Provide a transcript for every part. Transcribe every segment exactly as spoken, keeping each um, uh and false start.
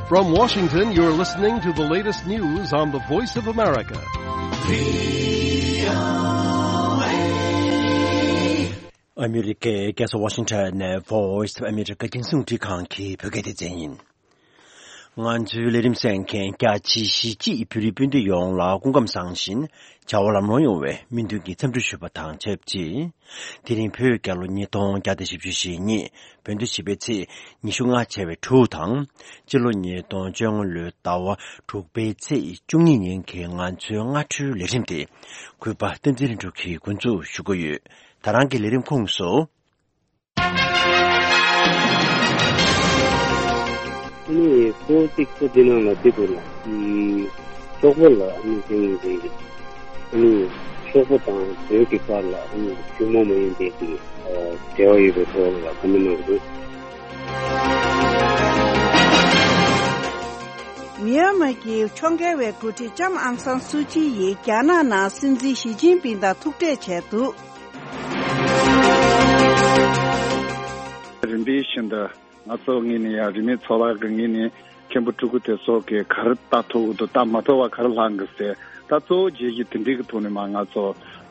From Washington, you're listening to the latest news on the Voice of America. ཨ་མི་རི་ཀའི་རྒྱལ་ས་ཝ་ཤིང་ཊོན་ནས་Voice of America་རྒྱང་སྲིང་རླུང་འཕྲིན་ཁང་གི་བོད་སྐད་སྡེ་ཚན་ཡིན། ང་ཚོའི་ལས་རིམ་གསན་མཁན་རྒྱ་ཆེའི་གཞིས་བྱེས་བོད་རིགས་སྤུན་ཟླ་ཡོངས་ལ་སྐུ་ཁམས་བཟང་ཞིང་བྱ་བ་ལམ་ལྷོང་ཡོང་བའི་སྨོན་འདུན་གྱི་འཚམས་འདྲི་ཞུ་བ་དང་ཆབས་ཅིག་དེ་རིང་བོད་རྒྱལ་ལོ་ཉིས་སྟོང་བརྒྱ་དང་བཞི་བཅུ་ཞེ་གཉིས། བོད་ཟླ་བཞི་པའི་ཚེས་ཉི་ཤུ་ལྔ་བྱས་པའི་དྲུག་དང་། སྤྱི་ལོ་ཉིས་སྟོང་བཅོ་ལྔ་ལོའི་ཟླ་བ་དྲུག་པའི་ཚེས་བཅུ་གཉིས་ཉིན་གྱི་ང་ཚོའི་སྔ་དྲོའི་ལས་རིམ་དེ་གུས་པ་བསྟན་འཛིན་ལྷུན་གྲུབ་ཀྱིས་འགོ་འཛུགས་ཞུ་གི་ཡོད། ད་རང་གི་ལས་རིམ་ཁོངས་སུ། ཨ་ནི་ཁོ་གཅིག་པུ་འདི་ནང་ལ་བསྡད་འདུག་ལ། ཨམ། གྲོགས་པོ་ལ་ཨ་ནི་དེ་ཡིན་དེ་ཡིན། ཨ་ནི་གྲོགས་པོ་དང་བོད་ཀྱི་བར་ལ་ཨ་ནི་ཐུན་མོང་མ་ཡིན་པའི་གི་འབྲེལ་བ་ཡོད་པའི་ཐོག་ལ་བཀའ་མོལ་གནང་འདུག་མི་ཡན་མར་གྱི་ཕྱོགས་འགལ་བའི་འགོ་ཁྲིད་ལྕམ་ཨང་སང་སུའུ་ཅི་ཡིས་རྒྱ་ནག་ནང་སྲིད་འཛིན་ཞི་ཅིན་ཕིང་དང་ཐུག་འཕྲད་བྱས་འདུག་རིམ་པས་བཞིན་དུ་ང་ཚོ་ངོས་ནས་ཡང་རིས་མེད་ཚོགས་པ་གི་ངོས་ནས་མཁན་པོ་སྤྲུལ་སྐུ་དེ་ཚོ་གི་ག་རེ་ལྟ་ཐུབ་ཀྱི་འདུག་ལྟ་མ་ཐུབ་པ་ག་རེ་ལྷག་གི་ཟེར། ད་གཙོ་བོ་བྱས་ཀྱི་དེ་འདྲའི་གི་ཐོག་ནས་མ་ང་ཚོ་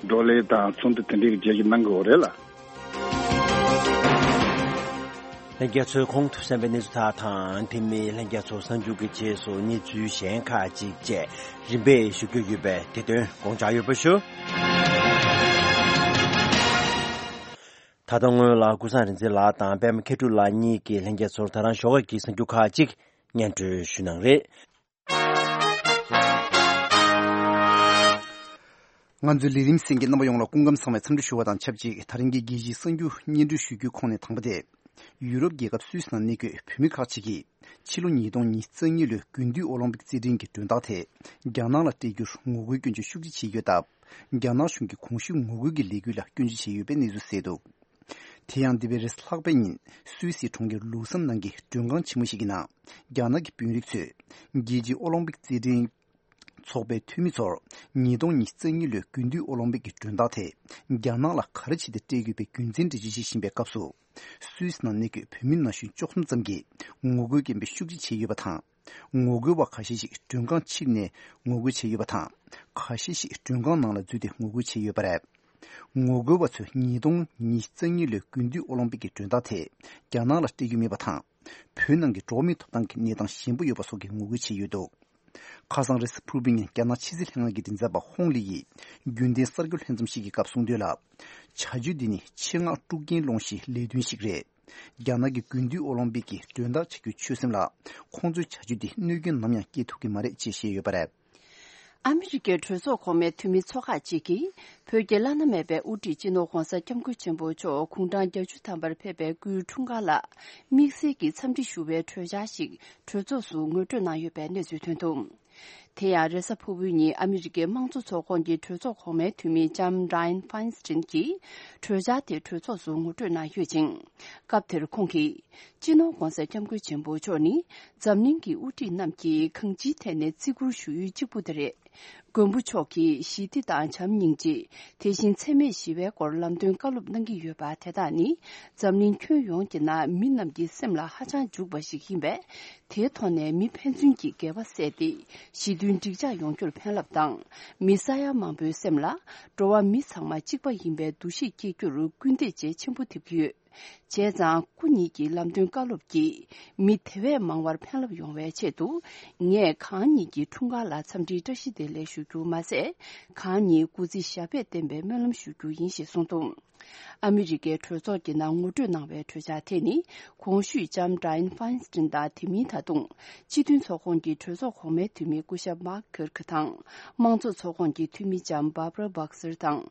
བགྲོ་གླེང་དང་ཚོགས་འདུ་དེ་འདྲའི་གི་བྱས་ཀྱི་གནང་དགོས་རེད་ལ། ལྷན་རྒྱས་ཚོས་ཁོང་དུ་གསན་པའི་གནས་ཚུལ་དག་དང་དེ་མིན་ལྷན་རྒྱས་ཚོ་གསར་འགྱུར་གྱི་རྗེས་སུ་གནས་ཚུལ་གཞན་ཁག་ཅིག་བཅས་རིམ་པས་ཞུ་རྒྱུ་ཡོད་པས་དེ་དོན་དགོངས་འཇགས་ཡོད་པ་ཞུ། ད་ལྟ་སྔོན་ལ་ཀུན་བཟང་རིག་འཛིན་ལགས་དང་པད་མ་མཁས་གྲུབ་ལགས་གཉིས་ཀྱིས་ལྷན་རྒྱས་ཚོར་ད་རང་ཞོགས་ཀས་ཀྱི་གསར་འགྱུར་ཁག་ཅིག་སྙན་སྒྲོན་ཞུ་གནང་རེད། ང་ཚོའི་ལས་རིམ་གསན་མཁན་རྣམ་པ་ཡོངས་ལ་སྐུ་ཁམས་བཟང་བའི་འཚམས་འདྲི་ཞུ་བ་དང་ཆབས་ཅིག་ད་རིང་གི་རྒྱལ་སྤྱིའི་གསར་འགྱུར་སྙན་སྒྲོན་ཞུ་རྒྱུའི་ཁོངས་ནས་དང་པོ་དེ། ཡུ་རོབ་རྒྱལ་ཁབ་སུད་སི་ནང་གནས་འཁོད་བོད་མི་ཁག་ཅིག་གིས་ཕྱི་ལོ་ཉིས་སྟོང་ཉི་ཤུ་རྩ་གཉིས་ལོའི་དགུན་དུས་ཨོ་ལིམ་པིག་རྩེད་འགྲན་གྱི་མགྲོན་བདག་དེ་རྒྱ་ནག་ལ་སྤྲད་རྒྱུར་ངོ་རྒོལ་སྐྱོན་བརྗོད་ཤུགས་ཆེ་བྱས་ཡོད་སྟབས། རྒྱ་ནག་གཞུང་གིས་གོང་ཞུས་ངོ་རྒོལ་གྱི་ལས་འགུལ་ལ་སྐྱོན་བརྗོད་བྱས་ཡོད་པའི་གནས་ཚུལ་གསལ་འདུག་དེ་ཡང་འདས་པའི་རེས་གཟའ་ལྷག་པའི་ཉིན་སུད་སིའི་གྲོང་ཁྱེར་ལུ་སན་ནང་གི་མགྲོན་ཁང་ཆེན་མོ་ཞིག་གི་ནང་རྒྱ་ནག་གི་དཔོན་རིགས་ཚོས་རྒྱལ་སྤྱིའི་ཨོ་ལིམ་པིག་རྩེད་འགྲན་ཚོགས་པའི་འཐུས་མི་ཚོར་ཉིས་སྟོང་ཉི་ཤུ་རྩ་གཉིས་ལོའི་དགུན་དུས་ཨོ་ལིམ་པིག་གི་མགྲོན་བདག་དེ་རྒྱ་ནག་ལ་ག་རེ་བྱས་ཏེ་སྤྲད་དགོས་པའི་རྒྱུ་མཚན་འགྲེལ་བརྗོད་བྱེད་བཞིན་པའི་སྐབས་སུ། སུད་སི་ནང་གནས་འཁོད་བོད་མི་ན་གཞོན་བཅུ་གསུམ་ཙམ་གྱིས་ངོ་རྒོལ་སྐད་འབོད་ཤུགས་ཆེ་བྱས་ཡོད་པ་དང་། ངོ་རྒོལ་བ་ཁ་ཤས་ཤིག་མགྲོན་ཁང་ཕྱིར་ནས་ངོ་རྒོལ་བྱས་ཡོད་པ་དང་། ཁ་ཤས་ཤིག་མགྲོན་ཁང་ནང་ལ་འཛུལ་ཏེ་ངོ་རྒོལ་བྱས་ཡོད་པ་རེད། ངོ་རྒོལ་བ་ཚོས་ཉིས་སྟོང་ཉི་ཤུ་རྩ་གཉིས་ལོའི་དགུན་དུས་ཨོ་ལིམ་པིག་གི་མགྲོན་བདག་དེ་རྒྱ་ནག་ལ་སྤྲད་རྒྱུ་མེད་པ་དང་། བོད་ནང་གི་འགྲོ་བ་མིའི་ཐོབ་ཐང་གི་གནས་སྟངས་ཞན་པོ་ཡོད་པ་སོགས་ཀྱི་ངོ་རྒོལ་བྱས་ཡོད་འདུག་ཁ་སང་རེས་གཟའ་ཕུར་བུའི་ཉིན་རྒྱ་ནག་ཕྱི་སྲིད་ལྷན་ཁང་གི་མགྲིན་ཚབ་པ་ཧོང་ལི་ཡིས་རྒྱུན་ལྡན་གསར་འགྱུར་ལྷན་འཛོམས་ཤིག་གི་སྐབས་གསུངས་དོན་ལ། བྱ་སྤྱོད་འདི་ནི་ཆེད་མངགས་དཀྲུག་རྐྱེན་སློང་གཞིའི་ལས་དོན་ཞིག་རེད། རྒྱ་ནག་གི་དགུན་དུས་ཨོ་ལིམ་པིག་གི་མགྲོན་བདག་བྱ་རྒྱུའི་ཆོད་སེམས་ལ་ཁོང་ཚོའི་བྱ་སྤྱོད་འདིས་གནོད་སྐྱོན་ནམ་ཡང་སྐྱེལ་ཐུབ་ཀྱི་མ་རེད་ཅེས་བཤད་ཡོད་པ་རེད། ཨ་མི་རི་ཀའི་གྲོས་ཚོགས་གོང་མའི་འཐུས་མི་ཚོ་ཁག་ཅིག་གིས་བོད་ཀྱི་བླ་ན་མེད་པའི་དབུ་ཁྲིད་སྤྱི་ནོར་༧གོང་ས་༧སྐྱབས་མགོན་ཆེན་པོ་མཆོག་དགུང་གྲངས་བརྒྱད་ཅུ་ཐམ་པར་ཕེབས་པའི་སྐུའི་འཁྲུངས་སྐར་ལ་དམིགས་བསལ་གྱི་འཚམས་འདྲི་ཞུ་བའི་གྲོས་འཆར་ཞིག་གྲོས་ཚོགས་སུ་ངོ་སྤྲོད་གནང་ཡོད་པའི་གནས་ཚུལ་ཐོན་འདུག་དེ་ཡང་རེས་གཟའ་ཕུར་བུའི་ཉིན་ཨ་མི་རི་ཀའི་དམངས་གཙོ་ཚོགས་ཁོངས་ཀྱི་གྲོས་ཚོགས་གོང་མའི་འཐུས་མི་ལྕམ་Dianne Feinstein་གྱིས་གྲོས་འཆར་དེ་གྲོས་ཚོགས་སུ་ངོ་སྤྲོད་གནང་ཡོད་ཅིང་། སྐབས་དེར་ཁོང་གིས། སྤྱི་ནོར་༧གོང་ས་༧སྐྱབས་མགོན་ཆེན་པོ་མཆོག་ནི་འཛམ་གླིང་གི་དབུ་ཁྲིད་རྣམས་ཀྱིས་གང་ཅིའི་ཐད་ནས་བརྩི་བཀུར་ཞུ་ཡུལ་གཅིག་པུ་དེ་རེད། མགོན་པོ་མཆོག་གིས་ཞི་བདེ་དང་བྱམས་སྙིང་རྗེ། དེ་བཞིན་འཚེ་མེད་ཞི་བའི་སྐོར་ལམ་སྟོན་བཀའ་སློབ་གནང་གི་ཡོད་པ་དེ་དག་ནི་འཛམ་གླིང་ཁྱོན་ཡོངས་ཀྱི་ནང་མི་རྣམས་ཀྱི་སེམས་ལ་ཧ་ཅང་འཇུག་པ་ཞིག་ཡིན་པས། དེའི་ཐོག་ནས་མི་ཕན་ཚུན་གྱི་འགལ་བ་བསལ་ཏེ་ཞི་མཐུན་འགྲིག་འཇགས་ཡོང་རྒྱུར་ཕན་རླབས་དང་། མི་ས་ཡ་མང་པོའི་སེམས་ལ་འགྲོ་བ་མི་ཚང་མ་གཅིག་པ་ཡིན་པའི་འདུ་ཤེས་སྐྱེ་རྒྱུར་སྐུལ་འདེད་བྱེད་ཆེན་པོ་ཐེབས་ཀྱི་ཡོད། བྱས་ཙང་སྐུ་ཉིད་ཀྱི་ལམ་སྟོན་བཀའ་སློབ་ཀྱིས་མི་དེ་བས་མང་བར་ཕན་རླབས་ཡོང་བའི་ཆེད་དུ། ངས་གང་ཉིད་ཀྱི་འཁྲུངས་སྐར་ལ་འཚམས་འདྲིའི་བཀྲ་ཤིས་བདེ་ལེགས་ཞུ་རྒྱུ་མ་ཟད། གང་ཉིད་སྐུ་ཚེ་ཞབས་པད་བརྟན་པའི་སྨོན་ལམ་ཞུ་རྒྱུ་ཡིན་ཞེས་གསུངས་འདུག་ཨ་མི་རི་ཀའི་གྲོས་ཚོགས་ཀྱི་ནང་ངོ་སྤྲོད་གནང་བའི་གྲོས་འཆར་དེ་ནི། གོང་ཞུས་ལྕམ་Dianne Feinstein་དང་དེ་མིན་ད་དུང་། སྤྱི་མཐུན་ཚོགས་ཁོངས་ཀྱི་གྲོས་ཚོགས་གོང་མའི་འཐུས་མི་སྐུ་ཞབས་Mark Kirk་དང་། དམངས་གཙོ་ཚོགས་ཁོངས་ཀྱི་འཐུས་མི་ལྕམ་Barbara Boxer་དང་།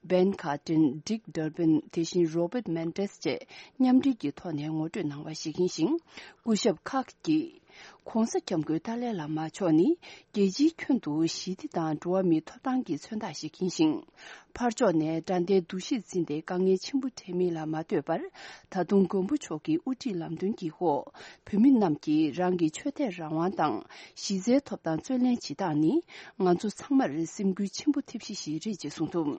Ben Cardin། Dick Durbin། དེ་བཞིན་Robert Mendez་བཅས་མཉམ་འབྲེལ་གྱི་ཐོག་ནས་ངོ་སྤྲོད་གནང་བ་ཞིག་ཡིན་ཞིང་། སྐུ་ཞབས་Kirk་གིས། ྋགོང་ས་ྋསྐྱབས་མགོན་ཏཱ་ལའི་བླ་མ་མཆོག་ནི་རྒྱལ་སྤྱིའི་ཁྱོན་དུ་ཞི་བདེ་དང་འགྲོ་བ་མིའི་ཐོབ་ཐང་གི་མཚོན་རྟགས་ཤིག་ཡིན་ཞིང་། ཕར་ཕྱོགས་ནས་དགྲ་ཟླའི་འདུ་ཤེས་འཛིན་ཏེ་དཀའ་ངལ་ཆེན་པོ་འཕྲད་མིན་ལ་མ་ལྟོས་པར། ད་དུང་མགོན་པོ་མཆོག་གི་དབུ་ཁྲིད་ལམ་སྟོན་གྱི་འོག་བོད་མི་རྣམས་ཀྱིས་རང་གི་ཆོས་དད་རང་དབང་དང་གཞི་རྩའི་ཐོབ་ཐང་རྩོད་ལེན་བྱེད་སྟངས་ནི་ང་ཚོ་ཚང་མར་སེམས་འགུལ་ཆེན་པོ་ཐེབས་གཞི་ཞིག་རེད་ཅེས་གསུངས་འདུག་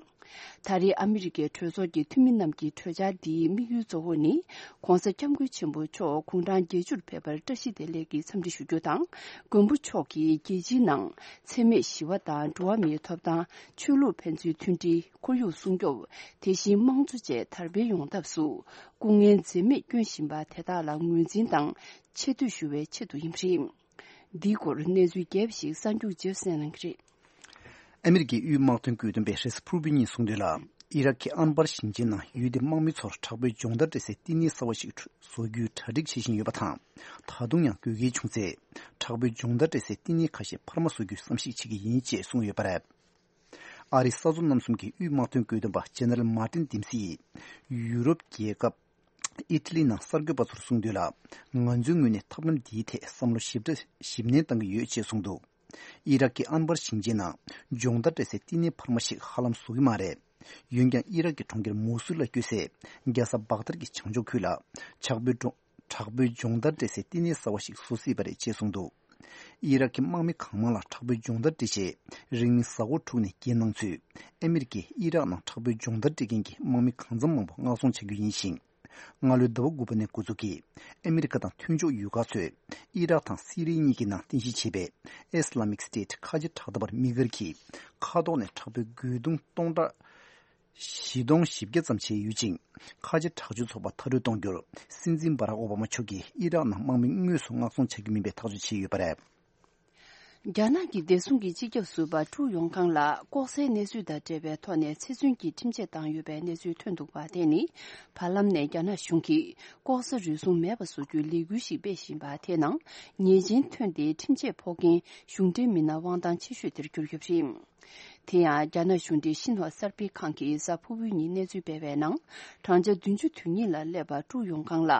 ད་རེས་ཨ་མི་རི་ཀའི་གྲོས་ཚོགས་ཀྱི་འཐུས་མི་རྣམས་ཀྱི་གྲོས་འཆར་འདིའི་དམིགས་ཡུལ་གཙོ་བོ་ནི། ྋགོང་ས་ྋསྐྱབས་མགོན་ཆེན་པོ་མཆོག་དགུང་གྲངས་བརྒྱད་ཅུར་ཕེབས་པར་བཀྲ་ཤིས་བདེ་ལེགས་ཀྱི་འཚམས་འདྲི་ཞུ་རྒྱུ་དང་། མགོན་པོ་མཆོག་གིས་རྒྱལ་སྤྱིའི་ནང་འཚེ་མེད་ཞི་བ་དང་འགྲོ་བ་མིའི་ཐོབ་ཐང་། ཆོས་ལུགས་ཕན་ཚུན་མཐུན་སྒྲིལ། ཁོར་ཡུག་སྲུང་སྐྱོབ། དེ་བཞིན་དམངས་གཙོ་བཅས་དར་སྤེལ་ཡོང་ཐབས་སུ་སྐུ་ངལ་འཛེམས་མེད་བསྐྱོན་བཞིན་པ་དེ་དག་ལ་ངོས་འཛིན་དང་ཆེ་བསྟོད་ཞུ་བའི་ཆེད་དུ་ཡིན་པ་རེད། འདིའི་སྐོར་གནས་ཚུལ་རྒྱས་པ་ཞིག་གསར་འགྱུར་རྗེས་སུ་གསན་གནང་གི་རེད། ཨ་མི་རི་ཀའི་དབུས་དམག་དོན་བཀོད་འདོམས་པས་རེས་གཟའ་ཕུར་བུའི་ཉིན་གསུངས་དོན་ལ། ཨི་རག་གི་ཨན་བར་ཞིང་ཆེན་ནང་ཡུལ་དེའི་དམག་མི་ཚོར་དྲག་པོའི་སྦྱོང་བརྡར་སྤྲད་སའི་བསྟི་གནས་གསར་བ་ཞིག་བཟོ་རྒྱུའི་གྲ་སྒྲིག་བྱེད་བཞིན་ཡོད་པ་དང་། ད་དུང་ཡང་དགོས་གལ་བྱུང་ཚེ། དྲག་པོའི་སྦྱོང་བརྡར་སྤྲད་སའི་བསྟི་གནས་ཁ་ཤས་འཕར་མ་བཟོ་རྒྱུའི་བསམ་གཞིག་བྱེད་ཀྱི་ཡིན་ཅེས་གསུངས་ཡོད་པ་རེད། ཨ་རི་ས་མཚོ་རྣམ་གསུམ་གྱི་དབུས་དམག་དོན་བཀོད་འདོམས་པ་ཇེ་ནེ་རལ་མར་ཏིན་ཏིམ་སི་ཡིས། ཡུ་རོབ་རྒྱལ་ཁབ་ཨི་ཊ་ལི་ནང་གསར་འགོད་པ་ཚོར་གསུངས་དོན་ལ། ང་ཚོའི་ངོས་ནས་ཐབས་ལམ་འདིའི་ཐད་བསམ་བློ་ཞིབ་ཕྲ་ཞིབ་ནན་གཏང་གི་ཡོད་ཅེས་གསུངས་འདུག་ཨི་རག་གི་ཨན་བར་ཞིང་ཆེན་ནང་སྦྱོང་བརྡར་སྤྲད་སའི་བསྟི་གནས་འཕར་མ་ཞིག་ཧ་ལམ་བཟོ་གི་མ་རེད། འོན་ཀྱང་ཨི་རག་གི་གྲོང་ཁྱེར་མོ་སུལ་ལ་བསྐྱོད་སའི་རྒྱལ་ས་བག་དར་གྱི་བྱང་ཕྱོགས་ཁུལ་ལ་དྲག་པོའི་སྒྲོ་དྲག་པོའི་སྦྱོང་བརྡར་སྤྲད་སའི་བསྟི་གནས་གསར་བ་ཞིག་བཟོ་སྲིད་པ་རེད་ཅེས་གསུངས་འདུག་ཨི་རག་གི་དམག་མི་གང་མང་ལ་དྲག་པོའི་སྦྱོང་བརྡར་སྤྲད་རྗེས། རིང་མིན་གཟའ་འཁོར་དྲུག་ནས་བརྒྱད་གནང་ཚུན། ཨ་མི་རི་ཀས་ཨི་རག་ནང་དྲག་པོའི་སྦྱོང་བརྡར་སྤྲད་མཁན་གྱི་དམག་མི་གང་འཚམ་མང་པོ་མངགས་ཚོང་བྱ་རྒྱུ་ཡིན་ཞིང་། སྔ་ལོའི་ཟླ་བ་དགུ་པ་ནས་འགོ་འཛུགས་ཀྱིས། ཨ་མི་རི་ཀ་དང་མཐུན་ཕྱོགས་ཡུལ་ཁག་ཚོས། ཨི་རག་དང་སི་རི་གཉིས་ཀྱི་ནང་རྟེན་གཞི་བྱས་པའི་Islamic State ཁ་ཆེ་དྲག་འཐབ་པ་མི་སྒེར་གྱིས། མཁའ་ཐོག་ནས་དྲག་པོའི་རྒོལ་རྡུང་སྟོང་ཕྲག་བཞི་སྟོང་བཞི་བརྒྱ་ཙམ་བྱས་ཡོད་ཅིང་། ཁ་ཆེ་དྲག་སྤྱོད་ཚོགས་པ་མཐར་སྐྲོད་གཏོང་རྒྱུར། སྲིད་འཛིན་སྦ་རག་ཨོ་བྷ་མ་མཆོག་གིས་ཨི་རག་ནང་དམག་མི་དངོས་སུ་མངགས་ཚོང་བྱ་རྒྱུ་མིན་པའི་ཐག་གཅོད་བྱས་ཡོད་པ་རེད། རྒྱ་ནག་གི་བདེ་སྲུང་གི་སྤྱི་ཁྱབ་ཟུར་པ་ཀྲུའུ་ཡོང་ཁང་ལ་ལྐོག་ཟའི་གནས་ཚུལ་དང་འབྲེལ་བའི་ཐོག་ནས་ཚེ་བཙོན་གྱི་ཁྲིམས་ཆད་བཏང་ཡོད་པའི་གནས་ཚུལ་ཐོན་འདུག་པ། དེ་ནི་བར་ལམ་ནས་རྒྱ་ནག་གཞུང་གིས་ལྐོག་ཟ་རུལ་སུངས་མེད་པ་བཟོ་རྒྱུའི་ལས་འགུལ་ཞིག་སྤེལ་བཞིན་པ་དེའི་ནང་ཉེས་ཅན་ཐོན་ཏེ་ཁྲིམས་ཆད་ཕོག་མཁན་གཞུང་འབྲེལ་མི་སྣ་དབང་ཐང་ཆེ་ཤོས་དེར་གྱུར་ཡོད་པ་རེད། དེ་ཡང་རྒྱ་ནག་གཞུང་འབྲེལ་ཤིན་ཧྭ་གསར་སྤེལ་ཁང་གིས་གཟའ་ཕུར་བུའི་ཉིན་གནས་ཚུལ་སྤེལ་བའི་ནང་། བགྲང་བྱ་བདུན་ཅུ་དོན་གཉིས་ལ་སླེབས་པ་ཀྲུའུ་ཡོང་ཁང་ལ་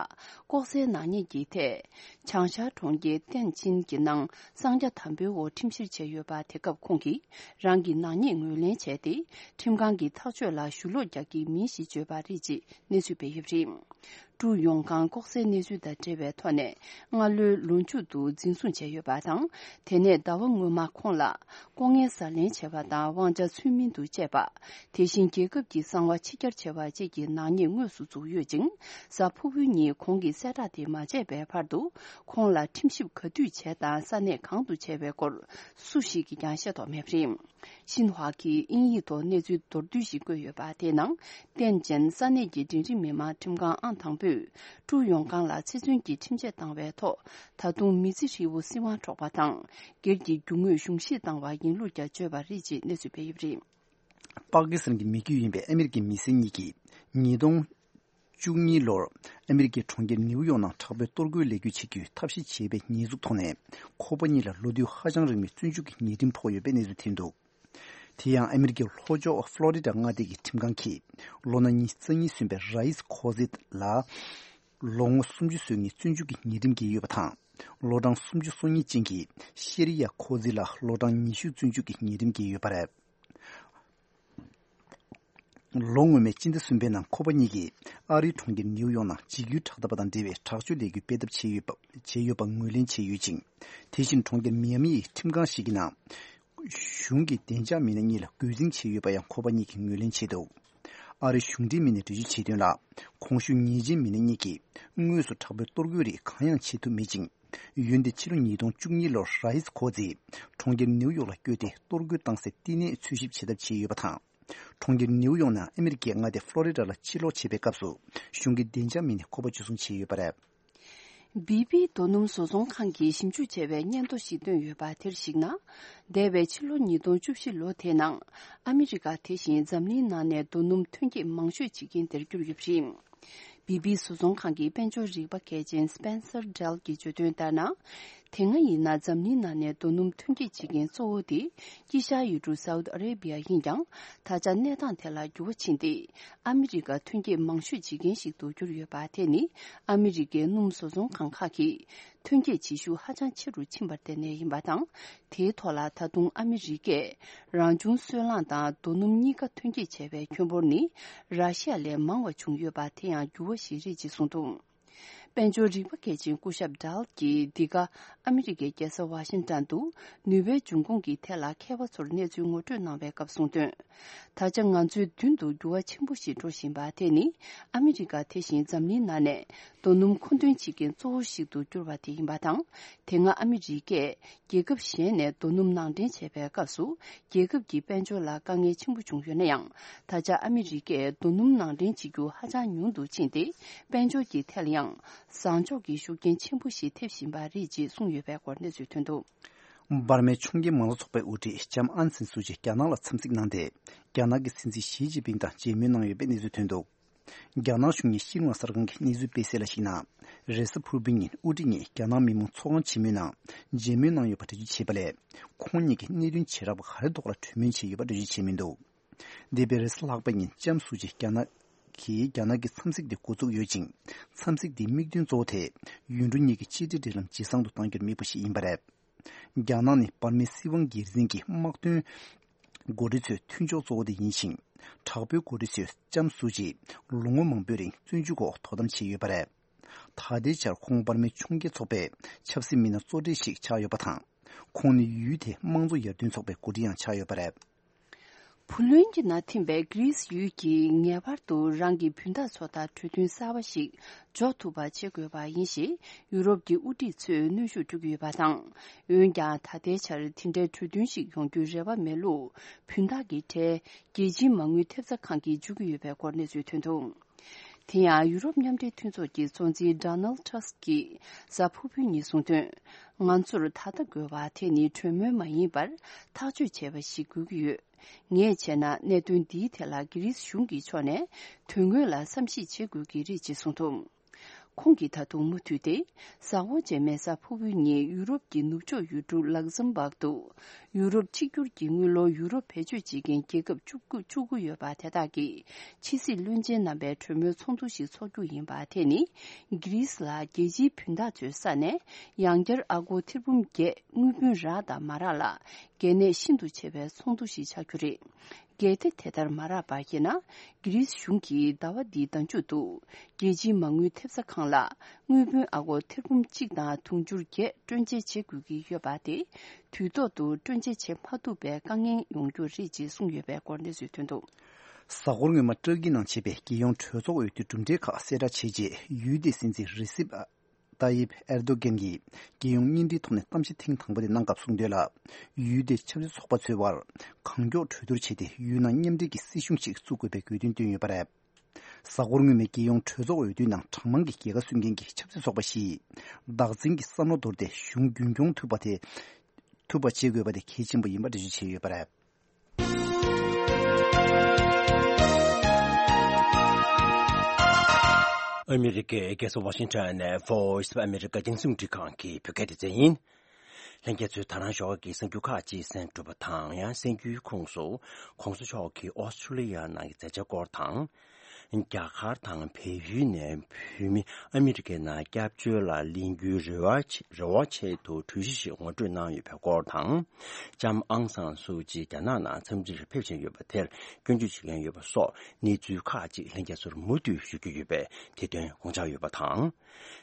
ལྐོག་ཟའི་ནག་ཉེས་ཀྱི་ཐད། བྱང་ཤར་གྲོང་ཁྱེར་ཏན་ཅིན་གྱི་ནང་གསང་རྒྱ་དམ་པོའི་འོག་ཁྲིམས་བཤེར་བྱས་ཡོད་པ། དེ་སྐབས་ཁོང་གིས་རང་གི་ནག་ཉེས་ངོས་ལེན་བྱས་ཏེ། ཁྲིམས་ཁང་གི་ཐག་གཅོད་ལ་ཞུ་ལོག་རྒྱག་གི་མིན་ཞེས་བརྗོད་པ་རེད་ཅེས་གནས་ཚུལ་སྤེལ་ཡོད་པ་རེད། ཀྲུའུ་ཡོང་ཁང་ལྐོག་ཟའི་གནས་ཚུལ་དང་འབྲེལ་བའི་ཐོག་ནས་སྔ་ལོའི་ལོ་མཇུག་ཏུ་འཛིན་བཟུང་བྱས་ཡོད་པ་དང་། དེ་ནས་ཟླ་བ་སྔོན་མ་ཁོང་ལ་ལྐོག་རྔན་ཟ་ལེན་བྱས་པ་དང་དབང་ཆ་ཚུལ་མིན་དུ་སྤྱད་པ། དེ་བཞིན་རྒྱལ་ཁབ་ཀྱི་གསང་བ་ཕྱི་གྱར་བྱས་པ་བཅས་ཀྱི་ནག་ཉེས་དངོས་སུ་འཛུགས་ཡོད་ཅིང་། གཟའ་ཕུར་བུའི་ཉིན་ཁོང་གིས་གསལ་བསྒྲགས་དེ་མ་བྱས་པའི་བར་དུ། ཁོང་ལ་ཁྲིམས་ཞིབ་ག་དུས་བྱས་དང་ས་གནས་གང་དུ་བྱས་པའི་སྐོར་སུ་ཞིག་གིས་ཀྱང་ཤེས་རྟོགས་མེད་པ་རེད། ཤིན་ཧྭ་གིས་དབྱིན་ཡིག་ཐོག་གནས་ཚུལ་མདོར་བསྡུས་ཤིག་བཀོད་ཡོད་པ། དེའི་ནང་། ཏན་ཅན་ས་གནས་ཀྱི་འབྲིང་རིམ་མི་དམངས་ཁྲིམས་ཁང་ཨང་དང་པོས། ཀྲུའུ་ཡོང་ཁང་ལ་ཚེ་བཙོན་གྱི་ཁྲིམས་ཆད་བཏང་བའི་ཐོག་ད་དུང་མི་ཚེ་ཧྲིལ་བོ་སྲིད་དབང་འཕྲོག་པ་དང་། སྒེར་གྱི་རྒྱུ་དངོས་གཞུང་བཞེས་བཏང་བ་ཡིན་ལུགས་ཀྱང་བརྗོད་པ་རེད་ཅེས་གནས་ཚུལ་སྤེལ་ཡོད་པ་རེད། པ་ཀི་སི་ཐན་གྱི་མི་རྒྱུད་ཡིན་པའི་ཨ་མི་རི་ཀའི་མི་སེར་གཉིས་ཀྱིས། ཉིས་སྟོང་བཅུ་གཉིས་ལོར་ཨ་མི་རི་ཀའི་གྲོང་ཁྱེར་ནིའུ་ཡོག་ནང་དྲག་པོའི་གཏོར་རྒོལ་ལས་འགུལ་བྱེད་རྒྱུའི་ཐབས་ཤེས་བྱས་པའི་ཉེས་འཛུགས་ཐོག་ནས། ཁོ་པ་གཉིས་ལ་ལོ་དུས་ཧ་ཅང་རིང་བའི་བཙོན་འཇུག་གི་ཉེས་ཁྲིམས་ཕོག་ཡོད་པའི་གནས་ཚུལ་ཐོན་འདུག་དེ་ཡང་ཨ་མི་རི་ཀའི་ལྷོ་ཕྱོགས་ཕློ་རི་ཌ་མངའ་སྡེ་གི་ཁྲིམས་ཁང་གིས། ལོ་ན་ཉི་ཤུ་རྩ་གཉིས་སོན་པའི་ར་ཨིས་ཁོ་ཛི་ལ། ལོ་ངོ་སུམ་ཅུ་སོན་ནས་བཙོན་འཇུག་གི་ཉེས་ཁྲིམས་འགེལ་ཡོད་པ་དང་། ལོ་གྲངས་སུམ་ཅུ་སོ་གཉིས་ཅན་གྱི་ཤེ་རི་ཡ་ཁོ་ཛི་ལ་ལོ་གྲངས་ཉི་ཤུ་བཙོན་འཇུག་གི་ཉེས་ཁྲིམས་འགེལ་ཡོད་པ་རེད། ལོ་སྔོན་མའི་སྤྱི་ཟླ་གསུམ་པའི་ནང་ཁོ་པ་གཉིས་ཀྱིས་ཨ་རིའི་གྲོང་ཁྱེར་ནིའུ་ཡོག་ནང་འཇིགས་སྐུལ་དྲག་འཐབ་པ་དང་འབྲེལ་བའི་དྲག་སྤྱོད་ལས་འགུལ་སྤེལ་ཐབས་བྱས་ཡོད་པ་བྱས་ཡོད་པ་ངོས་ལེན་བྱས་ཡོད་ཅིང་། དེ་བཞིན་གྲོང་ཁྱེར་མི་ཡ་མི་ཡི་ཁྲིམས་ཁང་ཞིག་གི་ནང་། གཞུང་གི་བདེ་འཇགས་མི་སྣ་གཉིས་ལ་རྒོལ་འཛིང་བྱས་ཡོད་པ་ཡང་ཁོ་པ་གཉིས་ཀྱིས་ངོས་ལེན་བྱས་འདུག་ཨ་རིའི་གཞུང་འབྲེལ་མི་སྣས་འགྲེལ་བརྗོད་བྱས་དོན་ལ། གོང་ཞུས་ཉེས་ཅན་མི་སྣ་གཉིས་ཀྱིས་དངོས་སུ་དྲག་པོའི་གཏོར་རྒོལ་རིགས་གང་ཡང་བྱེད་ཐུབ་མེད་ཅིང་། འོན་ཏེ་ཕྱི་ལོ་ཉིས་སྟོང་བཅུ་གཉིས་ལོར་ར་ཨིས་ཁོ་ཛི་གྲོང་ཁྱེར་ནིའུ་ཡོག་ལ་བསྐྱོད་དེ་གཏོར་རྒོལ་བཏང་སའི་བསྟི་གནས་འཚོལ་ཞིབ་བྱེད་ཐབས་བྱས་ཡོད་པ་དང་། གྲོང་ཁྱེར་ནིའུ་ཡོག་ནས་ཨ་མི་རི་ཀའི་མངའ་སྡེ་ཕློ་རི་ཌ་ལ་ཕྱིར་ལོག་བྱེད་པའི་སྐབས་སུ་གཞུང་གི་བདེ་འཇགས་མི་སྣས་ཁོ་པ་འཇུ་བཟུང་བྱས་ཡོད་པ་རེད། བི་བི་རྡོ་སྣུམ་བཟོ་ཚོང་ཁང་གིས་ཞིབ་འཇུག་བྱས་པའི་སྙན་ཐོ་ཞིག་བཏོན་ཡོད་པ་དེར་གཞིགས་ན། འདས་པའི་ཕྱི་ལོ་ཉིས་སྟོང་བཅུ་བཞི་ལོ་དེའི་ནང་ཨ་མི་རི་ཀ་དེ་བཞིན་འཛམ་གླིང་ནང་ནས་རྡོ་སྣུམ་ཐོན་སྐྱེད་མང་ཤོས་བྱེད་མཁན་དེར་གྱུར་ཡོད་པ་རེད། བི་བི་བཟོ་ཚོང་ཁང་གི་དཔལ་འབྱོར་རིག་པ་མཁས་ཅན་སྤེན་སར་ཌེལ་གྱིས་བརྗོད་དོན་ལྟར་ན། དེ་སྔ་ཡིན་ན་འཛམ་གླིང་ནང་ནས་རྡོ་སྣུམ་ཐོན་སྐྱེད་བྱེད་མཁན་གཙོ་བོ་དེ་དཀྱིལ་ཤར་ཡུལ་གྲུ་སའུ་ཏི་ཨ་རེ་བི་ཡ་ཡིན་ཀྱང་། ད་ཆ་གནས་སྟངས་དེ་ལ་འགྱུར་བ་ཕྱིན་ཏེ། ཨ་མི་རི་ཀ་ཐོན་སྐྱེད་མང་ཤོས་བྱེད་མཁན་ཞིག་ཏུ་གྱུར་ཡོད་པ་དེ་ནི་ཨ་མི་རི་ཀའི་སྣུམ་བཟོ་ཚོང་ཁང་ཁག་གིས་ཐོན་སྐྱེད་བྱེད་ཤུགས་ཧ་ཅང་ཆེ་རུ་ཕྱིན་པར་བརྟེན་ནས་ཡིན་པ་དང་། དེའི་ཐོག་ལ་ད་དུང་ཨ་མི་རི་ཀས་རང་བྱུང་སོལ་རླངས་དང་རྡོ་སྣུམ་གཉིས་ཀ་ཐོན་སྐྱེད་བྱས་པའི་ཁྱོན་འབོར་ནི་ར་ཤི་ཡ་ལས་མང་བ་བྱུང་ཡོད་པ་དེ་ཡང་འགྱུར་བ་ཞིག་རེད་ཅེས་གསུངས་འདུག་དཔལ་འབྱོར་རིག་པ་མཁས་ཅན་སྐུ་ཞབས་ཌལ་གྱིས་འདི་ག་ཨ་མི་རི་ཀའི་རྒྱལ་ས་ཝ་ཤིང་ཏོན་དུ་ནུས་པའི་འབྱུང་ཁུངས་ཀྱི་ཐད་ལ་མཁས་པ་ཚོར་གནས་ཚུལ་ངོ་སྤྲོད་གནང་བའི་སྐབས་གསུངས་དོན། ད་ཆ་ང་ཚོའི་མདུན་དུ་འགྱུར་བ་ཆེན་པོ་ཞིག་འགྲོ་བཞིན་པ་དེ་ནི་ཨ་མི་རི་ཀ་དེ་བཞིན་འཛམ་གླིང་ནང་ནས་རྡོ་སྣུམ་མཁོ་འདོན་བྱེད་མཁན་གཙོ་བོ་ཞིག་ཏུ་གྱུར་བ་དེ་ཡིན་པ་དང་། དེ་སྔ་ཨ་མི་རི་ཀས་རྒྱལ་ཁབ་གཞན་ནས་རྡོ་སྣུམ་ནང་འདྲེན་བྱས་པའི་སྐབས་སུ་རྒྱལ་ཁབ་ཀྱི་དཔལ་འབྱོར་ལ་དཀའ་ངལ་ཆེན་པོ་བྱུང་ཡོད་ན་ཡང་། ད་ཆ་ཨ་མི་རི་ཀས་རྡོ་སྣུམ་ནང་འདྲེན་བྱེད་རྒྱུ་ཧ་ཅང་ཉུང་དུ་ཕྱིན་ཏེ། དཔལ་འབྱོར་གྱི་ཐད་ལ་ཡང་བཟང་ཕྱོགས་ཀྱི་ཤུགས་རྐྱེན་ཆེན་པོ་ཞིག་ཐེབས་བཞིན་པ་རེད་ཅེས་གསུངས་ཡོད་པའི་སྐོར་གནས་ཚུལ་ཐོན་འདུག་འབར་མའི་ཕྱོགས་འགལ་མང་གཙོ་ཚོགས་པའི་དབུ་ཁྲིད་ལྕམ་ཨང་སན་སུའུ་ཅི་རྒྱ་ནག་ལ་འཚམས་གཟིགས་གནང་སྟེ། རྒྱ་ནག་གི་སྲིད་འཛིན་ཞི་ཅིན་ཕིང་དང་མཇལ་མོལ་གནང་ཡོད་པའི་གནས་ཚུལ་ཐོན་འདུག་རྒྱ་ནག་གཞུང་གི་ཤིན་ཧྭ་གསར་ཁང་གིས་གནས་ཚུལ་སྤེལ་གསལ་ལ་གཞིགས་ན། རེས་གཟའ་ཕུར་བུའི་ཉིན་དབུ་ཁྲིད་གཉིས་རྒྱ་ནག་མི་མང་ཚོགས་ཁང་ཆེན་མོའི་ནང་མཇལ་མོལ་གནང་ཡོད་པ་འགྲེལ་བརྗོད་བྱས་པ་ལས། ཁོང་གཉིས་ཀྱིས་གནད་དོན་བྱེ་བྲག་པ་ག་རེ་ཐོག་ལ་གྲོས་མོལ་བྱས་ཡོད་པ་འགྲེལ་བརྗོད་བྱས་མི་འདུག་འདས་པའི་རེས་གཟའ་ལྷག་པའི་ཉིན་ལྕམ་སུའུ་ཅི་རྒྱ་ནག་གིས་རྒྱ་ནག་གི་འཚམས་གཟིགས་དེ་འགོ་བཙུགས་ཡོད་ཅིང་། འཚམས་གཟིགས་དེའི་དམིགས་དོན་གཙོ་བོ་དེ་ཡུལ་གྲུ་གཉིས་ཀྱི་གཅིག་སྒྲིལ་འབྲེལ་ལམ་ཇེ་བཟང་དུ་གཏང་རྒྱུར་དམིགས་པ་ཞིག་ཡིན་པ་རེད། རྒྱ་ནག་ནི་འབར་མའི་སྲིད་དབང་སྒེར་འཛིན་གྱི་དམག་དོན་འགོ་ཁྲིད་ཚོའི་མཐུན་ཕྱོགས་གཙོ་བོ་དེ་ཡིན་ཞིང་། དྲག་པོའི་འགོ་ཁྲིད་ཚོས་ལྕམ་སུའུ་ཅི་ལོ་ངོ་མང་པོའི་རིང་བཙོན་འཇུག་འོག་དོ་དམ་བྱས་ཡོད་པ་རེད། ད་ལྟའི་ཆར་ཁོང་འབར་མའི་ཕྱོགས་འགལ་ཚོགས་པའི་ཆབ་སྲིད་མི་སྣ་གཙོ་གྲས་ཤིག་ཆགས་ཡོད་པ་དང་། ཁོང་ནི་ཡུལ་དེའི་དམངས་གཙོ་ཡར་ཐོན་ཚོགས་པའི་འགོ་ཁྲིད་ཡང་ཆགས་ཡོད་པ་རེད། བུ་ལོན་གྱི་ནང་ཐིམ་པའི་གྷི་རིས་ཡུལ་གྱིས་ངེས་པར་དུ་རང་གི་བུན་བདག་ཚོ་དང་གྲོས་མཐུན་གསར་པ་ཞིག་འཇོག་ཐུབ་པ་བྱེད་དགོས་པ་ཡིན་ཞེས་ཡུ་རོབ་ཀྱི་དབུ་ཁྲིད་ཚོས་གནོན་ཤུགས་སྤྲོད་ཀྱི་ཡོད་པ་དང་། འོན་ཀྱང་ད་ལྟའི་ཆར་དེ་འདྲའི་གྲོས་མཐུན་ཞིག་ཡོང་རྒྱུའི་རེ་བ་མེད་ལུགས་བུན་བདག་གི་གྲས་རྒྱལ་སྤྱིའི་མ་དངུལ་ཐེབས་རྩ་ཁང་གིས་བརྗོད་ཀྱི་ཡོད་པའི་སྐོར་གནས་ཚུལ་ཐོན་འདུག་དེ་ཡང་ཡུ་རོབ་མཉམ་འབྲེལ་མཐུན་ཚོགས་ཀྱི་གཙོ་འཛིན་ཌོ་ནལ་ཊ་སི་ཀིས་གཟའ་ཕུར་བུའི་ཉིན་གསུངས་དོན། ང་ཚོར་ད་ལྟ་དགོས་པ་དེ་ནི་གྲོས་མོལ་མ་ཡིན་པར་ཐག་གཅོད་བྱས་པ་ཞིག་དགོས་ཀྱི་ཡོད། ངས་བྱས་ན་གནད་དོན་འདིའི་ཐད་ལ་གྷི་རིས་གཞུང་གི་ཕྱོགས་ནས་དོན་དངོས་ལ་བསམ་གཞིག་བྱེད་དགོས་ཀྱི་རེད་ཅེས་གསུངས་འདུག་ཁོང་གིས་ད་དུང་མུ་མཐུད་དེ། གཟའ་འཁོར་རྗེས་མའི་གཟའ་ཕུར་བུའི་ཉིན་ཡུ་རོབ་ཀྱི་ནུབ་ཕྱོགས་ཡུལ་གྲུ་ལག་ཛམ་བྷག་ཏུ། ཡུ་རོབ་གཅིག་གྱུར་གྱི་དངུལ་ལོར་ཡུ་རོ་བེད་སྤྱོད་བྱེད་མཁན་རྒྱལ་ཁབ་བཅུ་དགུ་བཅུ་དགུ་ཡོད་པ་དེ་དག་གིས་ཕྱི་སྲིད་བློན་ཆེན་རྣམ་པའི་གྲོས་མོལ་ཚོགས་འདུ་ཞིག་འཚོགས་རྒྱུ་ཡིན་པ་དེ་ནི། གྷི་རིས་ལ་རྒྱལ་སྤྱིའི་བུན་བདག་ཚོའི་ས་ནས་ཡང་བསྐྱར་ཨ་སྒོར་ཐེར་འབུམ་བརྒྱད་དངུལ་བུན་རག་དང་མ་རག་ལ་གལ་གནད་ཤིན་ཏུ་ཆེ་བའི་ཚོགས་འདུ་ཞིག་ཆགས་རྒྱུ་རེད། གལ་ཏེ་དེ་ལྟར་མ་རག་པར་བཤད་ན། གྷི་རིས་གཞུང་གིས་ཟླ་བ་འདིའི་ཟླ་མཇུག་ཏུ་རྒྱལ་སྤྱིའི་མ་དངུལ་ཐེབས་རྩ་ཁང་ལ་དངུལ་བུན་ཨ་སྒོར་ཐེར་འབུམ་གཅིག་དང་དུང་ཕྱུར་བརྒྱད་སྤྲོད་འཇལ་བྱེད་དགོས་ཀྱི་ཡོད་པ་དེ། དུས་ཐོག་ཏུ་སྤྲོད་འཇལ་བྱེད་མ་ཐུབ་པའི་དཀའ་ངལ་ཡོང་རྒྱུ་རེད་ཅེས་གསུངས་ཡོད་པའི་སྐོར་གནས་ཚུལ་ཐོན་འདུག་གཟའ་འཁོར་སྔོན་མ་ཏུར་ཀི་ནང་བྱས་པའི་རྒྱལ་ཡོངས་གྲོས་ཚོགས་འོས་བསྡུའི་གྲུབ་འབྲས་ཁག་གསལ་བསྒྲགས་བྱས་རྗེས། ཡུལ་དེའི་སྲིད་འཛིན་རི་སིབ་ཏཱ་ཡིབ་ཨེར་དོ་གྷན་གྱིས་རྒྱལ་ཡོངས་བརྙན་འཕྲིན་ཐོག་ནས་གཏམ་བཤད་ཐེངས་དང་པོ་དེ་གནང་སྐབས་གསུངས་དོན་ལ། ཡུལ་དེའི་ཆབ་སྲིད་ཚོགས་པ་ཚོའི་དབར་གང་མགྱོགས་གྲོས་བསྡུར་བྱས་ཏེ། ཡུལ་ནང་མཉམ་འབྲེལ་གྱི་སྲིད་གཞུང་ཞིག་བཙུགས་དགོས་པའི་དགོས་འདུན་བཏོན་ཡོད་པ་རེད། གཟའ་འཁོར་སྔོན་མའི་རྒྱལ་ཡོངས་གྲོས་ཚོགས་འོས་བསྡུའི་ནང་གྲངས་མང་གི་རྒྱལ་ཁ་སྲུང་མཁན་གྱི་ཆབ་སྲིད་ཚོགས་པ་བཞིས་བདག་འཛིན་གྱི་བསམ་བློ་དོར་ཏེ། གཞུང་རྒྱུན་སྐྱོང་ཐུབ་པ་དེ། ཐུབ་པ་བྱེད་དགོས་པ་དེ་གལ་ཆེན་པོ་ཡིན་པ་འགྲེལ་བརྗོད་བྱས་ཡོད་པ་རེད། ཨ་མི་རི་ཀའི་རྒྱལ་ས་ཝ་ཤིང་ཊོན་ནས་Voice of America་རྒྱང་སྲིང་རླུང་འཕྲིན་ཁང་གི་བོད་སྐད་སྡེ་ཚན་ཡིན། ལྷན་རྒྱས་ཚོས་ད་རང་ཞོགས་ཀྱི་གསར་འགྱུར་ཁག་ཅིག་གསན་གྲུབ་པ་དང་། ཡང་གསར་འགྱུར་ཁོངས་སུ་༸གོང་ས་མཆོག་གིས་ཨོ་སི་ཁྲུ་ལི་ཡ་ནང་གི་མཛད་འཆར་སྐོར་དང་། རྒྱ་གར་དང་བལ་ཡུལ་ནས་བོད་མི་ཨ་མི་རི་ཀའི་ནང་སྐྱབས་བཅོལ་ལ་ལེན་རྒྱུའི་རེ་བ་ཆེ་རེ་བ་ཆེད་དུ་གྲོས་གཞི་ཞིག་ངོ་སྤྲོད་གནང་ཡོད་པའི་སྐོར་དང་། ལྕམ་ཨང་སང་སུའུ་ཅི་རྒྱ་ནག་ནང་འཚམས་འདྲིར་ཕེབས་བཞིན་ཡོད་པ་དེར་སྐྱོན་བརྗོད་བྱེད་མཁན་ཡོད་པ་སོགས་གནས་ཚུལ་ཁག་ཅིག་ལྷན་རྒྱས་ཚོར་མུ་མཐུད་ཞུ་རྒྱུ་ཡོད་པས། དེ་དོན་དགོངས་འཇགས་ཡོད་པ་དང་།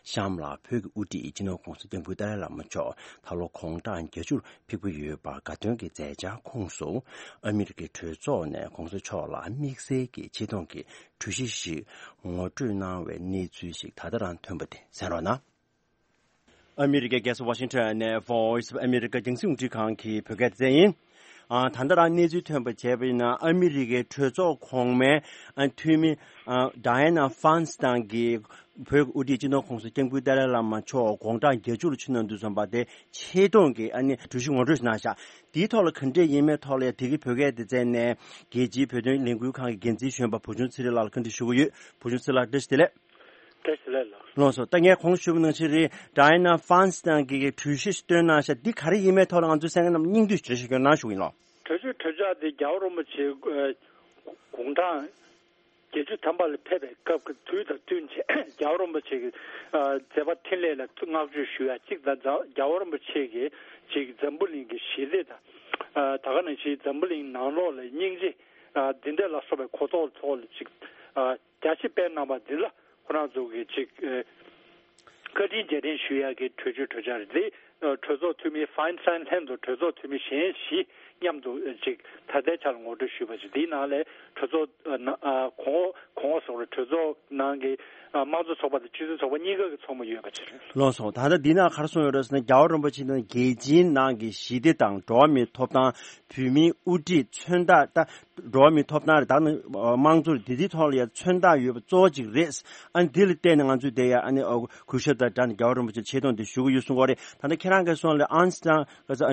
གཤམ་ལ་བོད་ཀྱི་དབུ་ཁྲིད་སྤྱི་ནོར་༸གོང་ས་༸སྐྱབས་མགོན་ཏཱ་ལའི་བླ་མ་མཆོག་ད་ལོ་དགུང་གྲངས་བརྒྱད་ཅུར་ཕེབས་ཀྱི་ཡོད་པར་དགའ་སྟོན་གྱི་མཛད་འཆར་ཁོངས་སུ། ཨ་མི་རི་ཀའི་གྲོས་ཚོགས་ནས་༸གོང་ས་མཆོག་ལ་དམིགས་བསལ་གྱི་ཆེ་མཐོང་གི་གྲོས་གཞི་ཞིག་ངོ་སྤྲོད་གནང་བའི་གནས་ཚུལ་ཞིག་ད་ལྟ་རང་ཐོན་པ་དེ་གསན་རོགས་གནང་། ཨ་མི་རི་ཀའི་རྒྱལ་ས་ཝ་ཤིང་ཊོན་ནས་Voice of America་རྒྱང་སྲིང་རླུང་འཕྲིན་ཁང་གི་བོད་སྐད་སྡེ་ཚན་ཡིན། ཨ། ད་ལྟ་རང་གནས་ཚུལ་ཐོན་པ་བྱས་པ་ཡིན་ན། ཨ་མི་རི་ཀའི་གྲོས་ཚོགས་གོང་མའི་ཨ་འཐུས་མི་ཨ་Dianna Feinstein་གྱིས་བོད་ཀྱི་དབུ་ཁྲིད་སྤྱི་ནོར་༸གོང་ས་༸སྐྱབས་མགོན་ཏཱ་ལའི་བླ་མ་མཆོག་དགུང་གྲངས་བརྒྱད་ཅུ་ལ་ཕྱིན་གནང་དུས་ཙམ་པ་དེ་ཆེ་མཐོང་གི་ཨ་ནི་གྲོས་གཞི་ངོ་སྤྲོད་ཞིག་གནང་ཤག་དེའི་ཐོག་ལ་ག་འདྲས་ཡིན་མིན་ཐོག་ལ་ཡ། དེ་གི་བོད་སྐད་སྡེ་ཚན་ནས་རྒྱལ་སྤྱིའི་བོད་དོན་ལས་འགུལ་ཁང་གི་འགན་འཛིན་གཞོན་པ་བུ་ཆུང་ཚེ་རིང་ལགས་ལ་བཀའ་འདྲི་ཞུ་གི་ཡོད། བུ་ཆུང་ཚེ་རིང་ལགས། བཀྲ་ཤིས་བདེ་ལེགས། བཀྲ་ཤིས་བདེ་ལེགས་ལགས། ལགས་སོ། ད་ངས་གོང་ཞུས་པ་ནང་བཞིན་རེད། Dianna Feinstein་གྱིས་གྲོས་གཞི་ཞིག་བཏོན་གནང་ཤག་འདི་ག་རེ་ཡིན་མིན་ཐོག་ལ་ང་ཚོའི་གསན་མཁན་རྣམས་སྙིང་བསྡུས་ཞིག་འགྲེལ་བཤད་ཞིག་གནང་ཞུ་གི་ཡིན་ལགས། གྲོས་ཆོད་གྲོས་འཆར་འདི་རྒྱལ་བ་རིན་པོ་ཆེ་དགུང་གྲངས་བརྒྱད་ཅུ་ཐམ་པ་ལ་ཕེབས་པའི་སྐབས་ཀྱི་དུས་དང་བསྟུན་བྱས། རྒྱལ་བ་རིན་པོ་ཆེ་གི་ཨ་མཛད་པ་འཕྲིན་ལས་ལ་བསྔགས་བརྗོད་ཞུ་ཡ་གཅིག་དང་། རྒྱལ་བ་རིན་པོ་ཆེ་གི་ཅིག་འཛམ་བུ་གླིང་གི་ཞི་བདེ་དང་། ཨ་ད་ག་ནང་བཞིན་འཛམ་བུ་གླིང་ནང་ལོགས་ལ་སྙིང་རྗེ་ཨ་འདི་འདྲ་ལ་སོགས་པའི་གོ་རྟོགས་ཐོག་ལ་ཅིག་ཨ་རྒྱ་ཆེ་སྤེལ་གནང་བ་འདི་ལ་ཁོ་རང་ཚོ་གི་ཅིག་ཨ་ བཀའ་དྲིན་རྗེས་དྲན་ཞུ་ཡག་གི་གྲོས་ཆོད་གྲོས་འཆར་རེད། དེ་གྲོས་ཚོགས་འཐུས་མི་ཕའིན་སྟན་ལྷན་དུ་གྲོས་ཚོགས་འཐུས་མི་གཞན་བཞི་མཉམ་དུ་ཅིག་ད་ལྟའི་ཆར་ངོ་སྤྲོད་ཞུས་པ་ཞིག་དེའི་ནང་ལས་གྲོས་ཚོགས་ཨ་ན་ཨ་གོང་གོང་འོག་སོགས་རེད། གྲོས་ཚོགས་ནང་གི་ཨ་དམངས་གཙོ་ཚོགས་པ་དང་སྤྱི་མཐུན་ཚོགས་པ་གཉིས་ཀ་གི་ཚོགས་མི་ཡོད་པ་ཅིག་རེད། ལགས་སོ། ད་ལྟ་འདི་ནང་ག་རེ་གསུངས་ཡོད་རེད་ཟེར་ན། རྒྱལ་བ་རིན་པོ་ཆེ་ནི་རྒྱལ་སྤྱིའི་ནང་གི་ཞི་བདེ་དང་འགྲོ་བ་མིའི་ཐོབ་ཐང་། བོད་མིའི་དབུ་ཁྲིད། མཚོན་རྟགས། ད་འགྲོ་བ་མིའི་ཐོབ་ཐང་རེད། ད་ནི་དམངས་གཙོ་རེད། འདི་འདིའི་ཐོག་ལ་ཡ་མཚོན་རྟགས་ཡོད་པ་གཙོ་བོ་གཅིག་རེད། ཨ་ནི་འདི་ལ་བརྟེན་ནས་ང་ཚོས་དེ་ཡ་ཨ་ནི་ཨ་གུས་ཞབས་དང་སྦྲགས་ནས་རྒྱལ་བ་རིན་པོ་ཆེར་ཆེ་མཐོང་འདི་ཞུ་གི་ཡོད་གསུང་གི་ཡོད་རེད། ད་ལྟ་ཁྱེད་རང་གིས་གསུངས་ལ་ཨན་སི་ཏང་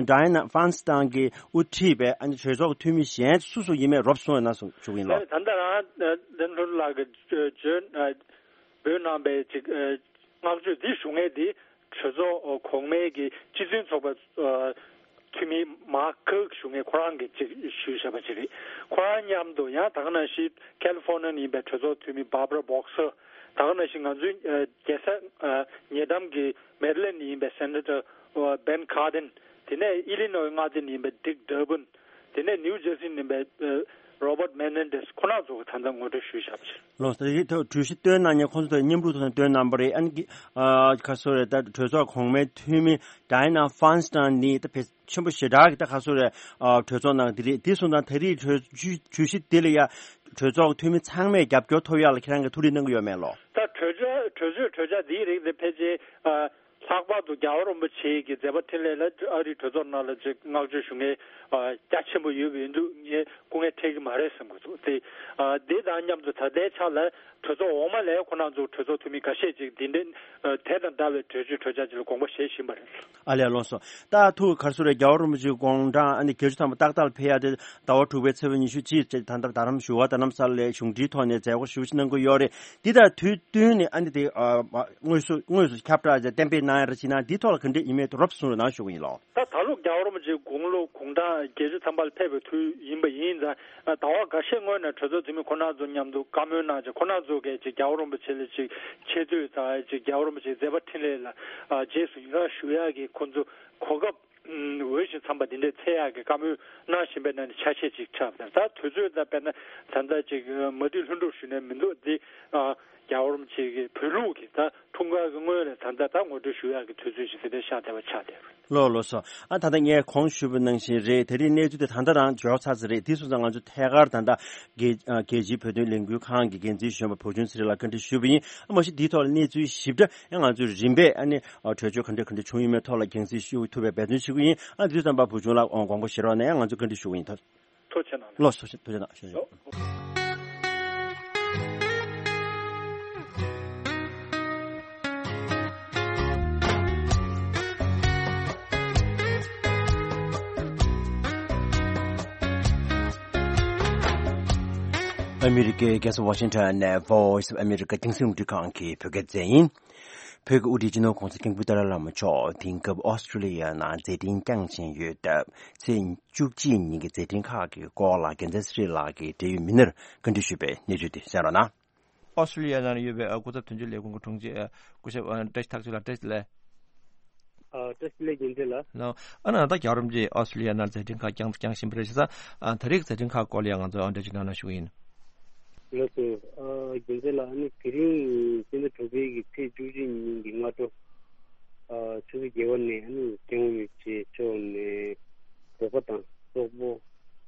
ཌའི་ན་ཕན་སི་ཏང་གིས་དབུ་ཁྲིད་པའི་ཨ་ནི་གྲོས་ཚོགས་ཀྱི་འཐུས་མི་གཞན་སུ་སུ་ཡིན་མིན་རོབ་གསུངས་ཡོད་ན་གསུང་ཞུ་གི་ཡིན་ལགས། ད་ལྟ་རང་ལན་ཧྲུན་ལགས་ཀྱིས་བརྗོད་འབོད་གནང་པའི་ཅིག་བསྔགས་བརྗོད་འདི་ཞུ་མཁན་འདི་གྲོས་ཚོགས་གོང་མའི་གི་སྤྱི་མཐུན་ཚོགས་པ་འཐུས་མི་མཱར་ཁུག་ཞུ་མཁན་ཁོ་རང་གིས་ཅིག་ཞུས་བཞག་པ་ཅིག་རེད། ཁོ་རང་མཉམ་དུ་ཡང་ད་ག་ནང་བཞིན་ཁ་ལི་ཧྥོ་ནི་ཡ་ནས་ཡིན་པའི་གྲོས་ཚོགས་འཐུས་མི་Barbara Boxer། ད་ག་ནང་བཞིན་ང་ཚོའི་རྒྱལ་ས་ཉེ་འགྲམ་གྱི་མེ་རི་ལེན་ནས་ཡིན་པའི་སེ་ནེ་ཊར་བེན་ཁར་ཌིན། དེ་ནས་ཨི་ལི་ནོའི་མངའ་སྡེ་ནས་ཡིན་པའི་ཌིག་ཌར་བིན། དེ་ནས་ནིའུ་ཇར་སི་ནས་ཡིན་པའི་རོ་བརྟ་མེ་ནན་ཌེས། ཁོ་རང་ཚོ་གིས་ད་ལྟ་ངོ་སྤྲོད་ཞུས་བཞག་པ་ཅིག་རེད། ལགས་སོ། དེ་ཐོག་གྲོས་གཞི་བཏོན་གནང་མཁན་ཁོང་ཚོ་དང་མཉམ་རུབ་ཐོག་ནས་བཏོན་གནང་པ་རེད། ཨ་ནི་ཨ་ག་རེ་ཟེར་དགོས་རེད། ད་གྲོས་ཚོགས་གོང་མའི་འཐུས་མི་ཌའི་ན་ཕན་སི་ཏང་ནི་ད་ཕལ་ཆེན་པོ་ཞེ་དྲག་གི་ད་ག་རེ་ཟེར་དགོས་རེད། ཨ་གྲོས་ཚོགས་ནང་འདི་རེད། དེ་སོང་ཙང་ད་རེས་གྲོས་གྲོས་གཞི་འདི་ལ་ཡ་གྲོས་ཚོགས་འཐུས་མི་ཚང་མས་རྒྱབ་སྐྱོར་ཐོབ་ཡག་ལ་ཁྱེད་རང་གིས་ཐུགས་རེ་གནང་གི་ཡོད་མེད་ལགས། ད་གྲོས་ཆོད་གྲོས་ཆོད་གྲོས་འཆར་འདིའི་རིགས་དེ་ཕལ་ཆེར་ཨ། ལྷག་པར་དུ་རྒྱལ་བ་རིན་པོ་ཆེ་གི་མཛད་པ་འཕྲིན་ལས་ལ་ཨ་རིའི་གྲོས་ཚོགས་ནང་ལ་ཅིག་བསྔགས་བརྗོད་ཞུ་མཁན་ཨ་རྒྱ་ཆེན་པོ་ཡོད་པ་ཡིན་དུས་ངས་སྐུ་ངལ་འཕྲད་ཀྱི་མ་རེད་བསམ་གྱི་འདུག་དེ་ཨ་དེ་དང་མཉམ་དུ་ད་ལྟའི་ཆ་ལ་གྲོས་ཚོགས་འོག་མ་ལ་ཁོ་རང་ཚོ་གྲོས་ཚོགས་འཐུས་མི་འགའ་ཤས་ཅིག་འདི་འདྲའི་ཨ་དེ་དང་འདྲ་བའི་གྲོས་ཆོད་གྲོས་འཆར་ཅིག་ལ་དགོངས་པ་བཞེས་བཞིན་པ་རེད། ཨ་ལས། ལགས་སོ། ད་ཐུགས་ག་རེ་ཟེར་དགོས་རེད། རྒྱལ་བ་རིན་པོ་ཆེའི་དགུང་གྲངས་ཨ་ནི་བརྒྱད་ཅུ་ཐམ་པ་ཏག་ཏག་ལ་ཕེབས་ཡག་དེ་ཟླ་བ་དྲུག་པའི་ཚེས་པ་ཉི་ཤུ་གཅིག་ད་ལྟ་རྡ་རམ་བཞུགས་སྒར་རྡ་རམ་ས་ལ་ལ་གཞུང་འབྲེལ་ཐོག་ནས་མཛད་སྒོ་ཞེ་པོ་ཅིག་གནང་གི་ཡོད་རེད། འདི་དང་དུས་བསྟུན་ནས་ཨ་ནི་དེ་ཨ་དངོས་སུ་དངོས་སུ་ཁྱབ་བསྒྲགས་བྱས་གཏན་འབེབས་གནང་ཡ་རེ་བྱེད་ན་འདི་ཐོག་ལ་ག་འདྲ་ཡིན་མིན་རོབ་གསུང་རོགས་གནང་ཞུ་གི་ཡིན་ལགས། ད་ད་ལོ་རྒྱལ་བ་རིན་པོ་ཆེའི་དགུང་ལོ་དགུང་གྲངས་བརྒྱད་ཅུ་ཐམ་པ་ལ་ཕེབས་པའི་དུས་ཡིན་པ་ཡིན་ཙང་ཟླ་བ་འགའ་ཤས་སྔོན་ནས་གྲོས་ཚོགས་འཐུས་མི་ཁོ་རང་ཚོ་མཉམ་དུ་བཀའ་མོལ་གནང་བྱས་ཁོ་རང་ཚོ་གིས་ཅིག་རྒྱལ་བ་རིན་པོ་ཆེ་ལ་ཅིག་ཆེ་བསྟོད་དང་ཅིག་རྒྱལ་བ་རིན་པོ་ཆེའི་མཛད་པ་འཕྲིན་ལས་ལ་ཨ་རྗེས་སུ་ཡི་རངས་ཞུ་ཡག་གི་ཁོ་ཚོ་གོ་སྐབས་འོས་ཤིང་འཚམས་པ་འདི་འདྲའི་འཚོལ་ཡག་གི་བཀའ་མོལ་གནང་བཞིན་པའི་ནང་ནས་ཆ་ཤས་ཅིག་ཆགས་པ་དང་། ད་དུས་ཚོད་ད་དཔེར་ན་ད་ལྟ་ཅིག་མ་བསྡུས་ལྷུན་གྲུབ་ཞུས་ནས་མི་འདུག་འདི་ཨ་རྒྱལ་བ་རིན་པོ་ཆེ་གི་བོད་ལུགས་ཀྱི་ད་འཁྲུངས་སྐར་གྱི་སྔོན་ལ་ད་ལྟ་ད་ངོ་སྤྲོད་ཞུ་ཡག་གི་དུས་ཚོད་ཅིག་དེ་འདྲ་ཤར་བསྡད་པ་ཆགས་བསྡད་རེད། ལགས་ལགས་སོ། ཨ་ད་ལྟ་ངས་གོང་ཞུས་པ་ནང་བཞིན་རེད། དེ་རིང་གནས་ཚུལ་དེ་ད་ལྟ་རང་འབྱོར་ཚར་ཚར་རེད། དེ་སོང་ཙང་ང་ཚོ་ཐད་ཀར་ད་ལྟ་རྒྱལ་ཨ་རྒྱལ་སྤྱིའི་བོད་དོན་ལས་འགུལ་ཁང་གི་འགན་འཛིན་གཞོན་པ་བུ་ཆུང་ཚེ་རིང་ལགས་བཀའ་འདྲི་ཞུས་པ་ཡིན། ཨ་མ་གཞི་འདིའི་ཐོག་ལ་གནས་ཚུལ་ཞིབ་ཕྲ་ཡང་ང་ཚོས་རིམ་པས་ཨ་ནི་ཨ་གྲོས་ཆོད་ག་འདྲ་ག་འདྲ་བྱུང་ཡོད་མེད་ཐོག་ལ་རྒྱང་སྲིང་ཞུ་ཐུབ་པའི་འབད་བརྩོན་བྱེད་ཀྱི་ཡིན། ཨ་དུས་ཙམ་པ་བུ་ཆུང་ལགས་དགོངས་པ་བཞེས་རོགས་གནང་། ཡང་ང་ཚོས་བཀའ་འདྲི་ཞུ་གི་ཡིན། ཐུགས་རྗེ་ཆེ་གནང་། ལགས་སོ། ཐུགས་རྗེ་གནང་། ཞུ་ཞུ། ཨ་མི་རི་ཀའི་རྒྱལ་ས་ཝ་ཤིང་ཊོན་ནས་Voice of America རྒྱང་སྲིང་རླུང་འཕྲིན་ཁང་གི་བོད་སྐད་སྡེ་ཚན་ཡིན། བོད་ཀྱི་དབུ་ཁྲིད་སྤྱི་ནོར་༸གོང་ས་སྐྱབས་མགོན་ཏཱ་ལའི་བླ་མ་མཆོག་དེང་སྐབས་ཨོ་སི་ཀྲི་ལི་ཡ་ནང་མཛད་འཕྲིན་བསྐྱངས་བཞིན་ཡོད་སྟབས། ཚེས་བཅུ་གཅིག་ཉིན་གྱི་མཛད་འཕྲིན་ཁག་གི་སྐོར་ལ་རྒྱལ་མཚན་ཚེ་རིང་ལགས་ཀྱིས་འབྲེལ་ཡོད་མི་སྣར་བཀའ་འདྲི་ཞུས་པའི་གནས་ཚུལ་དེ་གསན་རོགས་གནང་། ཨོ་སི་ཀྲི་ལི་ཡ་ནང་ཡོད་པའི་སྐུ་ཚབ་དོན་གཅོད་ལས་ཁུངས་ཀྱི་དྲུང་ཆེ་སྐུ་ཞབས་བཀྲ་ཤིས་ཐར་ཚུལ་ལགས། བཀྲ་ཤིས་བདེ་ལེགས། ཨ་ནི་ད་རྒྱལ་བ་རིན་པོ་ཆེ་ཨོ་སི་ཀྲི་ལི་ཡ་ནང་མཛད་འཕྲིན་ཁག་བསྐྱངས་བསྐྱངས་བཞིན་པ་རེད་ཤག་ད་རེས་ཀྱི་མཛད་འཕྲིན་ཁག་སྐོར་ལ་ཡང་ང་ཚོ་འགྲེལ་བརྗོད་གནང་རོགས་ཞུ་གི་ཡིན། ལགས་སོ། རྒྱལ་མཚན་ལགས། ཨ་ནི་དེ་རིང་སྤྱི་ཟླ་དྲུག་པའི་གི་ཚེས་བཅུ་གཅིག་ཉིན་གྱི་སྔ་དྲོ། ཆུ་ཚོད་བརྒྱད་པ་ནས་ཨ་ནི་སྐྱབས་མགོན་རིན་པོ་ཆེ་མཆོག་ནས་བོད་པ་དང་སོག་པོ།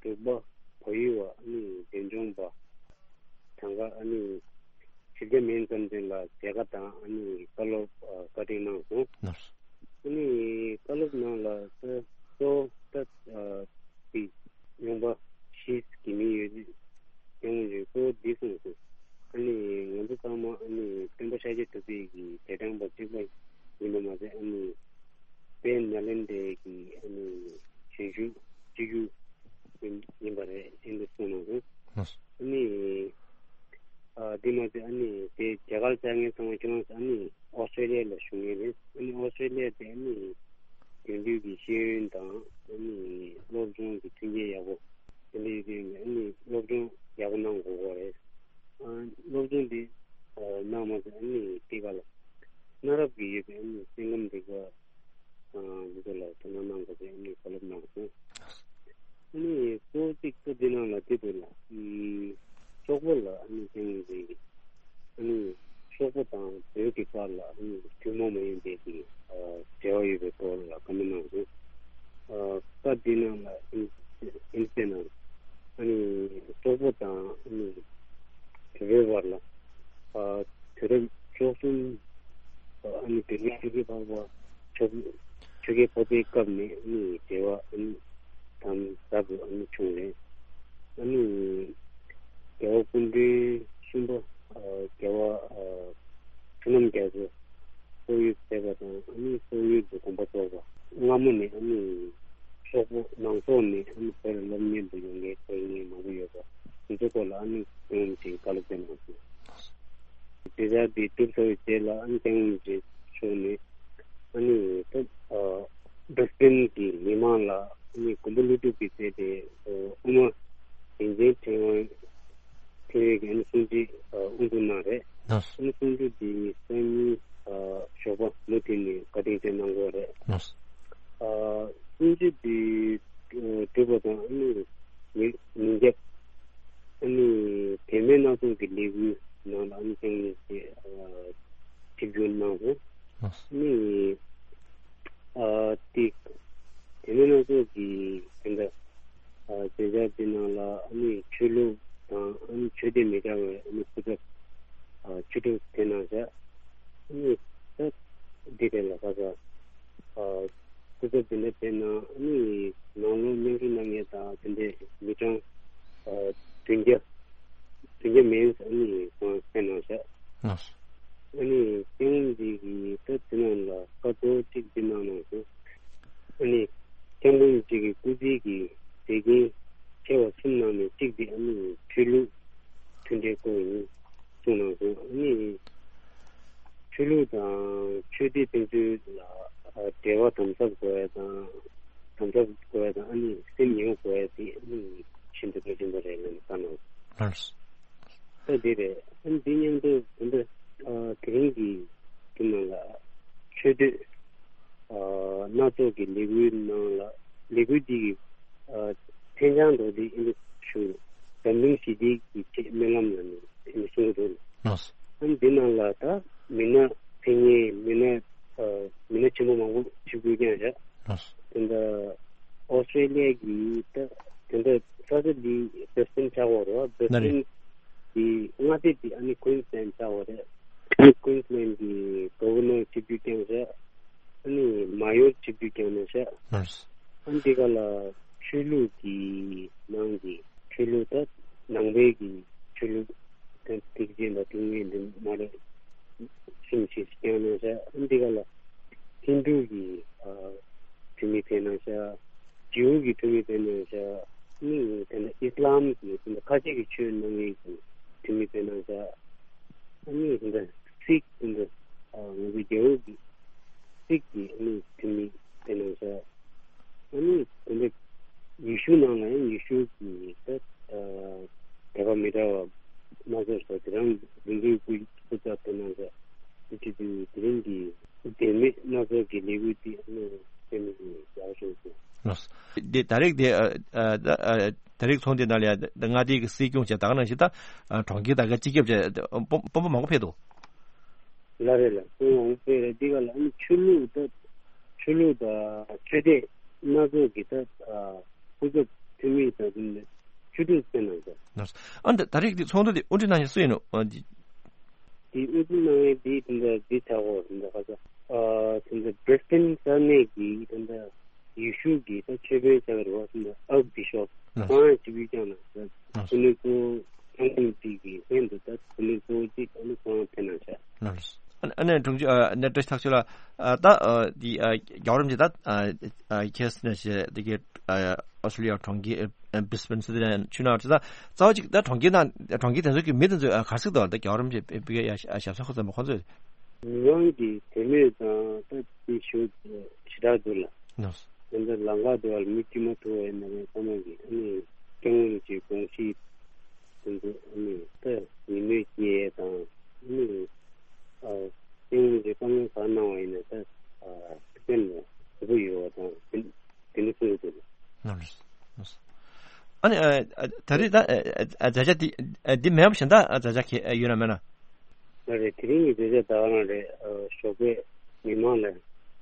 འབྲུག་པ། བལ་ཡུལ་བ། ཨ་ནི་འབྲས་ལྗོངས་པ། གྲངས་ཀ་ཨ་ནི་བཞི་བརྒྱ་མིན་ཙམ་ཅིག་ལ་མཇལ་ཁ་དང་ཨ་ནི་བཀའ་སློབ་བཀའ་དྲིན་གནང་སོང་། ཨ་ནི་བཀའ་སློབ་ནང་ལ་ད་གཙོ་བོ་ད་དེ་ཡོང་འབབ་བཞི་གི་མི་ཡོད། ཡོང་ཡོད། གཙོ་བོ་འདི་གསུངས་སོང་། ཨ་ནི་ང་ཚོ་ཚང་མ་ཨ་ནི་སྟོན་པ་ཤཱཀྱ་ཐུབ་པའི་གི་རྗེས་འབྲང་པ་གཅིག་པ་ཡིན་པ་མ་ཟད། ཨ་ནི་དཔལ་ནཱ་ལེནྡྲའི་གི་ཨ་ནི་གཞོན་ཤུགས་གཅིག་གྱུར་ཡིན་ཡིན་པ་རེད། ཨེ་འདི་གསུངས་གནང་སོང་། ཨ་ནི་ཨ་འདི་མ་ཟད་ཨ་ནི་དེ་རྒྱ་གར་བཅར་མཁན་ཚང་མ་ཁྱེད་རང་ཚོ་ཨ་ནི་ཨོ་སི་ཀྲི་ལི་ཡ་ལ་བཞུགས་མཁན་རེད། ཨ་ནི་ཨོ་སི་ཀྲི་ལི་ཡ་དེ་ཨ་ནི་དེང་དུས་ཀྱི་ཤེས་ཡོན་དང་ཨ་ནི་སློབ་སྦྱོང་གི་མཐུན་རྐྱེན་ཡག་པོ་དེ་འདྲ་ཡོད་དུས་ཨ་ནི་སློབ་སྦྱོང་ཡག་པོ་གནང་དགོས་ཀྱི་རེད། ཨ་སློབ་སྦྱོང་འདི་ཨ་གནང་མ་ཟད་ཨ་ནི་དེ་ག་ལ་གནའ་རབས་ཀྱི་ཡོད་པའི་ཨ་ནི་སེམས་ཁམས་དེ་ག་ཨ་འདི་ཚོ་ལ་དོ་སྣང་གནང་དགོས་པའི་ཨ་ནི་བཀའ་སློབ་གནང་སོང་། ཨ་ནི་གཙོ་བོ་གཅིག་ཏུ་འདི་ནང་ལ་དེ་དུ་ལ་ཨ་སོག་པོ་ལ་ཨ་ནི་སེམས་ཁམས་དེ་ཨ་ནི། སོག་པོ་དང་བོད་ཀྱི་བར་ལ་ཨ་ནི་ཐུན་མོང་མ་ཡིན་པའི་གི་ཨ་འབྲེལ་བ་ཡོད་པའི་སྐོར་ལ་བཀའ་མོལ་གནང་སོང་། ཨ་སྐབས་འདི་ནང་ལ་ཨིན་ཨིན་སྐད་ནང་ཨ་ནི་སོག་པོ་དང་ཨ་ནི་བོད་པའི་བར་ལ་ཨ་དུས་རབས་བཅུ་གསུམ་ཨ་ནི་བོད་མིའི་ཆོལ་ཁའི་འཕགས་པ་ཆོལ་ཆོལ་ཁའི་འཕགས་པའི་སྐབས་ནས་ཨ་ནི་འབྲེལ་བ་ཨ་ནི་དམ་ཟབ་ཏུ་ཨ་ནི་བྱུང་རེད། ཨ་ནི་རྒྱལ་བ་སྐུ་ཕྲེང་གསུམ་པ་ཨ་རྒྱལ་བ་ཨ་བསོད་ནམས་རྒྱ་མཚོ་སོག་ཡུལ་མཛད་པ་དང་ཨ་ནི་སོག་ཡུལ་དུ་དགོངས་པ་རྫོགས་པ། སྔ་མོ་ནས་ཨ་ནི་སོག་པོ་ནང་སོག་ནས་ཨ་ནི་བོད་ལ་སློབ་གཉེར་དུ་ཡོང་མཁན་དཔེ་མང་པོ་ཡོད་པ་དེ་ཚོའི་སྐོར་ལ་ཨ་ནི་སྐྱབས་མགོན་རིན་པོ་ཆེས་བཀའ་སློབ་སྩལ་གནང་སོང་། དེ་ལྟར་དེ་གྲུབ་ཚར་བའི་རྗེས་ལ་ཨ་ནི་སྐྱབས་མགོན་རིན་པོ་ཆེ་མཆོག་ནས་ཨ་ནི་ད་ཨ་སྦྲ་སི་ལིན་གྱི་མི་མང་ལ་ཨ་ནི་མགོན་པོ་ཀླུ་སྒྲུབ་ཀྱིས་མཛད་པའི་ཨ་དབུ་མ་རིན་ཆེན་ཕྲེང་བ་ཕྲེང་བའི་གི་ཨ་ནི་གསུང་ཆོས་ཨ་དབུ་འཛུགས་གནང་རེད། ལགས་སོ། ཨ་ནི་གསུང་ཆོས་དེ་སང་ཉིན་ཨ་ཞོགས་པ་མུ་མཐུད་ནས་བཀའ་དྲིན་ཆེ་གནང་དགོས་རེད། ལགས་སོ། ཨ་གསུང་ཆོས་དེ་ཨ་གྲུབ་པ་དང་ཨ་ནི་ཉིན་ཉིན་རྒྱབ་ཨ་ནི་བུད་མེད་སྣ་ཚོགས་ཀྱི་ལས་འགུལ་ནང་ལ་ཨ་ནི་སྐྱབས་མགོན་རིན་པོ་ཆེ་ཨ་ཆིབས་བསྒྱུར་གནང་སོང་། ལགས་སོ། ཨ་ནི་ཨ་དེ་བུད་མེད་སྣ་ཚོགས་ཀྱི་དེ་འདྲ་ཨ་མཛད་འཆར་དེ་ནང་ལ་ཨ་ནི་ཆོས་ལུགས་དང་ཨ་ནི་ཆོས་དད་མི་འདྲ་བའི་ཨ་ནི་སྐུ་ཚབ་ཨ་ཆོས་གྲོགས་དེ་ནང་བཞག་ཨ་ནི་ད་འདི་རེད་ལ་ཁ་ས་ཨ་སྐུ་ཚབ་དེ་འདྲ་དེ་ནང་ཨ་ནི་ནང་ལོགས་མཉམ་ཞུགས་གནང་མཁན་དང་དེ་འདྲའི་མི་གྲངས་ཨ་བདུན་བརྒྱ་བདུན་བརྒྱ་མིན་ཨ་ནི་ཁོང་ཕེབས་གནང་བཞག་ལགས་སོ། ཨ་ནི་སྐྱབས་མགོན་འདི་གིས་ད་དེ་ནང་ལ་བཀའ་རྟོགས་གཅིག་འདི་གནང་གནང་སོང་། ཨ་ནི་སྐྱབས་མགོན་གཅིག་གི་སྐུ་ཚེ་གི་དེ་གིན་ཆེ་བ་གསུམ་ནང་ནས་གཅིག་དེ་ཨ་ནི་ཆོས་ལུགས་མཐུན་འབྲེལ་སྐོར་ཡིན་གསུངས་གནང་སོང་། ཨ་ནི་ཆོས་ལུགས་དང་ཆོས་སྡེ་ཕན་ཚུན་ལ་འབྲེལ་བ་དམ་ཟབ་དགོས་ཡ་དང་དམ་ཟབ་དགོས་ཡ་དང་ཨ་ནི་སེམས་ཉེ་བོ་དགོས་ཡ་དེ་ཨ་ནི་ཤིན་ཏུ་གལ་ཆེན་པོ་རེད་ལབ་ནས་བཀའ་གནང་སོང་། ལགས་སོ། ད་འདི་རེད། ཨ་ནི་འདི་མཉམ་དུ་ད་ལྟ་ཨ་དེ་རིང་གི་དེ་ནང་ལ་ཆོས་དད་ཨ་སྣ་ཚོགས་ཀྱི་ལས་འགུལ་ནང་ལ་ལས་འགུལ་འདི་གི་ཨ་མཚན་བྱང་དུ་འདི་ཨ་ནི་ཞུ་འཛམ་གླིང་ཞི་བདེ་གི་ཆེད་སྨོན་ལམ་ལ་ནི་ཨ་ནི་གསུང་གི་འདུག་ལགས་སོ། ཨ་ནི་འདི་ནང་ལ་ད་མི་སྣ་ཕེབས་མཁན་མི་སྣ་ཨ་མི་སྣ་ཆེན་པོ་མང་པོ་ཆིབས་བསྒྱུར་བསྐྱངས་བཞག་ལགས་སོ། དེ་འདྲ་ཨོ་སི་ཀྲེ་ལི་ཡ་གི་ད་དེ་འདྲ་ས་ཆ་འདི་བེ་སི་ཊོན་ཆགས་ཡོད་རེད་བ། བེ་སི་ཊོན་གི་མངའ་སྡེ་འདི་ཨ་ནི་ཀུན་སི་ལན་ཆགས་ཡོད་རེད། ཀུན་སི་ལན་གི་གྷ་ཝར་ནར་ཆིབས་བསྒྱུར་བསྐྱངས་བཞག་ཨ་ནི་མ་ཡོར་ཆིབས་བསྒྱུར་བསྐྱངས་གནང་བཞག་ལགས་སོ། ཨ་ནི་འདི་ག་ལ་ཆོས་ལུགས་ཀྱི་ནང་གི་ཆོས་ལུགས་ད་ནང་པའི་གི་ཆོས་ལུགས་ད་ཐེག་ཆེན་དང་ཐེག་དམན་འདི་མ་རེད། གསུམ་ཞིག་བསྐྱངས་གནང་བཞག་ཨ་ནི་འདི་ག་ལ་ཧིན་དུ་གི་ཨ་འཐུས་མི་ཕེབས་གནང་བཞག་ཇིའུ་གི་འཐུས་མི་ཕེབས་གནང་བཞག་ཨ་ནི་དེ་ནས་ཨིས་ལམ་གི་དེ་འདྲ་ཁ་ཆེ་གི་ཆོས་གནང་མཁན་གྱི་འཐུས་མི་ཕེབས་གནང་བཞག་ཨ་ནི་དེ་འདྲ་སིག་དེ་འདྲ་ཨ་ང་ཚོའི་རྒྱལ་པོ་གི་སིག་གི་ཨ་ནི་འཐུས་མི་ཕེབས་གནང་བཞག་ཨ་ནི་དེ་འདྲ་ཡེ་ཤུ་ནང་ལ་ཡང་ཡེ་ཤུ་གི་ད་ཨ་དད་པ་མི་འདྲ་བ་སྣ་ཚོགས་སུ་དེ་རང་དགེ་འདུན་སྐུ་སྐུ་ཚབ་ཕེབས་གནང་བཞག་དེ་དུས་དེ་རིང་གི་བུད་མེད་སྣ་ཚོགས་ཀྱི་ལས་འགུལ་འདི་ཨ་ནི་སེམས་ཀྱི་ཡག་ཤོས་སུ། ལགས་སོ། འདི་ད་རེས་དེ་ཨ་ཨ་ཨ་ད་རེས་ཚོགས་འདུ་ནང་ལ་ཡ་མངའ་སྡེ་གི་སྲིད་སྐྱོང་བྱས་ད་ག་ནང་བཞིན་ད་ཨ་གྲོང་ཁྱེར་དང་ག་སྤྱི་ཁྱབ་བྱས་དཔོན་དཔོན་པོ་མང་པོ་ཕེབས་འདུག་ལ་རེད་ལ་དཔོན་མང་པོ་ཕེབས་རེད། འདི་ག་ལ་ཨ་ནི་ཆོས་ལུགས་ད་ཆོས་ལུགས་དང་ཆོས་དད་སྣ་ཚོགས་ཀྱི་ད་ཨ་སྐུ་ཚབ་འཐུས་མི་དང་དེ་ནས་ཆོས་དྲུང་ཕེབས་གནང་ཟེར། ལགས་སོ། ཨ་ནི་ད་རེས་ཀྱི་ཚོགས་འདུ་འདི་དབུ་ཁྲིད་གནང་མཁན་སུ་ཡིན་ནོ། ཨ་འདི་དེ་དབུ་ཁྲིད་གནང་མཁན་འདི་དེ་འདྲ་འདི་ཆགས་འོ་དེ་འདྲ་ཁ་ས་ཨ་དེ་འདྲ་བྷི་རི་སི་ཊོན་ས་གནས་ཀྱི་དེ་འདྲ་ཡེ་ཤུ་གི་ད་ཆོས་དཔོན་ཆགས་རེད་བ། དེ་འདྲ་ཨརྐ་བི་ཤོབ་ལགས་སོ། ཁོང་ཡང་ཆིབས་བསྒྱུར་བསྐྱངས་གནང་ཟེར། ལགས་སོ། ཁོ་ནི་ཚོ་ཚང་ཁུངས་གཅིག་གི་ལྷན་དུ་ད་ཁོ་ནི་གཙོ་བོ་གཅིག་ཨ་ནི་ཁོ་རང་ཕེབས་གནང་ཤག་ལགས་སོ། ཨ་ནི་ཨ་ནི་དྲུང་ཆེ་ཨ་ནི་བཀྲ་ཤིས་ཐག་ཆོད་ལགས། ཨ་ད་ཨ་འདི་ཨ་རྒྱལ་བ་རིན་པོ་ཆེ་ད་ཨ་ཨ་ཁྱེད་ནས་བྱས་འདི་གའི་ཨ་ཨོ་སི་ཀྲི་ལི་ཡ་གྲོང་ཁྱེར་ཨ་བྷི་རི་སི་བྷེན་སི་ཏི་ནས་ཆུ་ནང་ད་རྩ་བ་གཅིག་ད་གྲོང་ཁྱེར་ནང་གྲོང་ཁྱེར་དེ་ཚོ་གི་མི་དེ་ཚོ་ཨ་ག་རེ་ཟེར་འདུག་ད་རྒྱལ་བ་རིན་པོ་ཆེ་ཕེབས་པའི་ཨ་ཞབས་སོར་ཁོ་ཚོ་མ་ཁོ་ཚོས། མི་མང་གི་དད་མོས་དང་ད་དེ་ཞུ་ཞེ་དྲག་འདུག་ལ། ལགས་སོ། དེ་འདྲ་ལམ་ཁ་དེ་བར་མི་དཀྱུས་མ་ཐུག་པ་ཡིན་ན་རེད། ཚང་མ་གི་ཨ་ནི་སྐྱབས་མགོན་གྱི་དགོངས་གཞི་དེ་ཚོ་ཨ་ནི་ད་ཡིད་སྨོན་སྐྱེ་ཡས་དང་ཨ་ནི་ཨ་སྐྱབས་མགོན་གྱི་བཀའ་མོལ་ག་གནང་བ་ཡིན་ན་ད་ཨ་སེམས་ལ་དགའ་པོ་ཡོད་པ་དང་དེ་དེ་འདྲ་གསུངས་ཡོད་དེ། ལགས་སོ། ཨ་ནི་ཨ་ཨ་ད་རེས་ད་ཨ་ཨ་ཨ་མཛད་འཆར་འདི་ཨ་འདི་མེད་པ་གཞན་དག་ཨ་མཛད་འཆར་ག་ཨ་ཡོད་ན་མེད་ན། ལགས་རེད། དེ་རིང་གི་མཛད་འཆར་ད་ག་རང་རེད། ཨ་ཞོགས་པའི་མི་མང་ལ་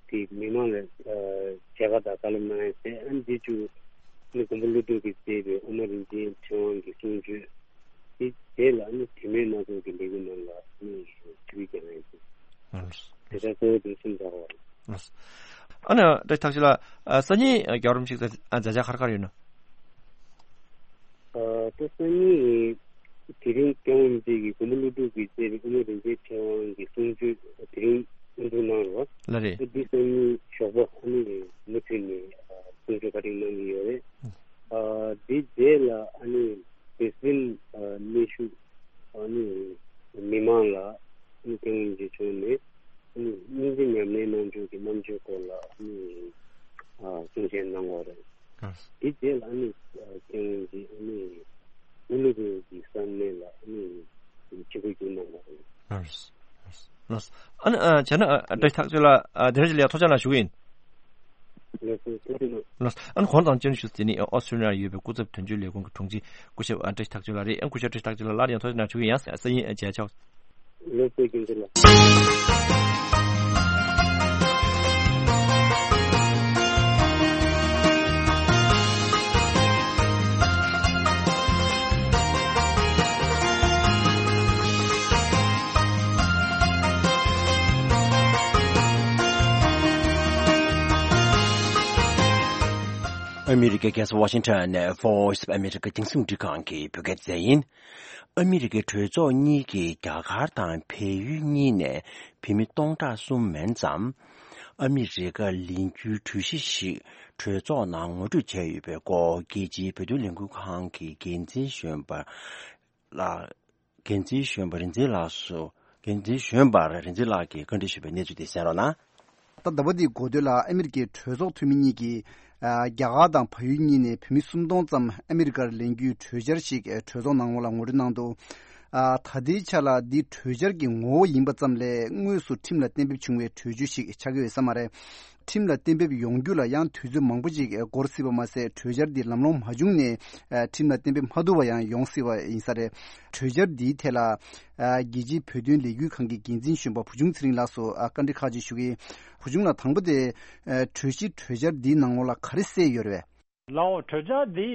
དེ་མི་མང་ལ་ཨ་མཇལ་ཁ་དང་བཀའ་སློབ་གནང་ཡ་ཟེར། ཨ་ནི་འདི་བཅུ་ནི་མགོན་པོ་ཀླུ་སྒྲུབ་ཀྱིས་མཛད་པའི་དབུ་མ་རིན་ཆེན་ཕྲེང་བ་གི་གསུང་ཆོས། དེ་རྗེས་ལ་ཨ་ནི་དེ་མིན་སྣ་ཚོགས་ཀྱི་ལས་འགུལ་རྣམས་ལ་ཨ་ནི་ཞུགས་ཀྱང་ཡིན། ལགས། དེ་ལྟར་གཙོ་བོ་དེ་གསུམ་ཆགས་པ་རེད། ལགས། ཨ་ནི་བཀྲ་ཤིས་ཐར་ལྕམ་ལགས། ཨ་སང་ཉིན་རྒྱལ་བ་རིན་པོ་ཆེ་མཛད་འཆར་ག་རེ་ག་རེ་ཡོད་ན། ཨ་ད་སང་ཉིན་དེ་རིང་སྐྱབས་མགོན་རིན་པོ་ཆེ་གིས་མགོན་པོ་ཀླུ་སྒྲུབ་ཀྱིས་མཛད་པའི་དབུ་མ་རིན་ཆེན་ཕྲེང་བ་གི་གསུང་ཆོས་དེ་རིང་དབུ་འཛུགས་གནང་རོགས། ལགས་རེད། ཨ་འདི་སང་ཉིན་ཞོགས་པ་ཨ་ནི་མུ་མཐུད་ནས་ཨ་གསུང་ཆོས་བཀའ་དྲིན་གནང་གི་ཡོད་རེད། ཨ་འདི་རྗེས་ལ་ཨ་ནི་བེ་སི་ལིན་ཨ་གནས་བཞུགས་ཨ་ནི་མི་མང་ལ་ཨ་ནི་སྐྱབས་མགོན་རིན་པོ་ཆེ་མཆོག་ནས་ཨ་ནི་སྙིང་རྗེ་ཉམས་ལེན་གནང་ཕྱོགས་ཀྱི་རྣམ་དཔྱོད་སྐོར་ལ་ཨ་ནི་ཨ་གསུང་བཤད་གནང་བ་རེད། ཨ་དེ་རྗེས་ལ་ཨ་ནི་ཨ་སྐྱབས་མགོན་གྱིས་ཨ་ནི་ཨུ་ལུ་གུ་གི་ས་གནས་ལ་ཨ་ནི་ཆིབས་བསྒྱུར་གནང་བ་རེད། ལགས། ལགས། ཨ་ནི་ཨ་བྱས་ན་ཨ་བཀྲ་ཤིས་ཐར་ལྕམ་ལགས། ཨ་དེ་རིང་ལ་ཡ་ཐུགས་རྗེ་གནང་ཞུ་གི་ཡིན། ལགས་སོ། ཐུགས་རྗེ་གནང་། ལགས། ཨ་ནི་གོང་དང་བཅར་ཞུ་དེ་ནི་ཨོ་སི་ཀྲོ་ལི་ཡ་ཡོད་པའི་སྐུ་ཚབ་དོན་གཅོད་ལས་ཁུངས་ཀྱི་དྲུང་ཆེ་སྐུ་ཞབས་ཨ་བཀྲ་ཤིས་ཐར་ལྕམ་ལགས་རེད། ཨ་སྐུ་ཞབས་བཀྲ་ཤིས་ཐར་ལྕམ་ལགས་སླར་ཡང་ཐུགས་རྗེ་གནང་ཞུ་གི་ཡིན། ཡང་སང་ཉིན་མཇལ་ཆོག་ལགས་སོ། རྒྱུན་ལ། ཨ་མི་རི་ཀའི་རྒྱལ་ས་ཝ་ཤིང་ཊོན་ནས་Voice of America་རྒྱང་སྲིང་འཕྲིན་ཁང་གི་བོད་སྐད་སྡེ་ཚན་ཡིན། ཨ་མི་རི་ཀའི་གྲོས་ཚོགས་གཉིས་ཀྱིས་རྒྱ་གར་དང་བལ་ཡུལ་གཉིས་ནས་བོད་མི་སྟོང་ཕྲག་གསུམ་མན་ཙམ་ཨ་མི་རི་ཀར་ལེན་རྒྱུའི་གྲོས་གཞི་ཞིག་གྲོས་ཚོགས་ནང་ངོ་སྤྲོད་བྱས་ཡོད་པའི་སྐོར། རྒྱལ་སྤྱིའི་བོད་དོན་ལས་འགུལ་ཁང་གི་འགན་འཛིན་གཞོན་པ་ལགས། འགན་འཛིན་གཞོན་པ་རིག་འཛིན་ལགས་སུ། འགན་འཛིན་གཞོན་པ་རིག་འཛིན་ལགས་ཀྱིས་བཀའ་འདྲི་ཞུས་པའི་གནས་ཚུལ་དེ་གསན་རོགས་གནང་། ད་ཟླ་བ་འདིའི་འགོ་སྟོད་ལ་ཨ་མི་རི་ཀའི་གྲོས་ཚོགས་འཐུས་མི་གཉིས་ཀྱིས་ཨ་རྒྱ་གར་དང་བལ་ཡུལ་གཉིས་ནས་བོད་མི་སུམ་སྟོང་ཙམ་ཨ་མི་རི་ཀར་ལེན་རྒྱུའི་གྲོས་འཆར་ཞིག་ཨ་གྲོས་ཚོགས་ནང་ལ་ངོ་སྤྲོད་གནང་འདུག་ཨ་ད་ལྟའི་ཆ་ལ་འདི་གྲོས་འཆར་གྱི་ངོ་བོ་ཡིན་པ་ཙམ་ལས་དངོས་སུ་ཁྲིམས་ལ་གཏན་འབེབས་བྱུང་བའི་གྲོས་ཆོད་ཞིག་ཆགས་ཀྱི་ཡོད་ས་མ་རེད། ཁྲིམས་ལ་གཏན་འབེབས་ཡོང་རྒྱུ་ལ་ཡང་དུས་ཚོད་མང་པོ་ཅིག་འགོར་སྲིད་པ་མ་ཟད། གྲོས་འཆར་འདི་ལམ་ལྷོང་མ་བྱུང་ནས་ཨ་ཁྲིམས་ལ་གཏན་འབེབས་མ་ཐུབ་པ་ཡང་ཡོང་སྲིད་པ་ཡིན་ས་རེད། གྲོས་འཆར་འདིའི་ཐད་ལ་ཨ་རྒྱལ་སྤྱིའི་བོད་དོན་ལས་འགུལ་ཁང་གི་འགན་འཛིན་གཞོན་པ་བུ་ཆུང་ཚེ་རིང་ལགས་སུ་ཨ་བཀའ་འདྲི་ཁག་ཅིག་ཞུ་གི་ཡིན། བུ་ཆུང་ལགས། དང་པོ་དེ་ཨ་གྲོས་གཞི་གྲོས་འཆར་འདིའི་ནང་ལོགས་ལ་ག་རེ་གསལ་ཡོད་རེད་པས། ལགས་འོང་། གྲོས་འཆར་འདི་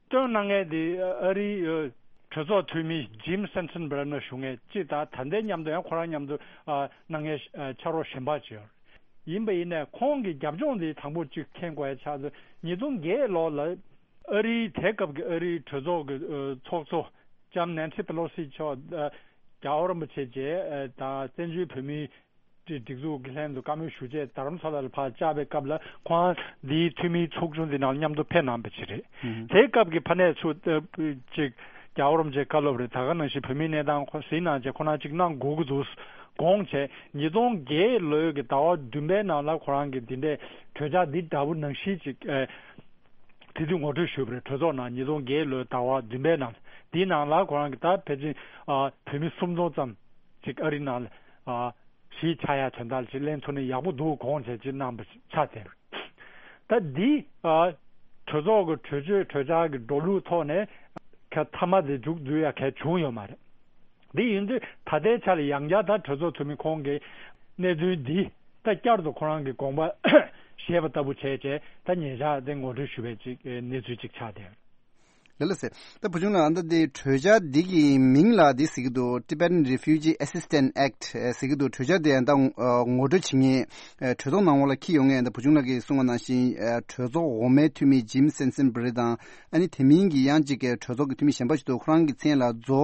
བཏོན་གནང་མཁན་དེ་ཨ་རིའི་གྲོས་ཚོགས་འཐུས་མི་ཇིམ་སེན་སན་བྷི་ར་ནར་ཞུ་མཁན་གཅིག་དང་། ད་ལྟའི་མཉམ་དུ་ཡང་ཁོ་རང་མཉམ་དུ་གནང་མཁན་ཕྱག་རོགས་གཞན་པ་གཅིག་ཡོད་རེད། ཡིན་པ་ཡིན་ནའི་ཁོང་གི་རྒྱབ་ལྗོངས་འདི་དང་པོ་གཅིག་མཁྱེན་དགོས་ཡ་ཆགས་ཚེ། ཉིས་སྟོང་བརྒྱད་ལོ་ལ་ཨ་རིའི་དེ་སྐབས་ཀྱི་ཨ་རིའི་གྲོས་ཚོགས་ཀྱི་ཚོགས་གཙོ་ལྕམ་ནན་སི་པེ་ལོ་སི་མཆོག་རྒྱལ་བ་རིན་པོ་ཆེ་མཇལ་དང་། བཙན་བྱོལ་བོད་མིའི་སྒྲིག་འཛུགས་ཀྱི་ལྷན་དུ་བཀའ་མོལ་ཞུ་ཆེད་རྡ་རམ་ས་ལ་ལ་ཕར་བཅར་བའི་སྐབས་ལ། ཁོང་འདིའི་འཐུས་མིའི་ཚོགས་ཆུང་འདི་ནང་མཉམ་དུ་ཕེབས་གནང་བ་ཅིག་རེད། དེའི་སྐབས་ཀྱི་ཕ་ནས་ཚུར་ཅིག་རྒྱལ་བ་རིན་པོ་ཆེ་བཀའ་སློབ་རེད། ད་ག་ནང་བཞིན་བོད་མིའི་གནས་སྟངས་ཁོ་གཟིགས་གནང་བྱས་ཁོ་རང་ཅིག་གནང་དགོས་ཀྱི་འདུག་དགོངས་བྱས། ཉིས་སྟོང་བརྒྱད་ལོའི་གི་ཟླ་བ་བདུན་པའི་ནང་ལ་ཁོ་རང་གིས་འདི་འདྲའི་གྲོས་འཆར་འདི་འདྲ་བོ་ནང་བཞིན་ཅིག་དེ་དུས་ངོ་སྤྲོད་ཞུས་པ་རེད། གྲོས་ཚོགས་ནང་ཉིས་སྟོང་བརྒྱད་ལོའི་ཟླ་བ་བདུན་པའི་ནང་། འདིའི་ནང་ལ་ཁོ་རང་གིས་ད་ཕལ་ཆེར་བོད་མི་སུམ་སྟོང་ཙམ་ཅིག་ཨ་རི་ནང་ལ་གཞིས་ཆགས་ཡ་དོན་དག་ཅིག་ལེན་ཐུབ་ན་ཡག་པོ་འདུག་དགོངས་བྱས་ཅིག་གནང་བ་ཆགས་བསྡད། ད་འདི་ཨ་གྲོས་ཚོགས་ཀྱི་གྲོས་ཆོད་གྲོས་འཆར་གྱི་འགྲོ་ལུགས་ཐོག་ནས་ག་མཐའ་མ་དེ་མཇུག་བསྡུ་ཡ་ག་བྱུང་ཡོད་མ་རེད། འདི་ཡིན་དུས་ད་ལྟའི་ཆ་ལ་ཡང་བསྐྱར་ད་གྲོས་ཚོགས་འཐུས་མི་ཁོང་གིས་གནད་དོན་འདི་ད་བསྐྱར་དུ་ཁོ་རང་གི་དགོངས་པ་བཞེས་པ་ལྟ་བུ་བྱས་བྱས། ད་ཉེ་ཆར་དེ་ངོ་སྤྲོད་ཞུ་བའི་ཅིག་གནས་ཚུལ་ཅིག་ཆགས་བསྡད། ལགས་ལགས་སེ། ད་བུ་ཆུང་ལགས། ཨ་ད་དེ་གྲོས་འཆར་འདི་གི་མིང་ལ་འདི་ཟེར་གྱི་འདུག Tibetan Refugee Assistance Act ཟེར་གྱི་འདུག་གྲོས་འཆར་དེ་ཡང་ད་ངོ་སྤྲོད་བྱེད་མཁན་གྲོས་ཚོགས་ནང་ལོགས་ལ་འཁྱེར་ཡོང་མཁན་ད་བུ་ཆུང་ལགས་ཀྱིས་གསུངས་པ་ནང་བཞིན་གྲོས་ཚོགས་འོག་མའི་འཐུས་མི་ཇིམ་སེན་སན་བྷི་རི་དང་། ཨ་ནི་དེ་མིན་གྱི་ཡང་གཅིག་གྲོས་ཚོགས་ཀྱི་འཐུས་མི་གཞན་པ་ཞིག་འདུག་ཁོ་རང་གི་མཚན་ལ་ཛོ་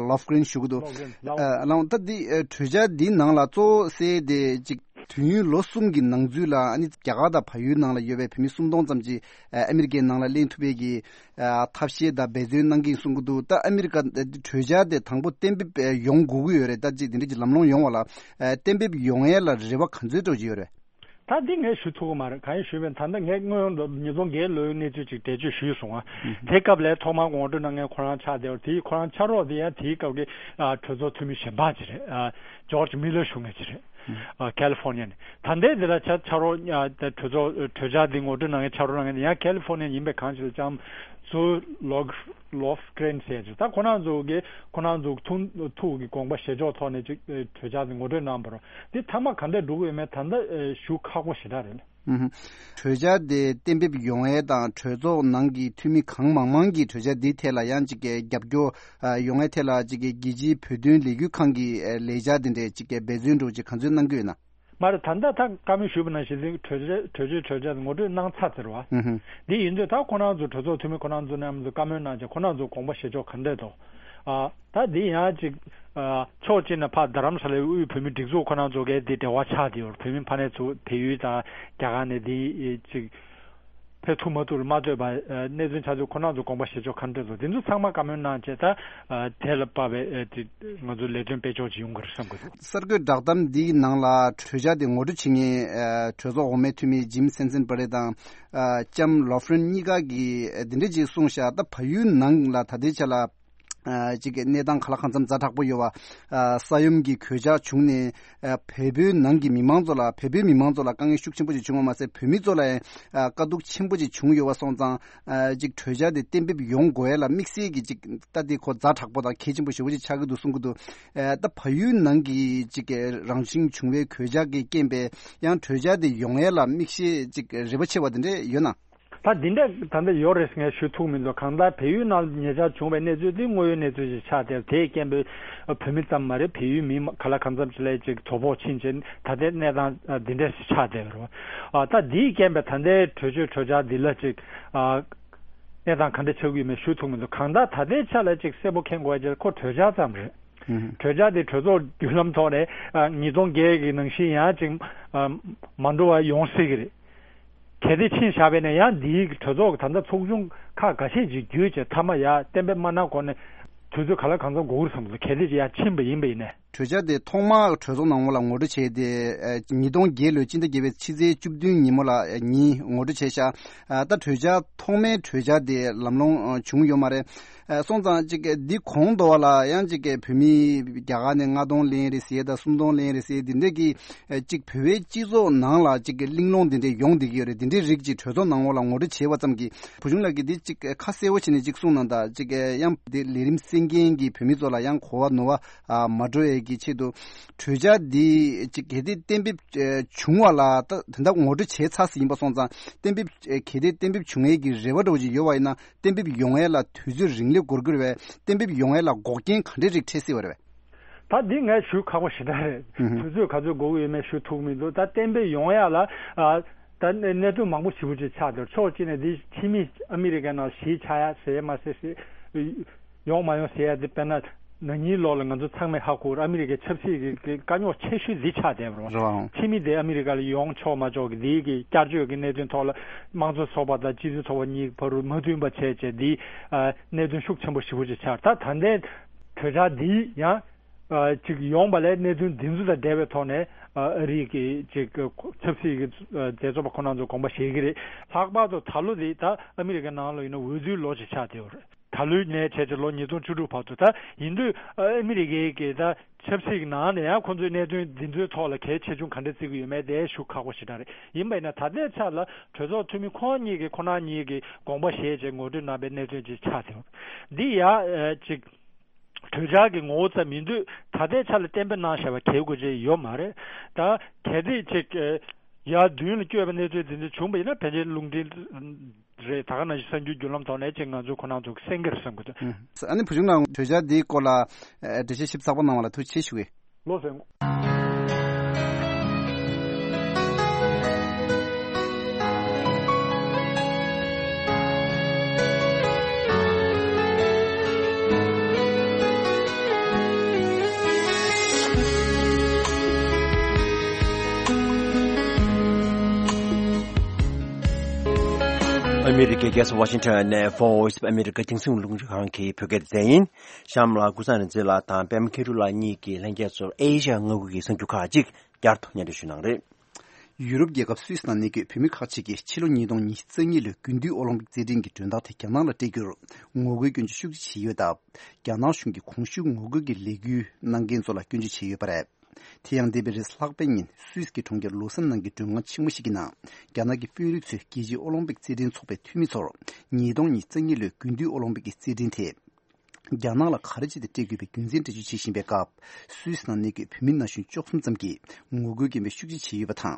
ལོབ་ཀྲིན་ཞུ་གི་འདུག་ལོབ་ཀྲིན། ལོབ་ཀྲིན། ལགས་འོང་། ད་འདི་གྲོས་འཆར་འདིའི་ནང་ལ་གཙོ་བོ་གསལ་དེ་གཅིག་དུས་ཡུན་ལོ་གསུམ་གྱི་ནང་ཚུད་ལ། ཨ་ནི་རྒྱ་གར་དང་བལ་ཡུལ་ནང་ལ་ཡོད་པའི་བོད་མི་སུམ་སྟོང་ཙམ་ཅིག་ཨ་མི་རི་ཀའི་ནང་ལ་གླེང་ཐུབ་པའི་གི་ཨ་ཐབས་ཤེས་དང་འབད་བརྩོན་གནང་གི་ཡིན་གསུང་གི་འདུག་ད་ཨ་མི་རི་ཀ་གྲོས་འཆར་དེ་དང་པོ་གཏན་འབེབས་ཡོང་དགོས་ཀྱི་ཡོད་རེད། ད་ཅིག་དེ་འདྲ་ཅིག་ལམ་ལྷོང་ཡོང་བ་ལ་ཨ་གཏན་འབེབས་ཡོང་ཡས་ལ་རེ་བ་ག་ཚོད་འདྲ་ཅིག་ཡོད་རེད། ད་འདི་ངས་ཞུ་ཐུབ་ཀྱི་མ་རེད། གང་ཡིན་ཞུས་པ་ཡིན་ན། ད་ལྟ་ངས་སྔོན་ལ་ཉིས་སྟོང་བརྒྱད་ལོའི་གནས་ཚུལ་ཅིག་འགྲེལ་བརྗོད་ཞུས་སོང་ང་། དེ་སྐབས་ལ་ཐོག་མར་ངོ་སྤྲོད་གནང་མཁན་ཁོ་རང་ཆགས་བསྡད་པ་དེ། ཁོ་རང་ཕྱག་རོགས་དེ་ཡང་དེའི་སྐབས་ཀྱི་ཨ་གྲོས་ཚོགས་འཐུས་མི་གཞན་པ་ཅིག་རེད། ཨ་ཇོརྗ་མི་ལར་ཞུ་མཁན་ཅིག་རེད། ཨ་ཁ་ལི་ཧྥོ་ནི་ཡ་ནས། ད་ལྟའི་འདི་ལ་ཕྱག་ཕྱག་རོགས་ཨ་གྲོས་ཚོགས་གྲོས་འཆར་འདི་ངོ་སྤྲོད་གནང་མཁན་ཕྱག་རོགས་གནང་མཁན་དེ་ཡང་ཁ་ལི་ཧྥོ་ནི་ཡ་ཡིན་པའི་གང་ཞིག་ལ་ལྕམ་ ཚོ་ལོག་ལོག་ཀྲེན་ཟེར་ཅིག་ད་ཁོ་རང་ཚོ་གི་ཁོ་རང་ཚོ་ཐུགས་ཐུགས་ཀྱི་དགོངས་པ་བཞེས་ཕྱོགས་ཐོག་ནས་ཅིག་གྲོས་འཆར་དེ་ངོ་སྤྲོད་གནང་བ་རེད། དེ་མཐའ་མ་ག་འདྲ་འགྲོ་གི་ཡོད་མེད་ད་ལྟ་ཞུ་ཁག་པོ་ཞེ་དྲག་རེད། ཨུ་ཧུ། གྲོས་འཆར་དེ་གཏན་འབེབས་ཡོང་ཡས་དང་གྲོས་ཚོགས་ནང་གི་འཐུས་མི་གང་མང་མང་གིས་གྲོས་འཆར་འདིའི་ཐད་ལ་ཡང་ཅིག་གི་རྒྱབ་སྐྱོར་ཡོང་ཡས་ཐད་ལ་ཅིག་གི་རྒྱལ་སྤྱིའི་བོད་དོན་ལས་འགུལ་ཁང་གི་ལས་འཆར་དེ་འདྲས་ཅིག་གི་འབད་བརྩོན་འགྲོ་ཅིག་ག་ཚོད་གནང་གི་ཡོད་ན། མ་རེད། ད་ལྟ་ད་བཀའ་མོལ་ཞུས་པ་ནང་བཞིན་གྲོས་ཆོད་གྲོས་ཆོད་གྲོས་ཆོད་ངོ་སྤྲོད་གནང་ཚར་ཟེར་བ། ཨུ་ཧུ། འདི་ཡིན་དུས་ད་ཁོ་རང་ཚོ་གྲོས་ཚོགས་འཐུས་མི་ཁོ་རང་ཚོ་མཉམ་དུ་བཀའ་མོལ་གནང་བྱས་ཁོ་རང་ཚོ་དགོངས་པ་བཞེས་ཕྱོགས་ག་འདྲས་འདུག་ཨ་ད་འདི་ཡང་ཅིག་ཨ་ཕྱོགས་གཅིག་ནས་ཕར་རྡ་རམ་ས་ལའི་དབུས་བོད་མི་སྒྲིག་འཛུགས་ཁོ་རང་ཚོ་གའི་འདི་འབྲེལ་བ་ཆགས་བསྡད་ཡོད། བོད་མི་ཕ་ནས་ཚུར་བལ་ཡུལ་དང་རྒྱ་གར་ནས་འདི་ཅིག་ཕེབས་ཐུབ་མ་ཐུབ་ལ་མ་ལྟོས་པར་ཨ་གནས་ཚུལ་ཆགས་ཚུལ་ཁོ་རང་ཚོ་དགོངས་པ་བཞེས་ཕྱོགས་ག་འདྲས་འདུག་འདི་ཚོ་ཚང་མ་བཀའ་མོལ་གནང་བྱས་ད་ཨ་དེ་ལ་དཔག་པའི་ཨ་དེ་ང་ཚོ་ལས་དོན་སྤེལ་ཕྱོགས་ཅིག་ཡོང་གི་རེད་བསམ་གི་འདུག་གསར་འགོད་བསྒྲགས་གཏམ་འདིའི་ནང་ལ་གྲོས་འཆར་དེ་ངོ་སྤྲོད་བྱེད་མཁན་ཨ་གྲོས་ཚོགས་འོག་མའི་འཐུས་མི་ཇིམ་སན་སན་པ་རེ་དང་ཨ་ལྕམ་ལོ་ཧྥ་རིན་གཉིས་ཀ་གིས་ཨ་འདི་འདྲས་ཅིག་གསུངས་ཤག་ད་བལ་ཡུལ་ནང་ལ་ད་ལྟའི་ཆ་ལ་ཨ་ཅིག་གི་གནས་སྟངས་ག་ལ་གང་འཚམ་ཛ་དྲག་པོ་ཡོད་པ་ཨ་ས་ཡོམ་གྱི་གོད་ཆག་བྱུང་ནས་ཨ་བལ་པོའི་ནང་གི་མི་མང་ཚོ་ལ་བལ་པོའི་མི་མང་ཚོ་ལ་དཀའ་ངལ་ཤུགས་ཆེན་པོ་ཅིག་བྱུང་བ་མ་ཟད་བོད་མི་ཚོ་ལ་ཡང་ཨ་དཀའ་སྡུག་ཆེན་པོ་ཅིག་བྱུང་ཡོད་པ་སོང་ཙང་། ཨ་ཅིག་གྲོས་འཆར་དེ་གཏན་འབེབས་ཡོང་དགོས་ཡ་ལ་དམིགས་བསལ་གྱི་ཅིག་ལྟ་དེ་ཁོ་ཛ་དྲག་པོ་དང་གལ་ཆེན་པོ་ཞེ་པོ་ཅིག་ཆགས་ཀྱི་འདུག་གསུང་གི་འདུག་ཨ་ད་བལ་ཡུལ་ནང་གི་ཅིག་རང་བཞིན་བྱུང་བའི་གོད་ཆག་གི་རྐྱེན་པས་ཡང་གྲོས་འཆར་དེ་ཡོང་ཡ་ལ་དམིགས་བསལ་ཅིག་རེ་བ་ཆེ་བ་དེ་འདྲས་ཡོད་ན། ད་འདི་འདྲས་ད་འདི་ཡོད་རེད་ངས་ཞུ་ཐུབ་མི་འདུག་གང་ལྟར་བལ་ཡུལ་ནང་ཉེ་ཆར་བྱུང་བའི་གནས་ཚུལ་འདི་དངོས་ཡོད་གནས་ཚུལ་ཅིག་ཆགས་བསྡད་དེའི་རྐྱེན་པས་བོད་མི་ཙམ་མ་རེད། བལ་ཡུལ་མི་ག་ལ་གང་འཚམ་ཅིག་ལ་ཅིག་དོ་ཕོག་ཕྱིན་ཕྱིན་ད་ལྟའི་གནས་སྟངས་འདི་འདྲས་ཆགས་བསྡད་པ་རེད། ད་འདིའི་རྐྱེན་པས་ད་ལྟའི་གྲོས་ཆོད་གྲོས་འཆར་འདི་ལ་ཅིག་གནས་སྟངས་ག་འདྲ་ཆགས་ཀྱི་ཡོད་མེད་ཞུ་ཐུབ་མི་འདུག་གང་ལྟར་ད་ལྟའི་ཆ་ལ་ཅིག་གསལ་པོ་མཁྱེན་དགོས་ཡ་ཅིག་ཁོ་གྲོས་འཆར་ཙམ་རེད། གྲོས་འཆར་དེ་གྲོས་ཚོགས་བརྒྱུད་ལམ་ཐོག་ནས་ཉིས་སྟོང་བརྒྱད་ཀྱི་ནང་བཞིན་ཡང་ཅིག་མ་འགྲོ་བ་ཡོང་སྲིད་ཀྱི་རེད། གལ་ཏེ་ཕྱིན་བཞག་པས་ན་ཡང་འདིའི་གྲོས་ཚོགས་ཀྱི་ད་ལྟ་ཚོགས་ཆུང་ཁག་འགའ་ཤས་ཅིག་བརྒྱུད་བྱས་མཐའ་མ་ཡང་གཏན་འབེབས་མ་གནང་གོང་ནས་དུས་ཚོད་ག་ལ་གང་འཚམ་འགོར་གྱི་རེད་བསམ་གྱི་འདུག་གལ་ཏེ་ཅིག་ཡང་ཕྱིན་པ་ཡིན་པ་ཡིན་ནས། གྲོས་འཆར་དེ་ཐོག་མར་གྲོས་ཚོགས་ནང་ལ་ངོ་སྤྲོད་བྱས་ཏེ་ཨ་ཉིས་སྟོང་བརྒྱད་ལོའི་སྤྱི་ཟླ་བརྒྱད་པའི་ཕྱི་ཚེས་བཅུ་བདུན་ཉིན་མོ་ལ་ཨ་ཉིན་ངོ་སྤྲོད་བྱས་ཤག་ཨ་ད་གྲོས་འཆར་ཐོག་མའི་གྲོས་འཆར་དེ་ལམ་ལྷོང་ཨ་བྱུང་ཡོད་མ་རེད། ཨ་སོང་ཙང་ཅིག་འདི་གོང་དུ་བ་ལ་ཡང་ཅིག་བོད་མི་རྒྱ་གར་ནས་ལྔ་སྟོང་ལེན་རེད་ཟེར་དང་སུམ་སྟོང་ལེན་རེད་ཟེར་འདི་འདྲས་ཀྱི་ཨ་ཅིག་བོད་པའི་སྤྱི་ཚོགས་ནང་ལ་ཅིག་གླེང་སློང་འདི་འདྲས་ཡོང་བསྡད་ཀྱི་ཡོད་རེད། འདི་འདྲའི་རིགས་ཅིག་གྲོས་ཚོགས་ནང་ལོགས་ལ་ངོ་སྤྲོད་བྱས་པ་ཙམ་གྱིས་བུ་ཆུང་ལགས་ཀྱིས་འདི་ཅིག་ཁ་གསལ་པོ་བྱས་ནས་ཅིག་གསུངས་གནང་དང་ཅིག་ཡང་འདི་ལས་རིམ་གསན་མཁན་གྱི་བོད་མི་ཚོ་ལ་ཡང་གོ་བ་ནོར་བ་ཨ་མ་འགྲོ་ཡས་ཀྱི་ཆེད་དུ་གྲོས་འཆར་འདི་ཅིག་གལ་ཏེ་གཏན་འབེབས་ཨ་བྱུང་བ་ལ་ད་ད་ལྟ་ངོ་སྤྲོད་བྱས་ཚར་ཟིན་ཡིན་པ་སོང་ཙང་གཏན་འབེབས་ཨ་གལ་ཏེ་གཏན་འབེབས་བྱུང་ཡས་ཀྱི་རེ་བ་འདྲ་བོ་ཅིག་ཡོད་པ་ཡིན་ན་གཏན་འབེབས་ཡོང་ཡས་ལ་དུས་ཚོད་རིང་ལས་འགོར་གྱི་རེད་པས། གཏན་འབེབས་ཡོང་ཡས་ལ་འགོག་རྐྱེན་ག་འདྲའི་རིགས་འཕྲད་སྲིད་པ་རེད་པས། ད་འདི་ངས་ཞུ་ཁག་པོ་ཞེ་དྲག་རེད། ཨུ་ཧུ། དུས་ཚོད་ག་ཚོད་འགོར་གྱི་ཡོད་མེད་ཞུ་ཐུབ་མི་འདུག་ད་གཏན་འབེབས་ཡོང་ཡ་ལ་ཨ་ད་གནད་གནད་དོན་མང་པོ་ཞེ་པོ་ཅིག་ཆགས་འདུག་ཕྱོགས་གཅིག་ནས་འདི་ཕྱི་མི་ཨ་མི་རི་ཀའི་ནང་གཞིས་ཆགས་ཡ་ཟེར་ཡ་མ་ཟེར་ཟེར་ཡོང་མ་ཡོང་ཟེར་ཡ་འདི་དཔེར་ན་ན་ནིང་ལོ་ལ་ང་ཚོ་ཚང་མས་ཧ་གོ་ཨ་མི་རི་ཀའི་ཆབ་སྲིད་ཀྱི་ཀྱི་དཀའ་རྙོག་ཆེ་ཤོས་འདི་ཆགས་བསྡད་པ་རེད། རེད་བ། ཕྱི་མི་དེ་ཨ་མི་རི་ཀ་ལ་ཡོང་ཆོག་མ་ཆོག་གི་འདི་གི་བསྐྱར་བཅོས་ཀྱི་གནད་དོན་ཐོག་ལ་དམངས་གཙོ་ཚོགས་པ་དང་སྤྱི་མཐུན་ཚོགས་པ་གཉིས་བར་དུ་མ་མཐུན་པ་བྱས་བྱས་འདི་ཨ་གནད་དོན་ཤུགས་ཆེན་པོ་ཞེ་པོ་ཅིག་ཆགས། ད་ད་ལྟའི་གྲོས་འཆར་འདི་ཡང་ཨ་ཅིག་ཡོང་བ་ལས་གནད་དོན་འདི་ཚོ་དང་འབྲེལ་བའི་ཐོག་ནས་ཨ་ཨ་རི་གི་ཅིག་ཆབ་སྲིད་ཀྱི་ཨ་རྒྱལ་ཚོགས་པ་ཁོ་རང་ཚོ་དགོངས་པ་བཞེས་ཀྱི་རེད། ལྷག་པར་དུ་ད་ལོ་འདི་ད་ཨ་མི་རི་ཀའི་ནང་ལ་ཡིན་ན་འོས་བསྡུའི་ལོ་ཞིག་ཆགས་བསྡད་ཡོད་རེད། ད་ལོའི་ནས་བྱས་ཏེ་ལོ་ཉིས་སྟོང་བཅུ་དྲུག་བར་དུ་ད་ཡིན་དུས་ཨ་ཨ་མི་རི་ཀའི་གི་ད་ཆབ་སྲིད་ཀྱི་ནང་ནས་ཡང་ཁོང་ཚོའི་གནད་དོན་འདི་ཚོའི་ཐོག་ལ་གལ་ཆེ་ཆུང་ག་འདྲ་བརྩི་གི་ཡོད་མེད་དེ་ཞུ་ཁག་པོ་ཞེ་དྲག་རེད། ཡིན་པ་ཡིན་ན་ད་ལྟའི་ཆ་ལ་གྲོས་ཚོགས་འཐུས་མི་ཁོང་གཉིས་ཀྱིས་ཁོ་རང་གཉིས་ཀྱིས་དགོངས་པ་བཞེས་བྱས་ངོ་སྤྲོད་གནང་པའི་གནད་དོན་ཅིག་ཆགས་ཐུབ། འདི་ཡང་ཨ་ཅིག་གྲོས་འཆར་གྱི་ངོ་བོ་ཙམ་ཡིན་དུས་ད་ལྟའི་ཆ་ལ་གཏན་འབེབས་གནང་བཞག་པ་གལ་དགོས་ཅིག་ཡོད་མ་རེད། ད་གལ་ཏེ་ཅིག་ཡར་མདུན་ལ་བསྐྱོད་པའི་གནས་ཚུལ་འདི་འདྲ་བྱུང་བ་ཡིན་ན་ཕལ་ཆེར་རླུང་འཕྲིན་རེད། ད་ག་ནང་བཞིན་གསར་འགྱུར་བརྒྱུད་ལམ་ཐོག་ནས་ཅིག་ང་ཚོ་ཁོ་རང་ཚོ་གསན་གྱི་རེད་བསམ་གྱི་འདུག་ཨ་ནི་བུ་ཆུང་ལགས་གྲོས་འཆར་འདིའི་སྐོར་ལ་འགྲེལ་བཤད་ཞིབ་ཚགས་པོ་གནང་བ་ལ་ཐུགས་རྗེ་ཆེ་ཞུ་གི། ལོ་སེང་། ཨ་མི་རི་ཀའི་རྒྱལ་ས་ཝ་ཤིང་ཊོན་ནས་Voice of America རྒྱང་སྲིང་རླུང་འཕྲིན་ཁང་གི་བོད་སྐད་སྡེ་ཚན་ཡིན། གཤམ་ལ་ཀུན་བཟང་རིག་འཛིན་ལགས་དང་པད་མ་མཁས་གྲུབ་ལགས་གཉིས་ཀྱིས་ལྷན་རྒྱས་ཚོར་ཨེ་ཤ་ཡ་མངའ་ཁུལ་གྱི་གསར་འགྱུར་ཁག་ཅིག་བསྐྱར་དུ་སྙན་སྒྲོན་ཞུ་གནང་རེད། ཡུ་རོབ་རྒྱལ་ཁབ་སུད་སི་ནང་གནས་སྡོད་བོད་མི་ཁག་ཅིག་གིས་ཕྱི་ལོ་ཉིས་སྟོང་ཉི་ཤུ་རྩ་གཉིས་ལོའི་དགུན་དུས་ཨོ་ལིམ་པིག་རྩེད་འགྲན་གྱི་མགྲོན་བདག་དེ་རྒྱ་ནག་ལ་སྤྲད་རྒྱུར་ངོ་རྒོལ་སྐྱོན་བརྗོད་ཤུགས་ཆེ་བྱས་ཡོད་སྟབས། རྒྱ་ནག་གཞུང་གིས་གོང་ཞུས་ངོ་རྒོལ་གྱི་ལས་འགུལ་གནང་མཁན་ཚོ་ལ་སྐྱོན་བརྗོད་བྱས་ཡོད་པ་རེད། དེ་ཡང་འདས་པའི་རེས་ལྷག་པའི་ཉིན་སུད་སི་གི་གྲོང་ཁྱེར་ལོ་སན་ནང་གི་མགྲོན་ཁང་ཆེན་མོ་ཞིག་གི་ནང་རྒྱ་ནག་གི་དཔོན་རིགས་ཚོས་རྒྱལ་སྤྱིའི་ཨོ་ལིམ་པིག་རྩེད་འགྲན་ཚོགས་པའི་འཐུས་མི་ཚོར་ཉིས་སྟོང་ཉི་ཤུ་རྩ་གཉིས་ལོའི་དགུན་དུས་ཨོ་ལིམ་པིག་གི་རྩེད་འགྲན་དེ་རྒྱ་ནག་ལ་ག་རེ་བྱས་ཏེ་སྤྲད་དགོས་པའི་རྒྱུ་མཚན་འགྲེལ་བརྗོད་བྱེད་བཞིན་པའི་སྐབས། སུད་སི་ནང་གནས་འཁོད་བོད་མི་ན་གཞོན་བཅུ་གསུམ་ཙམ་གྱིས་ངོ་རྒོལ་སྐད་འབོད་ཤུགས་ཆེ་བྱས་ཡོད་པ་དང་།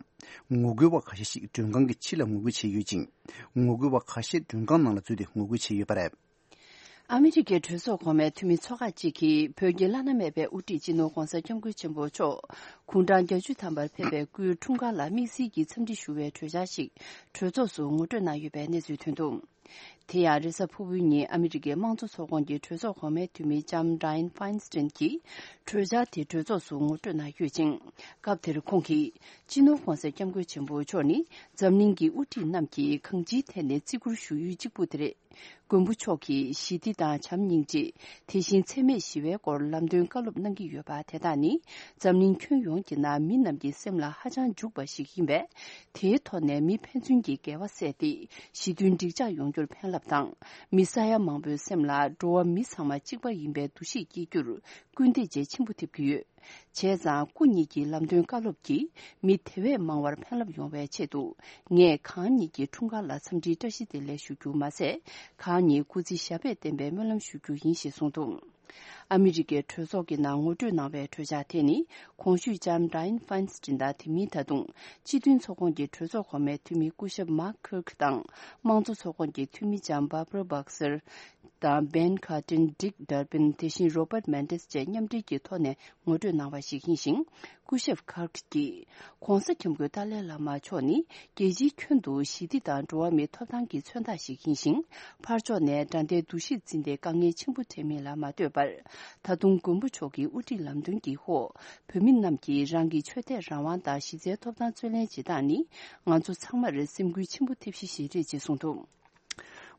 ངོ་རྒོལ་བ་ཁ་ཤས་ཤིག་མགྲོན་ཁང་གི་ཕྱི་ལ་ངོ་རྒོལ་བྱས་ཡོད་ཅིང་། ངོ་རྒོལ་བ་ཁ་ཤས་མགྲོན་ཁང་ནང་ལ་འཛུལ་ཏེ་ངོ་རྒོལ་བྱས་ཡོད་པ་རེད། ཨ་མི་རི་ཀའི་གྲོས་ཚོགས་གོང་མའི་འཐུས་མི་ཚོ་ཁག་ཅིག་གིས་བོད་ཀྱི་བླ་ན་མེད་པའི་དབུ་ཁྲིད་སྤྱི་ནོར་༧གོང་ས་༧སྐྱབས་མགོན་ཆེན་པོ་མཆོག་དགུང་གྲངས་བརྒྱད་ཅུ་ཐམ་པར་ཕེབས་པའི་སྐུའི་འཁྲུངས་སྐར་ལ་དམིགས་བསལ་གྱི་འཚམས་འདྲི་ཞུ་བའི་གྲོས་འཆར་ཞིག་གྲོས་ཚོགས་སུ་ངོ་སྤྲོད་གནང་ཡོད་པའི་གནས་ཚུལ་ཐོན་འདུག་དེ་ཡང་རེས་གཟའ་ཕུར་བུའི་ཉིན་ཨ་མི་རི་ཀའི་དམངས་གཙོ་ཚོགས་ཁོངས་ཀྱི་གྲོས་ཚོགས་གོང་མའི་འཐུས་མི་ལྕམ་Dianne Feinstein་གྱིས་གྲོས་འཆར་དེ་གྲོས་ཚོགས་སུ་ངོ་སྤྲོད་གནང་ཡོད་ཅིང་། སྐབས་དེར་ཁོང་གིས་སྤྱི་ནོར་༧གོང་ས་༧སྐྱབས་མགོན་ཆེན་པོ་མཆོག་ནི་འཛམ་གླིང་གི་དབུ་ཁྲིད་རྣམས་ཀྱིས་གང་ཅིའི་ཐད་ནས་བརྩི་བཀུར་ཞུ་ཡུལ་གཅིག་པུ་དེ་རེད། མགོན་པོ་མཆོག་གིས་ཞི་བདེ་དང་བྱམས་སྙིང་རྗེ། དེ་བཞིན་འཚེ་མེད་ཞི་བའི་སྐོར་ལམ་སྟོན་བཀའ་སློབ་གནང་གི་ཡོད་པ་དེ་དག་ནི་འཛམ་གླིང་ཁྱོན་ཡོངས་ཀྱི་ནང་མི་རྣམས་ཀྱི་སེམས་ལ་ཧ་ཅང་འཇུག་པ་ཞིག་ཡིན་པས། དེའི་ཐོག་ནས་མི་ཕན་ཚུན་གྱི་འགལ་བ་བསལ་ཏེ་ཞི་མཐུན་འགྲིག་འཇགས་ཡོང་རྒྱུར་ཕན་རླབས་དང་། མི་ས་ཡ་མང་པོའི་སེམས་ལ་འགྲོ་བ་མི་ཚང་མ་གཅིག་པ་ཡིན་པའི་འདུ་ཤེས་སྐྱེ་རྒྱུར་སྐུལ་འདེད་བྱེད་ཆེན་པོ་ཐེབས་ཀྱི་ཡོད། བྱས་ཙང་སྐུ་ཉིད་ཀྱི་ལམ་སྟོན་བཀའ་སློབ་ཀྱིས་མི་དེ་བས་མང་བར་ཕན་རླབས་ཡོང་བའི་ཆེད་དུ། ངས་གང་ཉིད་ཀྱི་འཁྲུངས་སྐར་ལ་འཚམས་འདྲིའི་བཀྲ་ཤིས་བདེ་ལེགས་ཞུ་རྒྱུ་མ་ཟད། གང་ཉིད་སྐུ་ཚེ་ཞབས་པད་བརྟན་པའི་སྨོན་ལམ་ཞུ་རྒྱུ་ཡིན་ཞེས་གསུངས་འདུག་ཨ་མི་རི་ཀའི་གྲོས་ཚོགས་ཀྱི་ནང་ངོ་སྤྲོད་གནང་བའི་གྲོས་འཆར་དེ་ནི། གོང་ཞུས་ལྕམ་Dianne Feinstein་དང་དེ་མིན་ད་དུང་སྤྱི་མཐུན་ཚོགས་ཁོངས་ཀྱི་གྲོས་ཚོགས་གོང་མའི་འཐུས་མི་སྐུ་ཞབས་Mark Kirk་དང་། དམངས་གཙོ་ཚོགས་ཁོངས་ཀྱི་འཐུས་མི་ལྕམ་Barbara Boxer་དང་Ben Cardin། Dick Durbin། དེ་བཞིན་Robert Mendez་བཅས་མཉམ་འབྲེལ་གྱི་ཐོག་ནས་ངོ་སྤྲོད་གནང་བ་ཞིག་ཡིན་ཞིང་། སྐུ་ཞབས་Kirk་གིས། ྋགོང་ས་ྋསྐྱབས་མགོན་ཏཱ་ལའི་བླ་མ་མཆོག་ནི་རྒྱལ་སྤྱིའི་ཁྱོན་དུ་ཞི་བདེ་དང་འགྲོ་བ་མིའི་ཐོབ་ཐང་གི་མཚོན་རྟགས་ཤིག་ཡིན་ཞིང་། ཕར་ཕྱོགས་ནས་དགྲ་ཟླའི་འདུ་ཤེས་འཛིན་ཏེ་དཀའ་ངལ་ཆེན་པོ་འཕྲད་མིན་ལ་མ་ལྟོས་པར། ད་དུང་མགོན་པོ་མཆོག་གི་དབུ་ཁྲིད་ལམ་སྟོན་གྱི་འོག་བོད་མི་རྣམས་ཀྱིས་རང་གི་ཆོས་དད་རང་དབང་དང་གཞི་རྩའི་ཐོབ་ཐང་རྩོད་ལེན་བྱེད་སྟངས་ནི་ང་ཚོ་ཚང་མར་སེམས་འགུལ་ཆེན་པོ་ཐེབས་གཞི་ཞིག་རེད་ཅེས་གསུངས་འདུག་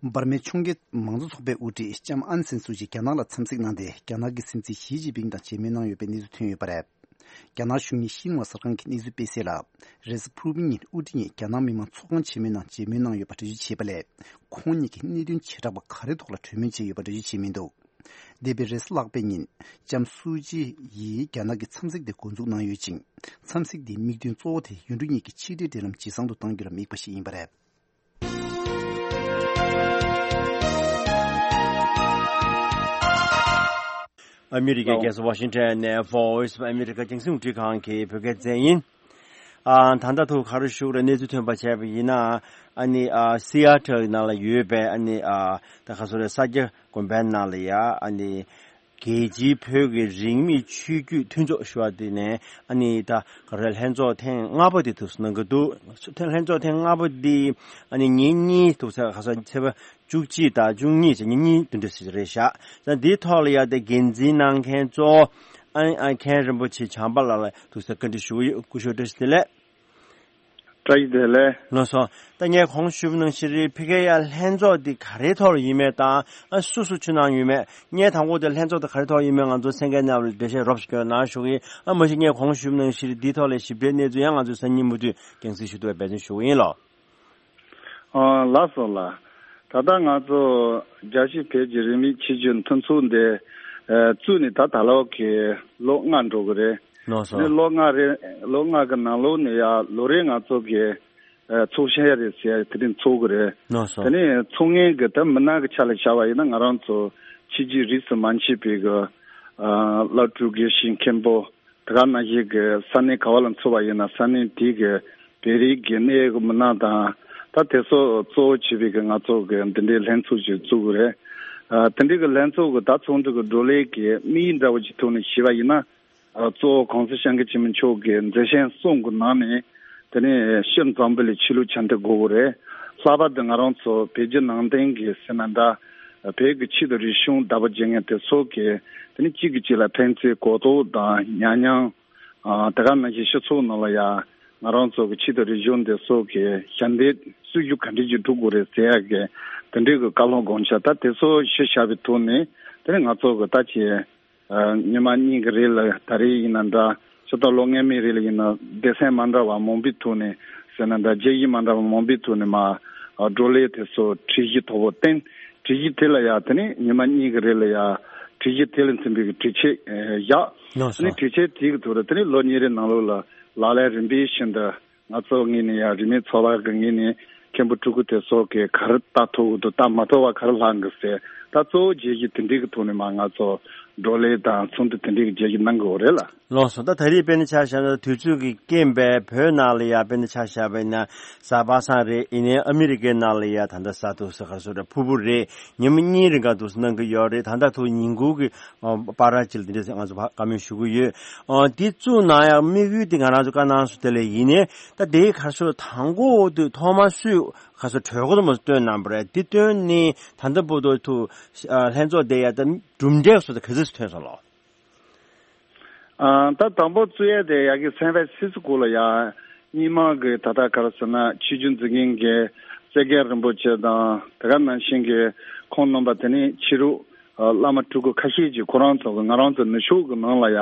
འབར་མའི་ཕྱོགས་འགལ་མང་གཙོ་ཚོགས་པའི་དབུ་ཁྲིད་ལྕམ་ཨན་སན་སུ་ཅི་རྒྱ་ནག་ལ་འཚམས་གཟིགས་གནང་སྟེ། རྒྱ་ནག་གི་སྲིད་འཛིན་ཞི་ཅིན་ཕིང་དང་མཇལ་མོལ་གནང་ཡོད་པའི་གནས་ཚུལ་ཐོན་ཡོད་པ་རེད། རྒྱ་ནག་གཞུང་གཉིས་ཤིན་ཧྭ་གསར་ཁང་གི་གནས་ཚུལ་སྤེལ་གསལ་ལ། རེས་གཟའ་ཕུར་བུའི་ཉིན་དབུ་ཁྲིད་གཉིས་རྒྱ་ནག་མི་དམངས་ཚོགས་ཁང་ཆེན་མོའི་ནང་མཇལ་མོལ་གནང་ཡོད་པ་འགྲེལ་བརྗོད་བྱས་པ་ལས། ཁོང་གཉིས་ཀྱིས་གནད་དོན་བྱེ་བྲག་པ་ག་རེ་ཐོག་ལ་གྲོས་མོལ་བྱས་ཡོད་པ་འགྲེལ་བརྗོད་བྱས་མི་འདུག་འདས་པའི་རེས་གཟའ་ལྷག་པའི་ཉིན། ལྕམ་སུའུ་ཅི་ཡིས་རྒྱ་ནག་གི་འཚམས་གཟིགས་དེ་འགོ་འཛུགས་གནང་ཡོད་ཅིང་། འཚམས་གཟིགས་དེའི་དམིགས་དོན་གཙོ་བོ་དེ་ཡུལ་གྲུ་གཉིས་ཀྱི་ཕྱི་འབྲེལ་འབྲེལ་ལམ་ཇེ་བཟང་དུ་གཏང་རྒྱུར་དམིགས་པ་ཞིག་ཡིན་པ་རེད། ཨ་མི་རི་ཀའི་རྒྱལ་ས་ཝ་ཤིང་ཊོན་ནས་Voice of America་རྒྱང་སྲིང་རླུང་འཕྲིན་ཁང་གི་བོད་སྐད་སྡེ་ཚན་ཡིན། ཨ། ད་ལྟ་ཐུག་ག་རེ་ཞུ་དགོས་རེད། གནས་ཚུལ་ཐོན་པ་བྱས་པ་ཡིན་ན། ཨ་ནི། ཨ། སི་ཨ་ཊལ་ནང་ལ་ཡོད་པའི། ཨ་ནི། ཨ། ད་ག་སོ་རེད། ས་སྐྱ་དགོན་པའི་ནང་ལ་ཡ། ཨ་ནི། རྒྱལ་སྤྱིའི་བོད་ཀྱི་རིས་མེད་ཆོས་བརྒྱུད་མཐུན་ཚོགས་ཞུ་བ་དེ་ནས། ཨ་ནི་ད་ག་རེ། ལྷན་ཚོགས་ཐེངས་ལྔ་པ་དེ་ཐུགས་སུ་གནང་གི་འདུག་ལྷན་ཚོགས་ཐེངས་ལྔ་པ་འདི། ཨ་ནི་ཉིན་གཉིས་འདུག་ས། ག་ས་ཚེས་པ་བཅུ་གཅིག་དང་བཅུ་གཉིས་བཅས་ཉིན་གཉིས་བདུན་ཕྲག་ཅིག་རེད་བཞག་ད་འདིའི་ཐོག་ལ་ཡ་དེ་འགན་འཛིན་གནང་མཁན་གཙོ་བོ། ཨ། ཨ། མཁན་རིན་པོ་ཆེ་བྱམས་པ་ལགས་ལ་ཐུགས་སུ་བཀའ་འདྲི་ཞུ་གི་ཡོད། སྐུ་ཞབས་བཀྲ་ཤིས་བདེ་ལེགས། བཀྲ་ཤིས་བདེ་ལེགས། ལགས་སོ། ད་ངས་གོང་ཞུས་པ་ནང་བཞིན་ཕ་གིའི་ཡ་ལྷན་ཚོགས་འདི་ག་རེའི་ཐོག་ལ་ཡིན་མིན་དང་། ཨ། སུ་སུ་ཕྱི་ནང་ཡོད་མེད། ངས་དང་པོ་དེ་ལྷན་ཚོགས་དེ་ག་རེའི་ཐོག་ཡིན་མིན་ང་ཚོ་གསན་མཁན་རྣམས་ལ་འགྲེལ་བཤད་རོབ་ཞིག་སྐྱོན་གནང་ཞུ་གི་ཡིན། ཨ། མ་གཞི་ངས་གོང་ཞུས་པ་ནང་བཞིན་འདིའི་ཐོག་ལ་ཞིབ་ཕྲའི་གནས་ཚུལ་ཡང་ང་ཚོས་སང་ཉིན་མུ་མཐུད་རྒྱང་སྲིང་ཞུ་ཐུབ་པའི་འབད་བརྩོན་ཞུ་གི་ཡིན་ལགས། ཨ། ལགས་སོ་ལགས། ད་ལྟ་ང་ཚོ་རྒྱལ་སྤྱིའི་བོད་ཀྱི་རིས་མེད་ཆོས་བརྒྱུད་མཐུན་ཚོགས་འདི། ཨ། བཙུགས་ནས་ད་ད་ལོ་གི་ལོ་ལྔ་འགྲོ་གི་རེད། ལགས་སོ། ནི་ལོ་ལྔ་རེད། ལོ་ལྔ་གི་ནང་ལོགས་ནས་ཡ་ལོ་རེ་ང་ཚོ་གི། ཨ། ཚོགས་བཤད་རེད་ཟེར་དེ་རིང་ཚོགས་གི་རེད། ལགས་སོ། དེ་ནས་ཚོགས་མཁན་གི་ད་མི་སྣ་གི་ཆ་ལ་བཞག་པ་ཡིན་ན་ང་རང་ཚོ་ཕྱི་རྒྱལ་རིས་སུ་མ་ཆད་པའི་གི། ཨ། བླ་སྤྲུལ་དགེ་བཤེས་མཁན་པོ། དེ་ག་ནང་བཞིན་གྱི་ས་གནས་ག་བ་ལ་འཚོགས་པ་ཡིན་ན་ས་གནས་དེའི་གི་བོད་རིགས་ཀྱི་གནས་ཡོད་མི་སྣ་དང་། ད་དེ་ཚོ་གཙོ་བོ་བྱས་པའི་གི་ང་ཚོ་གི་འདི་འདྲའི་ལྷན་ཚོགས་ཅིག་བཙུགས་དགོས་རེད། ཨ། དེ་འདྲའི་གི་ལྷན་ཚོགས་ཀྱི་ད་ཚོགས་འདུ་གི་བགྲོ་གླེང་གི་དམིགས་ཡུལ་འདྲ་བོ་ཅིག་ཐོག་ནས་ཞུས་པ་ཡིན་ན། ཨ། གཙོ་བོ་གོང་ས་སྐྱབས་མགོན་ཆེན་པོ་མཆོག་གི་མཛད་བཤད་གསུམ་གྱི་ནང་ནས་དེ་ནས་སྤྱིར་འཛམ་བུ་གླིང་ཆོས་ལུགས་ཆ་འདི་དགོས་དགོས་རེད། ལྷག་པར་དུ་ང་རང་ཚོ་བོད་བརྒྱུད་ནང་བསྟན་གྱི་ཟེར་ན་འདྲ། བོད་ཀྱི་ཆོས་དང་རིག་གཞུང་བདག་པོ་བྱེད་མཁན་དེ་ཚོ་གི་དེ་ནས་གཅིག་གིས་གཅིག་ལ་ཕན་ཚུན་གོ་རྟོགས་དང་ཉམས་མྱོང་། ཨ། དེ་ག་ནང་བཞིན་སྤྱི་ཚོགས་ནང་ལ་ཡ་ང་རང་ཚོ་གི་ཆོས་དང་རིག་གཞུང་དེ་ཚོ་གི་ཞབས་འདེགས་སྲུང་སྐྱོབ་ག་འདྲ་ཅིག་སྒྲུབ་དགོས་རེད་ཟེར་ཡག་གི་དེ་འདྲའི་གི་བཀའ་སློབ་དགོངས་འཆར་ད་དེ་ཚོ་ཞུས་བཞག་པའི་ཐོག་ནས་དེ་ནས་ང་ཚོ་གི་ད་ཆེ། ཨ། ཉི་མ་གཉིས་ཀྱི་རིང་ལ་ད་རེས་ཡིན་ན་འདྲ། ཕྱི་ཟླ་ལོ་སྔོན་མའི་རིང་ལ་ཡིན་ན་སྡེ་ཚན་མ་འདྲ་བ་མང་པོའི་ཐོག་ནས་ཟེར་ན་འདྲ། དཔྱད་ཡིག་མ་འདྲ་བ་མང་པོའི་ཐོག་ནས་མར། ཨ། བགྲོ་གླེང་དེ་ཚོ་གྲོས་གཞི་མཐོ་པོ་བཏོན། གྲོས་གཞི་དེ་ལ་ཡ་དེ་ནས་ཉི་མ་གཉིས་ཀྱི་རིང་ལ་ཡ་ གྲོས་གཞི་དེ་ལ་མཐུན་པའི་གི་གྲོས་ཆོད་ཨེ་བཞག་ལགས་ཨ་ནི་སོ། གྲོས་ཆོད་དེའི་གི་ཐོག་ལ་དེ་ནི་ལོ་གཉིས་རེ་ནང་ལོགས་ལ་ལག་ལེན་རིམ་པས་བཞིན་དུ་ང་ཚོ་ངོས་ནས་ཡང་རིས་མེད་ཚོགས་པ་གི་ངོས་ནས་མཁན་པོ་སྤྲུལ་སྐུ་དེ་ཚོ་གི་ག་རེ་ལྟ་ཐུབ་ཀྱི་འདུག་ལྟ་མ་ཐུབ་པ་ག་རེ་ལྷག་གི་ཟེར། ད་གཙོ་བོ་བརྗོད་གཞི་དེ་འདྲའི་གི་ཐོག་ནས་མ་ང་ཚོ་བགྲོ་གླེང་དང་ཚོགས་འདུ་དེ་འདྲའི་གི་བརྗོད་གཞི་གནང་དགོས་རེད་ལ། ལགས་སོ། ད་ད་རེས་དཔེར་ན་ཆ་བཞག་ན་དུས་ཚོད་ཀྱི་རྐྱེན་པས་བོད་ནང་ལ་ཡ་དཔེར་ན་ཆ་བཞག་པ་ཡིན་ན་གཟའ་པ་སངས་རེད། ཡིན་ནའི་ཨ་མི་རི་ཀའི་ནང་ལ་ཡ་ད་ལྟ་གཟའ་འདུག་ཟེར་ག་སོ་རེད། ཕུར་བུ་རེད། ཉིན་མོ་གཉིས་རིང་ག་འདུག་སེ་གནང་གི་ཡོད་རེད། ད་ལྟ་ཐུག་ཉིན་གུང་གི་ཨ་བར་ཅིག་ལ་འདི་འདྲ་ང་ཚོ་བཀའ་མོལ་ཞུ་གི་ཡོད། ཨ་འདི་བཙུགས་གནང་ཡག་དམིགས་ཡུལ་འདི་ང་རང་ཚོ་བཀའ་གནང་སོང་། དེ་ལས་ཡིན་ནའི་ད་དེའི་ག་སོ་དང་པོ་དུས་ཐོག་མ་སུས་ག་སོ་གྲོས་འགོ་དུ་མ་བཏོན་གནང་པ་རེད། འདི་བཏོན་ནས་ད་ལྟ་བར་དུ་ཐུག་ཨ་ལྷན་ཚོགས་དེ་ཡ་ད་གྲུབ་འབྲས་སོ་ད་ག་ཚོད་ཐོན་སོང་ལགས། ཨ་ད་དང་པོ་བཙུགས་ཡས་དེ་ཡ་གི་སན་ཧྥ་སི་སི་ཀོ་ལ་ཡ་སྔོན་མ་གི་ད་ལྟ་ག་རེ་ཟེར་ན་ཆོས་བརྒྱུད་འཛིན་མཁན་གྱི་སེ་རྒན་རིན་པོ་ཆེ་དང་དེ་ག་ནང་བཞིན་གྱི་ཁོང་རྣམ་པ་དེ་ནས་ཕྱི་རུ་ཨ་བླ་མ་སྤྲུལ་སྐུ་ཁ་ཤས་ཀྱིས་ཁོ་རང་ཚོ་གི་ང་རང་ཚོ་ནུབ་ཕྱོགས་ཀྱི་ནང་ལ་ཡ་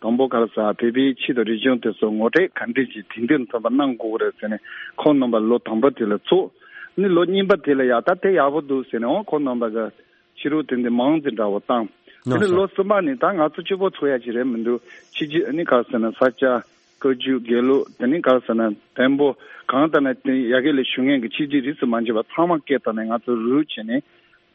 དང་པོ་ག་རེ་ཟེར་བོད་པའི་ཆོས་དང་རིག་གཞུང་དེ་ཚོ་ངོ་སྤྲོད་ག་འདྲས་ཀྱི་དེང་དུས་མཚོན་པ་གནང་དགོས་ཀྱི་རེད་ཟེར་ནས་ཁོང་རྣམ་པ་ལོ་དང་པོ་དེ་ལ་ཚོགས། ནི་ལོ་གཉིས་པ་དེ་ལ་ཡ་ད་དེ་ཡག་པོ་འདུག་ཟེར་ནས་འོ་ཁོང་རྣམ་པ་གི་ཕྱི་རུ་དེ་འདི་མང་ཙི་འདྲ་བོ་བཏང་། དེ་ནི་ལོ་གསུམ་པ་ནི་ད་ང་ཚོ་སྤྱི་པོ་ཚོ་ཡ་ཅིག་རེད་མི་འདུག་ཕྱི་རྒྱལ་ནི་ག་རེ་ཟེར་ན་ས་སྐྱ་བཀའ་བརྒྱུད་དགེ་ལུགས་དེ་ནི་ག་རེ་ཟེར་ན་བོན་པོ་གང་ལྟར་ན་དེ་ཡ་གི་ལས་ཞུ་མཁན་གྱི་ཆོས་བརྒྱུད་རིས་སུ་མ་ཆད་པ་ཚང་མ་སྐད་བཏང་ནས་ང་ཚོ་རུ་བྱས་ནས་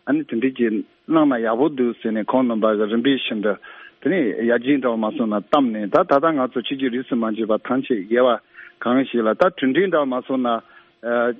ཨ་ནི་དེ་འདྲ་ཅིག་གནང་ན་ཡག་པོ་འདུག་ཟེར་ནས་ཁོང་རྣམ་པ་གི་རིམ་པས་བཞིན་དུ་དེ་ནི་ཡར་རྒྱས་འདྲ་བོ་མ་སོང་ན་བཏང་ནས་ད་ད་ལྟ་ང་ཚོ་ཆོས་བརྒྱུད་རིས་སུ་མ་ཆད་པ་ཐམས་ཅད་དབྱེ་བ་གང་ཞིག་ལ་ད་གྲུབ་འབྲས་འདྲ་བོ་མ་སོང་ན་ཨ་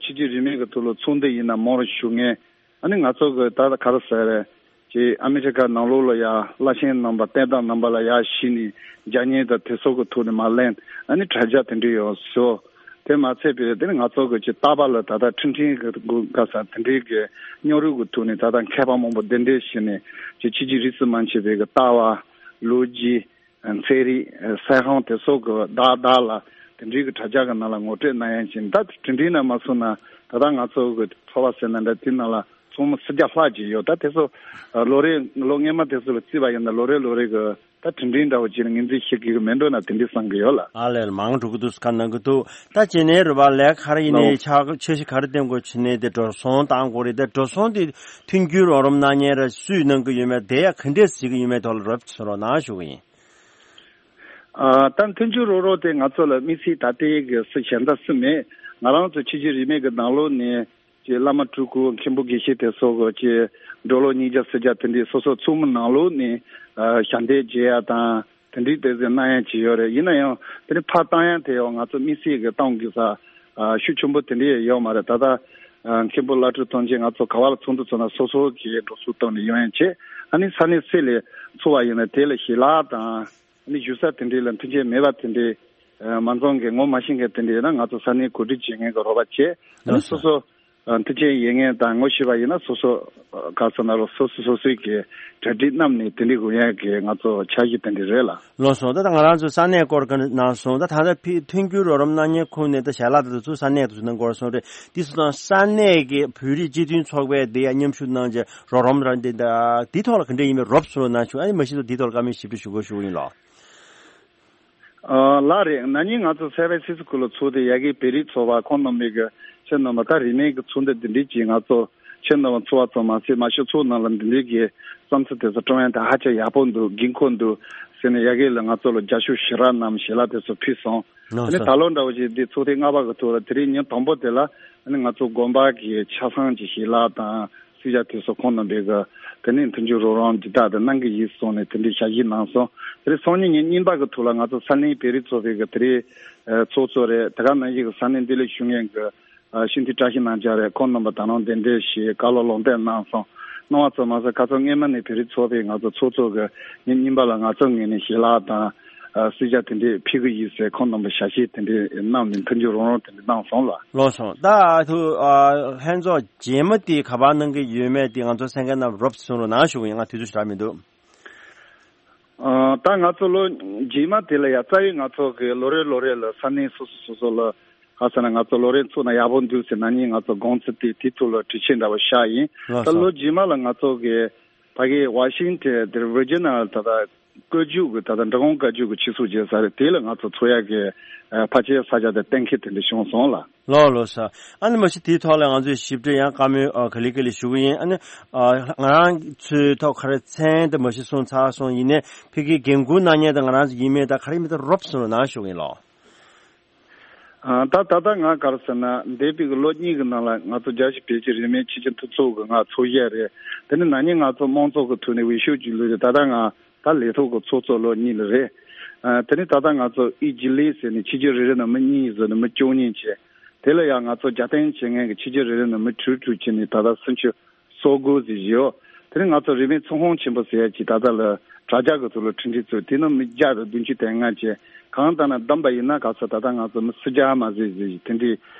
ཆོས་བརྒྱུད་རིས་མེད་ཀྱི་ཐོག་ལ་ཚོགས་འདུ་ཡིན་ན་མང་རུ་ཞུ་མཁན། ཨ་ནི་ང་ཚོ་གི་ད་ལྟ་ག་རེ་ཟེར་རེད། ཅེས་ཨ་མི་རི་ཀ་ནང་ལོགས་ལ་ཡ་བླ་ཆེན་རྣམ་པ་བསྟན་བདག་རྣམ་པ་ལ་ཡ་གཞི་ནས་རྒྱ་ཉེན་དང་དེ་ཚོ་གི་ཐོག་ནས་མ་ལེན་ཨ་ནི་དྲ་རྒྱ་དེ་འདྲ་ཡོད་སོ། དེ་མ་ཚད་པའི་དེ་ནི་ང་ཚོ་གི་ཅིག་རྟག་པར་ལ་ད་ལྟ་འཕྲིན་ཕྲན་གི་ག་ས་དེ་འདྲའི་གི་སྙོག་རུས་གི་ཐོག་ནས་ད་ལྟ་མཁས་པ་མང་པོ་གདན་འདྲེན་བྱས་ནས་ཅིག་ཕྱི་རྒྱལ་རིས་སུ་མ་ཆད་པའི་གི་ལྟ་བ་ལོ་རྒྱུས། ཚན་རིག་ཚན་ཁང་དེ་སོགས་ཀྱི་བདག་བདག་ལ་དེ་འདྲའི་གི་དྲ་རྒྱ་གི་ནང་ལ་ངོ་སྤྲོད་གནང་ཡ་ཅིག་ད་དེ་འདྲའི་ནང་མ་སོང་ན་ད་ལྟ་ང་ཚོ་གི་ཚོགས་པ་ཟེར་ན་འདྲ་དེ་ནང་ལ་ཚོགས་མི་སུམ་བརྒྱ་ལྷག་ཅིག་ཡོད། ད་དེ་ཚོ་ལོ་རེ་ལོ་སྔོན་མ་དེ་ཚོ་ལ་བརྩིས་པ་ཡིན་ན་ལོ་རེ་ལོ་རེ་གི་ད་དེ་འདྲའི་འདྲ་བོ་ཅིག་ལ་ངོས་འཛིན་བྱེད་དགོས་གི་མེད་འགྲོ་ན་དེ་འདྲའི་བསམ་གི་ཡོད་ལ། ཨ་ལས་ལ་མང་འགྲོ་གི་འདུག་ཁ་གནང་གི་འདུག་ད་ཅི་ནས་རུ་བ་ལས་ཁར་ཡིན་ནས་ལོ་ཆ་ཆེ་ཞིག་ག་རེ་བསྟན་དགོས་ཕྱི་ནས་དེ་འགྲོ་སོང་བཏང་དགོས་རེད། དེ་འགྲོ་སོང་དེ་མཐུན་འགྱུར་རོགས་རམ་གནང་མཁན་ར་སུས་གནང་གི་ཡོད་མེད་དེ་ཡང་ག་འདྲས་གཟིགས་ཀྱི་ཡོད་མེད་ཐོག་ལ་རོབ་ཙམ་རོགས་གནང་ཞུ་གི་ཡིན། ཨ་ད་མཐུན་འགྱུར་རོགས་རམ་དེ་ང་ཚོ་ལ་དམིགས་བསལ་ད་ལྟའི་གི་སུ་གཞན་དག་སུ་མེད། ང་རང་ཚོ་ཕྱི་རྒྱལ་རིས་མེད་ཀྱི་ནང་ལོགས་ནས་ཀྱི་བླ་མ་སྤྲུལ་སྐུ་མཁན་པོ་དགེ་བཤེས་དེ་སོགས་ཀྱི་འགྲོ་ལོ་ཉིས་བརྒྱ་སུམ་བརྒྱ་དེ་འདྲའི་སོ་སོ་ཚོགས་མི་ནང་ལོགས་ནས་ཨ་ཞལ་འདེབས་བརྗེ་ཡ་དང་དེ་འདྲའི་དེ་ཚོ་གནང་ཡ་ཅིག་ཡོད་རེད། ཡིན་ན་ཡང་དེ་འདྲའི་ཕར་བཏང་ཡ་དེ་ཡང་ང་ཚོ་དམིགས་བསལ་གྱི་གཏོང་དགོས་ས་ཨ་ཤུགས་ཆེན་པོ་དེ་འདྲའི་ཡོད་མ་རེད། ད་ལྟ་ཨ་མཁན་པོ་བླ་སྤྲུལ་དོན་གཅོད་ང་ཚོ་ག་བ་ལ་ཚོགས་འདུ་ཚོགས་ན་སོ་སོ་གི་འགྲོ་སོང་བཏང་ནས་ཡོང་ཡ་བྱས། ཨ་ནི་ས་གནས་སུ་ལ་ཚོགས་པ་ཡིན་ན་དེ་ལ་ཞལ་ལག་དང་། ནི་བཞུགས་ས་དེ་འདྲའི་ལ་མཐུན་རྐྱེན་མེད་པ་དེ་འདྲའི་ཨ་མ་འཛོམས་མཁན་ངོ་མ་ཤེས་མཁན་དེ་འདྲའི་ཡིན་ན་ང་ཚོ་ས་གནས་གོ་སྒྲིག་བྱེད་མཁན་གྱི་རོགས་པ་བྱས། ཨ་ནི་ལགས་སོ། སོ་སོ་ཨ་མཐུན་རྐྱེན་ཡོད་མཁན་དང་ངོ་ཤེས་པ་ཡིན་ན་སོ་སོ་ཨ་ག་ཚོད་ན་རོགས་སོ་སོ་སོ་སོའི་གི་གྲ་སྒྲིག་གནང་ནས་དེ་འདྲའི་དགོས་ཡག་གི་ང་ཚོ་འཆར་གཞི་དེ་འདྲ་རེད་ལ། ལགས་སོ། ད་ལྟ་ང་རང་ཚོ་ས་གནས་སྐོར་ག་གནང་སོང་། ད་ད་ལྟ་ཕི་མཐུན་འགྱུར་རོགས་རམ་གནང་མཁན་ཁོངས་ནས་ད་ཞལ་ལག་དེ་ཚོ་ས་གནས་དེ་ཚོ་གནང་དགོས་སོང་རེད། དེ་ཚོ་དང་ས་གནས་ཀྱི་བོད་རིགས་སྤྱི་མཐུན་ཚོགས་པས་དེ་ཡ་མཉམ་ཞུགས་གནང་རྗེས་རོགས་རམ་རང་དེ་ད་དེ་ཐོག་ལ་ག་འདྲ་ཡིན་མིན་རོབ་ཚུར་གནང་བྱུང་། ཨ་ནི་མ་གཞི་ཚོ་དེ་ཐོག་ལ་བཀའ་མོལ་ཞིབ་ཕྲ་ཞུ་དགོས་ཞུ་གི་ཡིན་ལགས། ཨ་ལགས་རེད། ན་ནིང་ང་ཚོ་སན་ཧྥ་སི་སི་ཀོ་ལ་ཚོགས་དེ་ཡ་གི་བོད་རིགས་ཚོགས་པ་ཁོང་རྣམ་པའི་གི་ཁྱེད་རྣམ་པ་ད་རིས་མེད་ཀྱི་ཚོགས་འདུ་འདི་འདྲས་ཀྱིས་ང་ཚོ་ཁྱེད་རྣམ་པ་ཚོགས་པ་ཚོ་མ་ཟད་མ་ཤོད་ཚོགས་ནང་ལ་འདི་འདྲས་ཀྱི་བསམ་ཚུལ་དེ་ཚོ་བཀྲམ་ཡ་དེ་ཧ་ཅང་ཡག་པོ་འདུག་དགོས་མཁོ་འདུག་ཟེར་ནས་ཡ་གི་ལ་ང་ཚོ་ལ་རྒྱབ་སྐྱོར་ཞེ་དྲག་གནང་ཞལ་ལག་དེ་ཚོ་ཕུལ་སོང་། ལགས་སོ། དེ་ནས་ད་ལོ་འདྲ་བོ་ཞིག་འདི་ཚོགས་ཐེངས་ལྔ་པ་གི་ཐོག་ལ་དེ་རིང་ཉིན་དང་པོ་དེ་ལ་ཨ་ནི་ང་ཚོ་དགོན་པ་གི་ཆ་ཚང་གི་ཞལ་ལག་དང་སུས་ཡ་དེ་ཚོ་ཁོང་རྣམ་པས་གི་དེ་ནས་མཐུན་འགྱུར་རོགས་རམ་འདི་དག་དེ་གནང་གི་ཡིན་གསུངས་ནས་དེ་འདྲའི་ཞལ་བཞེས་གནང་སོང་། དེ་རིང་སང་ཉིན་ཉིན་གཉིས་པ་གི་ཐོག་ལ་ང་ཚོ་ས་གནས་བོད་རིགས་ཚོགས་པའི་གི་དེ་རིང་ཚོགས་གཙོ་རེད། དེ་ག་ནང་བཞིན་གི་ས་གནས་འདི་ལ་བཞུགས་མཁན་གི་ཨ་སྤྱི་འཐུས་བཀྲ་ཤིས་རྣམ་རྒྱལ་རེད། ཁོང་རྣམ་པ་ད་རུང་གདན་འདྲེན་ཞུས་བཀའ་སློབ་ལུང་བསྟན་གནང་སོང་། གནང་བ་ཙམ་མ་ཟད་ཁ་སང་སྔོན་མ་ནས་བོད་རིགས་ཚོགས་པས་ང་ཚོ་ཚོགས་གཙོ་གི་ཉིན་གཉིས་པ་ལ་ང་ཚོ་ངོས་ནས་ཞལ་ལག་དང་ཨ་སུས་ཡ་དེ་འདྲས་ཕུལ་གི་ཡིན་ཟེར་ཁོང་རྣམ་པ་ཞལ་བཞེས་དེ་འདྲས་གནང་ནས་མཐུན་འགྱུར་རོགས་རམ་དེ་འདྲས་གནང་སོང་ལ། ལགས་སོ། ད་ཐུ་ཨ་ལྷན་ཚོགས་རྗེས་མ་དེ་ག་པར་གནང་གི་ཡོད་མེད་དེ་ང་ཚོ་གསན་མཁན་རྣམས་རོབ་ཙམ་གསུང་རོགས་གནང་ཞུ་གི་ཡིན། ང་དུས་ཚོད་ཞེ་དྲག་མི་འདུག་ཨ་ད་ང་ཚོ་ལོ་རྗེས་མ་དེ་ལ་ཡ་རྩ་བའི་ང་ཚོ་གི་ལོ་རེ་ལོ་རེ་ལ་ས་གནས་སོ་སོ་སོ་སོ་ལ་ག་ཟེར་ན་ང་ཚོ་ལོ་རེ་ཚོགས་ན་ཡག་པོ་འདུག་ཟེར་ན་ནི་ང་ཚོ་དགོངས་ཚུལ་དེ་དེ་ཐོག་ལ་གྲོས་ཆོད་འདྲ་བོ་བཞག་ཡིན། ལགས་ད་སོ། ལོ་རྗེས་མ་ལ་ང་ཚོ་གི་ཕ་གི་ཝ་ཤིང་ཊོན་དེར་ཝི་ཇི་ནལ་ད་ལྟ་ བཀའ་བརྒྱུད་ཀྱི་ད་ལྟ་འབྲི་གུང་བཀའ་བརྒྱུད་ཀྱི་ཆོས་ཚོགས་བྱས་ས་རེད། དེ་ལ་ང་ཚོ་ཚོགས་ཡག་གི་ཕལ་ཆེར་ས་ཆ་དེ་གཏན་འཁེལ་དེ་འདྲ་བྱུང་སོང་ལ། ལགས་ལགས་སོ། ཨ་ནི་མ་གཞི་དེའི་ཐོག་ལ་ང་ཚོས་ཞིབ་ཕྲ་ཡང་བཀའ་མོལ་ཨ་ག་ལེ་ག་ལེ་ཞུ་གི་ཡིན། ཨ་ནི་ཨ་ང་རང་ཚོའི་ཐོག་ག་རེ་མཚན་དེ་མ་གཞི་གསུངས་ཚར་སོང་། ཡིན་ནའི་ཕ་གིའི་འགན་འཁུར་གནང་མཁན་དང་ང་རང་ཚོ་ཡིན་མིན་དང་ག་རེ་མིན་དང་རོབ་ཙམ་ལ་ནང་ཞུ་གི་ཡིན་ལགས། ཨ་ད་ད་ལྟ་ང་ག་རེ་ཟེར་ན། འདས་པའི་གི་ལོ་གཉིས་ཀྱི་ནང་ལ་ང་ཚོ་རྒྱལ་སྤྱི་བོད་ཀྱི་རིས་མེད་ཆོས་བརྒྱུད་མཐུན་ཚོགས་ཀྱི་ང་ཚོགས་གཞི་རེད། དེ་ནས་ན་ནིང་ང་ཚོ་དམངས་གཙོ་གི་ཐོག་ནས་འོས་ཤོག་ཅིག་བླུགས་རེད། ད་ལྟ་ང་ད་ལས་ཐོག་གི་ཚོགས་གཙོ་ལོ་གཉིས་ལ་རེད། ཨ་དེ་ནས་ད་ལྟ་ང་ཚོ་དབུས་རྒྱུན་ལས་ཟེར་ནས་ཆོས་བརྒྱུད་རེ་རེ་ནས་མི་གཉིས་བཟོས་ནས་མི་བཅུ་གཉིས་བྱས། དེ་ལ་ཡང་ང་ཚོ་རྒྱབ་རྟེན་བྱེད་མཁན་གྱི་ཆོས་བརྒྱུད་རེ་རེ་ནས་མི་དྲུག་དྲུག་བྱས་ནས་ད་ལྟ་སུམ་ཅུ་སོ་དགུ་ཟིག་བཞེས་ཡོད། དེ་ནས་ང་ཚོ་རིས་མེད་ཚོགས་ཁང་ཆེན་པོ་ཟེར་ཡ་ཅིག་ད་ལྟ་ལ་དྲ་རྒྱ་གི་ཐོག་ལ་གྲ་སྒྲིག་བཙུགས། དེ་ནང་མི་བརྒྱ་དང་བདུན་ཅུ་དོན་ལྔ་བྱས། གང་ལྟར་ན་བསྡོམས་པ་ཡིན་ན་ག་ཚོད་ད་ལྟ་ང་ཚོ་མི་སུམ་བརྒྱ་མ་ཟིག་ཟིག་དེ་འདྲའི་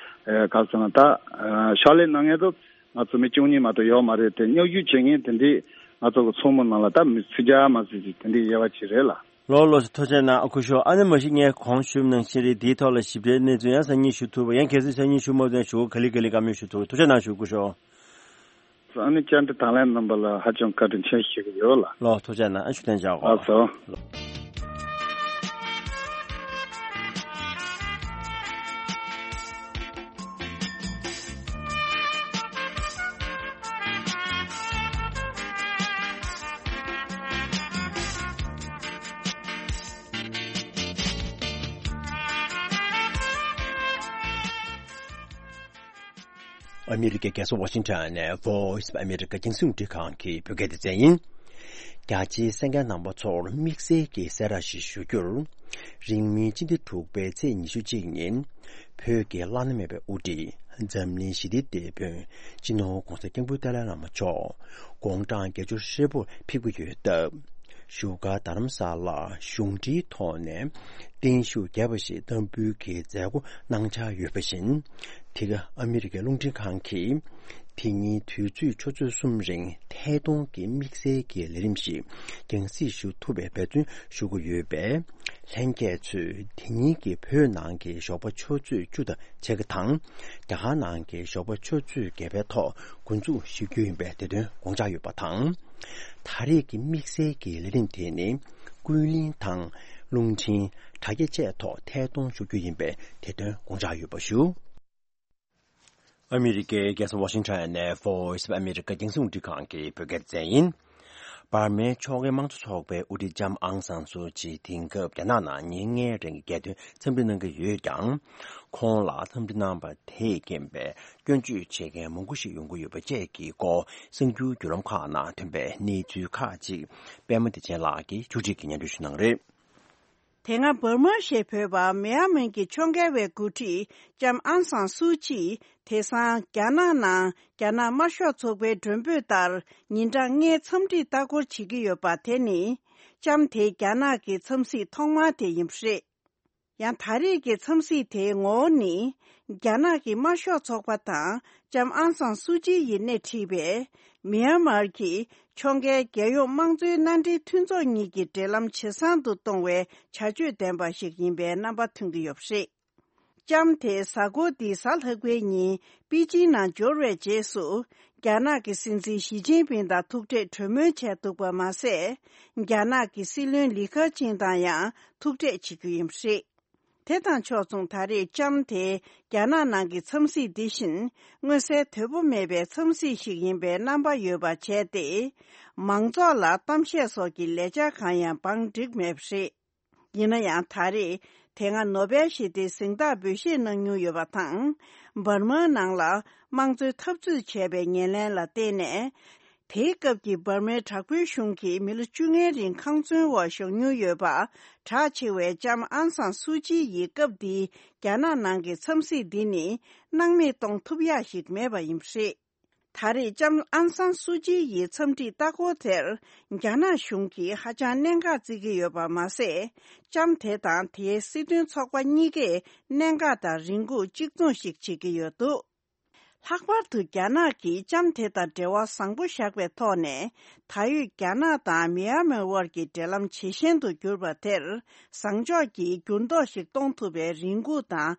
ཨ་ག་ཚོད་ན་ད་ཨ་ཕྱག་ལས་གནང་མཁན་དུ་ང་ཚོ་མི་བཅུ་གཉིས་མ་གཏོགས་ཡོད་མ་རེད་དེ། མཉམ་ཞུགས་བྱེད་མཁན་དེ་འདྲའི་ང་ཚོ་གི་ཚོགས་མི་ནང་ལ་ད་མི་སུམ་བརྒྱ་མ་ཟིག་ཟིག་དེ་འདྲའི་དབྱེ་བ་ཅིག་རེད་ལ། ལགས་ལགས་སོ། ཐུགས་རྗེ་གནང་། ཨ་སྐུ་ཞབས། ཨ་ནི་མ་གཞི་ངས་གོང་ཞུས་ནང་བཞིན་རེད། འདིའི་ཐོག་ལ་ཞིབ་ཕྲའི་གནས་ཚུལ་ཡང་སང་ཉིན་ཞུ་ཐུབ་པ། ཡང་གལ་སྲིད་སང་ཉིན་ཞུ་མ་ཐུབ་ན་ཞུ་ག་ལེ་ག་ལེ་བཀའ་མོལ་ཞུ་ཐུབ། ཐུགས་རྗེ་གནང་ཞུ་སྐུ་ཞབས། ཨ་ནི་བཅར་འདྲི་དང་ལེན་གནང་པ་ལ་ཧ་ཅང་བཀའ་དྲིན་ཆེ་ཞུ་གི་ཡོད་ལ། ལགས་ཐུགས་རྗེ་གནང་། ཨ་ཞུ་བསྟན་བྱ་གོ། ལགས་སོ། ཨ་མི་རི་ཀའི་རྒྱལ་ས་ཝ་ཤིང་ཊོན་ནས་Voice of America རྒྱང་སྲིང་རླུང་འཕྲིན་ཁང་གི་བོད་སྐད་སྡེ་ཚན་ཡིན། རྒྱ་ཆེའི་གསན་མཁན་རྣམ་པ་ཚོར་དམིགས་བསལ་གྱི་གསལ་བསྒྲགས་ཤིག་ཞུ་རྒྱུར། རིང་མིན་སྤྱི་ཟླ་དྲུག་པའི་ཚེས་ཉི་ཤུ་གཅིག་ཉིན། བོད་ཀྱི་བླ་ན་མེད་པའི་དབུ་ཁྲིད་འཛམ་གླིང་ཞི་བདེའི་དེད་དཔོན་སྤྱི་ནོར་༧གོང་ས་༧སྐྱབས་མགོན་ཏཱ་ལའི་བླ་མ་མཆོག་དགུང་གྲངས་བརྒྱད་ཅུ་ཧྲིལ་པོར་ཕེབས་ཀྱི་ཡོད་སྟབས། བཞུགས་སྒར་རྡ་རམ་ས་ལར་གཞུང་འབྲེལ་ཐོག་ནས་བརྟན་བཞུགས་རྒྱས་པ་ཞིག་བསྟར་འབུལ་གྱི་མཛད་སྒོ་གནང་འཆར་ཡོད་པ་བཞིན། འདི་ག་ཨ་མི་རི་ཀའི་རླུང་འཕྲིན་ཁང་གིས་དེ་ཉིན་དུས་ཚོད་ཆུ་ཚོད་གསུམ་རིང་ཐད་གཏོང་གི་དམིགས་བསལ་གྱི་ལས་རིམ་ཞིག་རྒྱང་སྲིང་ཞུ་ཐུབ་པའི་འབད་བརྩོན་ཞུ་གི་ཡོད་པས། ལྷན་རྒྱས་ཚོས་དེ་ཉིན་གྱི་བོད་ནང་གི་ཞོགས་པ་ཆུ་ཚོད་བཅུ་དང་ཕྱེད་ཀ་དང་། རྒྱ་གར་ནང་གི་ཞོགས་པ་ཆུ་ཚོད་བརྒྱད་པའི་ཐོག་འགོ་འཛུགས་ཞུ་རྒྱུ་ཡིན་པའི་དེ་དོན་དགོངས་འཇགས་ཡོད་པ་དང་། ད་རེས་ཀྱི་དམིགས་བསལ་གྱི་ལས་རིམ་དེ་ནི་ཀུན་གླེང་དང་རླུང་འཕྲིན། དྲ་རྒྱ་བཅས་ཐོག་ཐད་གཏོང་ཞུ་རྒྱུ་ཡིན་པའི་དེ་དོན་དགོངས་འཇགས་ཡོད་པ་ཞུ། ཨ་མི་རི་ཀའི་རྒྱལ་ས་ཝ་ཤིང་ཊོན་ནས་Voice of America རྒྱང་སྲིང་རླུང་འཕྲིན་ཁང་གི་བོད་སྐད་སྡེ་ཚན་ཡིན། འབར་མའི་ཕྱོགས་འགལ་དམངས་གཙོ་ཚོགས་པའི་དབུ་ཁྲིད་ལྕམ་ཨང་སང་སུའུ་ཅི་དེང་སྐབས་རྒྱ་ནག་ནང་ཉིན་ལྔའི་རིང་གི་རྒྱལ་དོན་འཚམས་འདྲི་གནང་གི་ཡོད་ཀྱང་། ཁོང་ལ་འཚམས་འདྲི་གནང་བ་དེས་རྐྱེན་པས་སྐྱོན་བརྗོད་བྱེད་མཁན་མང་པོ་ཞིག་ཡོང་གི་ཡོད་པ་བཅས་ཀྱི་སྐོར་གསར་འགྱུར་བརྒྱུད་ལམ་ཁག་ནང་ཐོན་པའི་གནས་ཚུལ་ཁག་ཅིག་པད་མ་བདེ་ཆེན་ལགས་ཀྱིས་ཕྱོགས་སྒྲིག་གིས་སྙན་སྒྲོན་ཞུ་གནང་རེད། དེ་སྔ་འབར་མ་ཞེས་འབོད་པ་མེན་མར་གྱི་ཕྱོགས་འགལ་བའི་འགོ་ཁྲིད་ལྕམ་ཨང་སང་སུའུ་ཅི་དེང་སང་རྒྱ་ནག་ནང་རྒྱ་ནག་དམར་ཤོག་ཚོགས་པའི་མགྲོན་འབོད་ལྟར་ཉིན་གྲངས་ལྔའི་འཚམས་འདྲིར་ལྟ་སྐོར་བྱེད་ཀྱི་ཡོད་པ་དེ་ནི། ལྕམ་དེའི་རྒྱ་ནག་གི་འཚམས་གཟིགས་ཐོག་མ་དེ་ཡིན་པ་རེད། ཡང་ད་རེས་ཀྱི་འཚམས་གཟིགས་དེའི་ངོ་བོ་ནི། རྒྱ་ནག་གི་དམར་ཤོག་ཚོགས་པ་དང་ལྕམ་ཨང་སང་སུའུ་ཅི་ཡིས་སྣེ་ཁྲིད་པའི་མེན་མར་གྱི་ཕྱོགས་འགལ་རྒྱལ་ཡོངས་དམངས་གཙོའི་མནའ་འབྲེལ་མཐུན་ཚོགས་གཉིས་ཀྱི་འབྲེལ་ལམ་ཇེ་བཟང་དུ་གཏོང་བའི་བྱ་སྤྱོད་ལྡན་པ་ཞིག་ཡིན་པའི་རྣམ་པ་ཐོན་གྱི་ཡོད་པ་རེད། ལྕམ་དེ་གཟའ་འཁོར་འདིའི་གཟའ་ལྷག་པའི་ཉིན་པེ་ཅིང་ནང་འབྱོར་བའི་རྗེས་སུ། རྒྱ་ནག་གི་སྲིད་འཛིན་ཞི་ཅིན་ཕིང་དང་ཐུག་འཕྲད་གྲོས་མོལ་བྱས་འདུག་པ་མ་ཟད། རྒྱ་ནག་གི་སྲིད་བློན་ལི་ཁེ་ཆིང་དང་ཡང་ཐུག་འཕྲད་བྱེད་རྒྱུ་ཡིན་པ་རེད། དེ་དང་ཕྱོགས་མཚུངས་ད་རེས་ལྕམ་དེ་རྒྱ་ནག་ནང་གི་འཚམས་གཟིགས་འདི་བཞིན་མངོན་གསལ་དོད་པོ་མེད་པའི་འཚམས་གཟིགས་ཤིག་ཡིན་པའི་རྣམ་པ་ཡོད་པ་བྱས་ཏེ། མང་ཚོགས་ལ་གཏམ་བཤད་སོགས་ཀྱི་ལས་འཆར་གང་ཡང་བང་བསྒྲིགས་མེད་པ་རེད། ཡིན་ན་ཡང་ད་རེས་དེ་སྔ་ནོ་བེལ་ཞི་བདེའི་གཟེངས་རྟགས་འབུལ་བཞེས་གནང་མྱོང་ཡོད་པ་དང་། འབར་མའི་ནང་ལ་དམངས་གཙོའི་འཐབ་རྩོད་བྱས་པའི་ཉེར་ལེན་ལ་བརྟེན་ནས། དེའི་སྐབས་ཀྱི་འབར་མའི་དྲག་པོའི་གཞུང་གིས་མི་ལོ་བཅོ་ལྔའི་རིང་ཁང་བཙོན་འོག་བཞག་མྱོང་ཡོད་པ་གྲགས་ཆེ་བའི་ལྕམ་ཨང་སང་སུའུ་ཅི་ཡི་སྐབས་འདིའི་རྒྱ་ནག་ནང་གི་འཚམས་གཟིགས་འདི་ནི་སྣང་མེད་གཏོང་ཐུབ་ཡག་ཞིག་མེད་པ་ཡིན་པ་རེད། ད་རེས་ལྕམ་ཨང་སང་སུའུ་ཅི་ཡི་འཚམས་འདྲིའི་ལྟ་སྐོར་དེར་རྒྱ་ནག་གཞུང་གིས་ཧ་ཅང་གནད་འགག་བརྩི་གི་ཡོད་པ་མ་ཟད། ལྕམ་དེ་དང་དེའི་སྲིད་དོན་ཚོགས་པ་གཉིས་ཀས་གནད་འགག་དང་རེ་སྒུག་གཅིག་མཚུངས་ཤིག་བྱེད་ཀྱི་ཡོད་འདུག་ལྷག་པར་དུ་རྒྱ་ནག་གིས་ལྕམ་དེ་དང་འབྲེལ་བ་བཟང་པོ་བཞག་པའི་ཐོག་ནས། ད་ཡོད་རྒྱ་ནག་དང་མི་ཡ་མོན་དབར་གྱི་འབྲེལ་ལམ་ཇེ་ཞན་དུ་གྱུར་པ་དེར། བཟང་ཕྱོགས་ཀྱི་འགྱུར་ལྡོག་ཞིག་གཏོང་ཐུབ་པའི་རེ་སྒུག་དང་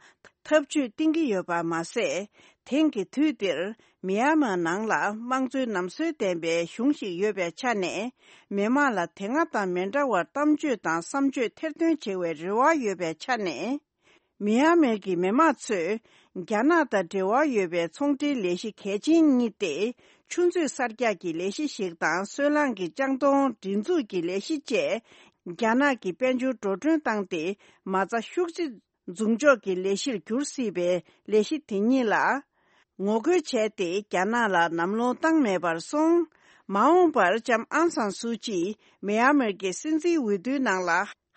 ཐབས་ཇུས་བཏིང་གི་ཡོད་པ་མ་ཟད། དེང་གི་དུས་འདིར་མི་ཡ་མོན་ནང་ལ་དམངས་གཙོའི་ལམ་སྲོལ་ལྡན་པའི་གཞུང་ཞིག་ཡོད་པའི་ཆ་ནས། མི་མང་ལ་དེ་སྔ་དང་མི་འདྲ་བར་གཏམ་བརྗོད་དང་བསམ་བརྗོད་ཐེར་འདོན་བྱེད་པའི་རེ་བ་ཡོད་པའི་ཆ་ནས། མི་ཡ་མོན་གྱི་མི་མང་ཚོས་རྒྱ་ནག་དང་འབྲེལ་བ་ཡོད་པའི་ཚོང་འབྲེལ་ལས་གཞི་གལ་ཆེན་གཉིས་ཏེ། ཆུ་མཛོད་གསར་རྒྱག་གི་ལས་གཞི་ཞིག་དང་སོལ་རླངས་ཀྱི་ལྕང་སྡོང་སྒྲིག་འཛུགས་ཀྱི་ལས་གཞི་བཅས། རྒྱ་ནག་གི་དཔལ་འབྱོར་འགྲོ་གྲོན་བཏང་སྟེ། མ་རྩ་ཤུགས་ཆེ་འཛུགས་འཇོག་གི་ལས་གཞིར་འགྱུར་སྲིད་པའི་ལས་གཞི་དེ་གཉིས་ལ། ངོ་རྒོལ་བྱས་ཏེ་རྒྱ་ནག་ལ་ལམ་ལྷོང་བཏང་མེད་པར་སོང་། མ་འོངས་པར་ལྕམ་ཨང་སང་སུའུ་ཅི་མི་ཡ་མོན་གྱི་སྲིད་འཛིན་འོས་བསྡུའི་ནང་ལ་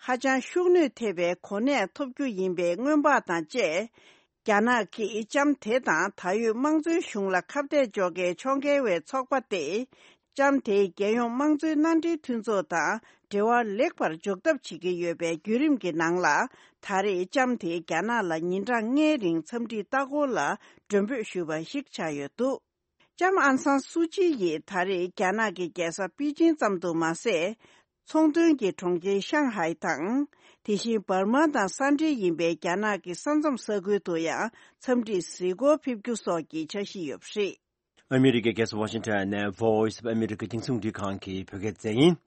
ཧ་ཅང་ཤུགས་ནུས་ཐེབས་པའི་གོ་གནས་ཐོབ་རྒྱུ་ཡིན་པའི་སྔོན་དཔག་དང་བཅས། རྒྱ་ནག་གིས་ལྕམ་དེ་དང་ད་ཡོད་དམངས་གཙོའི་གཞུང་ལ་ཁ་གཏད་གཅོག་མཁན་ཕྱོགས་འགལ་བའི་ཚོགས་པ་སྟེ། ལྕམ་དེས་རྒྱལ་ཡོངས་དམངས་གཙོའི་མནའ་འབྲེལ་མཐུན་ཚོགས་དང་འབྲེལ་བ་ལེགས་པར་འཇོག་ཐབས་བྱེད་ཀྱི་ཡོད་པའི་བརྒྱུད་རིམ་གྱི་ནང་ལ། ད་རེས་ལྕམ་དེས་རྒྱ་ནག་ལ་ཉིན་གྲངས་ལྔའི་རིང་འཚམས་འདྲིའི་ལྟ་སྐོར་ལ་མགྲོན་འབོད་ཞུས་པ་ཞིག་ཆགས་ཡོད་འདུག་ལྕམ་ཨང་སང་སུའུ་ཅི་ཡིས་ད་རེས་རྒྱ་ནག་གི་རྒྱལ་ས་པེ་ཅིང་ཙམ་དུ་མ་ཟད། ཚོང་དོན་གྱི་གྲོང་ཁྱེར་ཤང་ཧའེ་དང་། དེ་བཞིན་འབར་མ་དང་ས་འབྲེལ་ཡིན་པའི་རྒྱ་ནག་གི་ས་མཚམས་ས་ཁུལ་དུ་ཡང་འཚམས་འདྲིའི་གཟིགས་སྐོར་ཕེབས་རྒྱུ་སོགས་ཀྱི་འཆར་གཞི་ཡོད་པ་རེད། ཨ་མི་རི་ཀའི་རྒྱལ་ས་ཝ་ཤིང་ཊོན་ནས་Voice of America་རྒྱང་སྲིང་རླུང་འཕྲིན་ཁང་གི་བོད་སྐད་སྡེ་ཚན་ཡིན།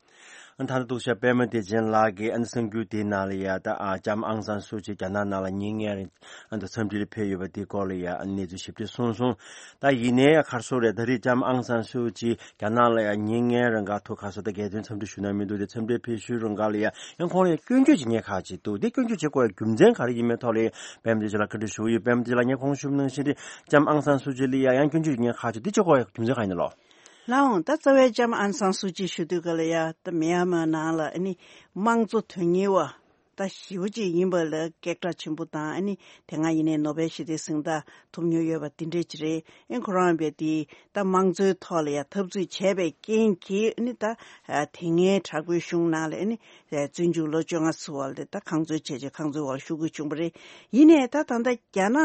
ཨ་ད་ལྟ་འདུག་ཤག་པད་མ་བདེ་ཆེན་ལགས་ཀྱིས་ཨ་ནི་གསར་འགྱུར་དེའི་ནང་ལ་ཡ་ད་ཨ་ལྕམ་ཨང་སང་སུའུ་ཅི་རྒྱ་ནག་ནང་ལ་ཉིན་ལྔའི་རིང་ཨ་ད་འཚམས་འདྲིར་ཕེབས་ཡོད་པ་དེའི་སྐོར་ལ་ཡ་ཨ་གནས་ཚུལ་ཞིབ་ཕྲ་གསུངས་སོང་། ད་ཡིན་ནའི་ག་རེ་ཟེར་རེད། ད་རེས་ལྕམ་ཨང་སང་སུའུ་ཅི་རྒྱ་ནག་ལ་ཡ་ཉིན་ལྔའི་རིང་ག་ཐུག་ག་ཟེར་ད་རྒྱལ་དོན་འཚམས་འདྲི་ཞུ་ན་མི་འདུག་དེ་འཚམས་འདྲིར་ཕེབས་ཞུ་རུང་ག་ལ་ཡ་ཡང་ཁོང་ལ་ཡ་སྐྱོན་བརྗོད་བྱེད་མཁན་ཁག་ཅིག་འདུག་དེ་སྐྱོན་བརྗོད་བྱེད་དགོས་ཡ་རྒྱུ་མཚན་ག་རེ་ཡིན་མིན་ཐོག་ལ་ཡ་པད་མ་བདེ་ཆེན་ལགས་བཀའ་འདྲི་ཞུ་གི་ཡོད། པད་མ་བདེ་ཆེན་ལགས་ངས་གོང་ཞུས་པ་ནང་བཞིན་རེད། ལྕམ་ཨང་སང་སུའུ་ཅི་ལ་ཡ་ཡང་སྐྱོན་བརྗོད་བྱེད་མཁན་ཁག་ཅིག་འདི་བྱེད་དགོས་ཡ་རྒྱུ་མཚན་ག་ཡིན་ནམ་ལགས། ལགས་འོང་། ད་རྩ་བའི་ལྕམ་ཨང་སང་སུའུ་ཅི་ཞུ་དུས་ག་ལ་ཡ་ད་མི་ཡ་མོན་ནང་ལ་ཨ་ནི་དམངས་གཙོ་དོན་གཉེར་བ་ད་ཞེ་པོ་ཅིག་ཡིན་པ་ལ་སྐད་གྲགས་ཆེན་པོ་དང་། ཨ་ནི་དེ་སྔ་ཡིན་ནའི་ནོ་བེལ་ཞི་བདེའི་གཟེངས་རྟགས་ཐོབ་མྱོང་ཡོད་པ་འདི་འདྲས་ཅིག་རེད། ཨ་ཁོ་རང་བས་དེ་ད་དམངས་གཙོའི་ཐོག་ལ་ཡ་འཐབ་རྩོད་བྱས་པའི་རྐྱེན་གྱིས་ཨ་ནི་ད་དེ་སྔའི་དྲག་པོའི་གཞུང་ནང་ལ་ཨ་ནི་བཙོན་འཇུག་ལོ་བཅོ་ལྔ་ཚུད་པ་ལ་ད་ཁང་བཟོས་བྱས་བྱས་ཁང་བཟོས་འོག་ལ་བཞུགས་དགོས་བྱུང་བ་རེད། ཡིན་ནའི་ད་ད་ལྟ་རྒྱ་ནག་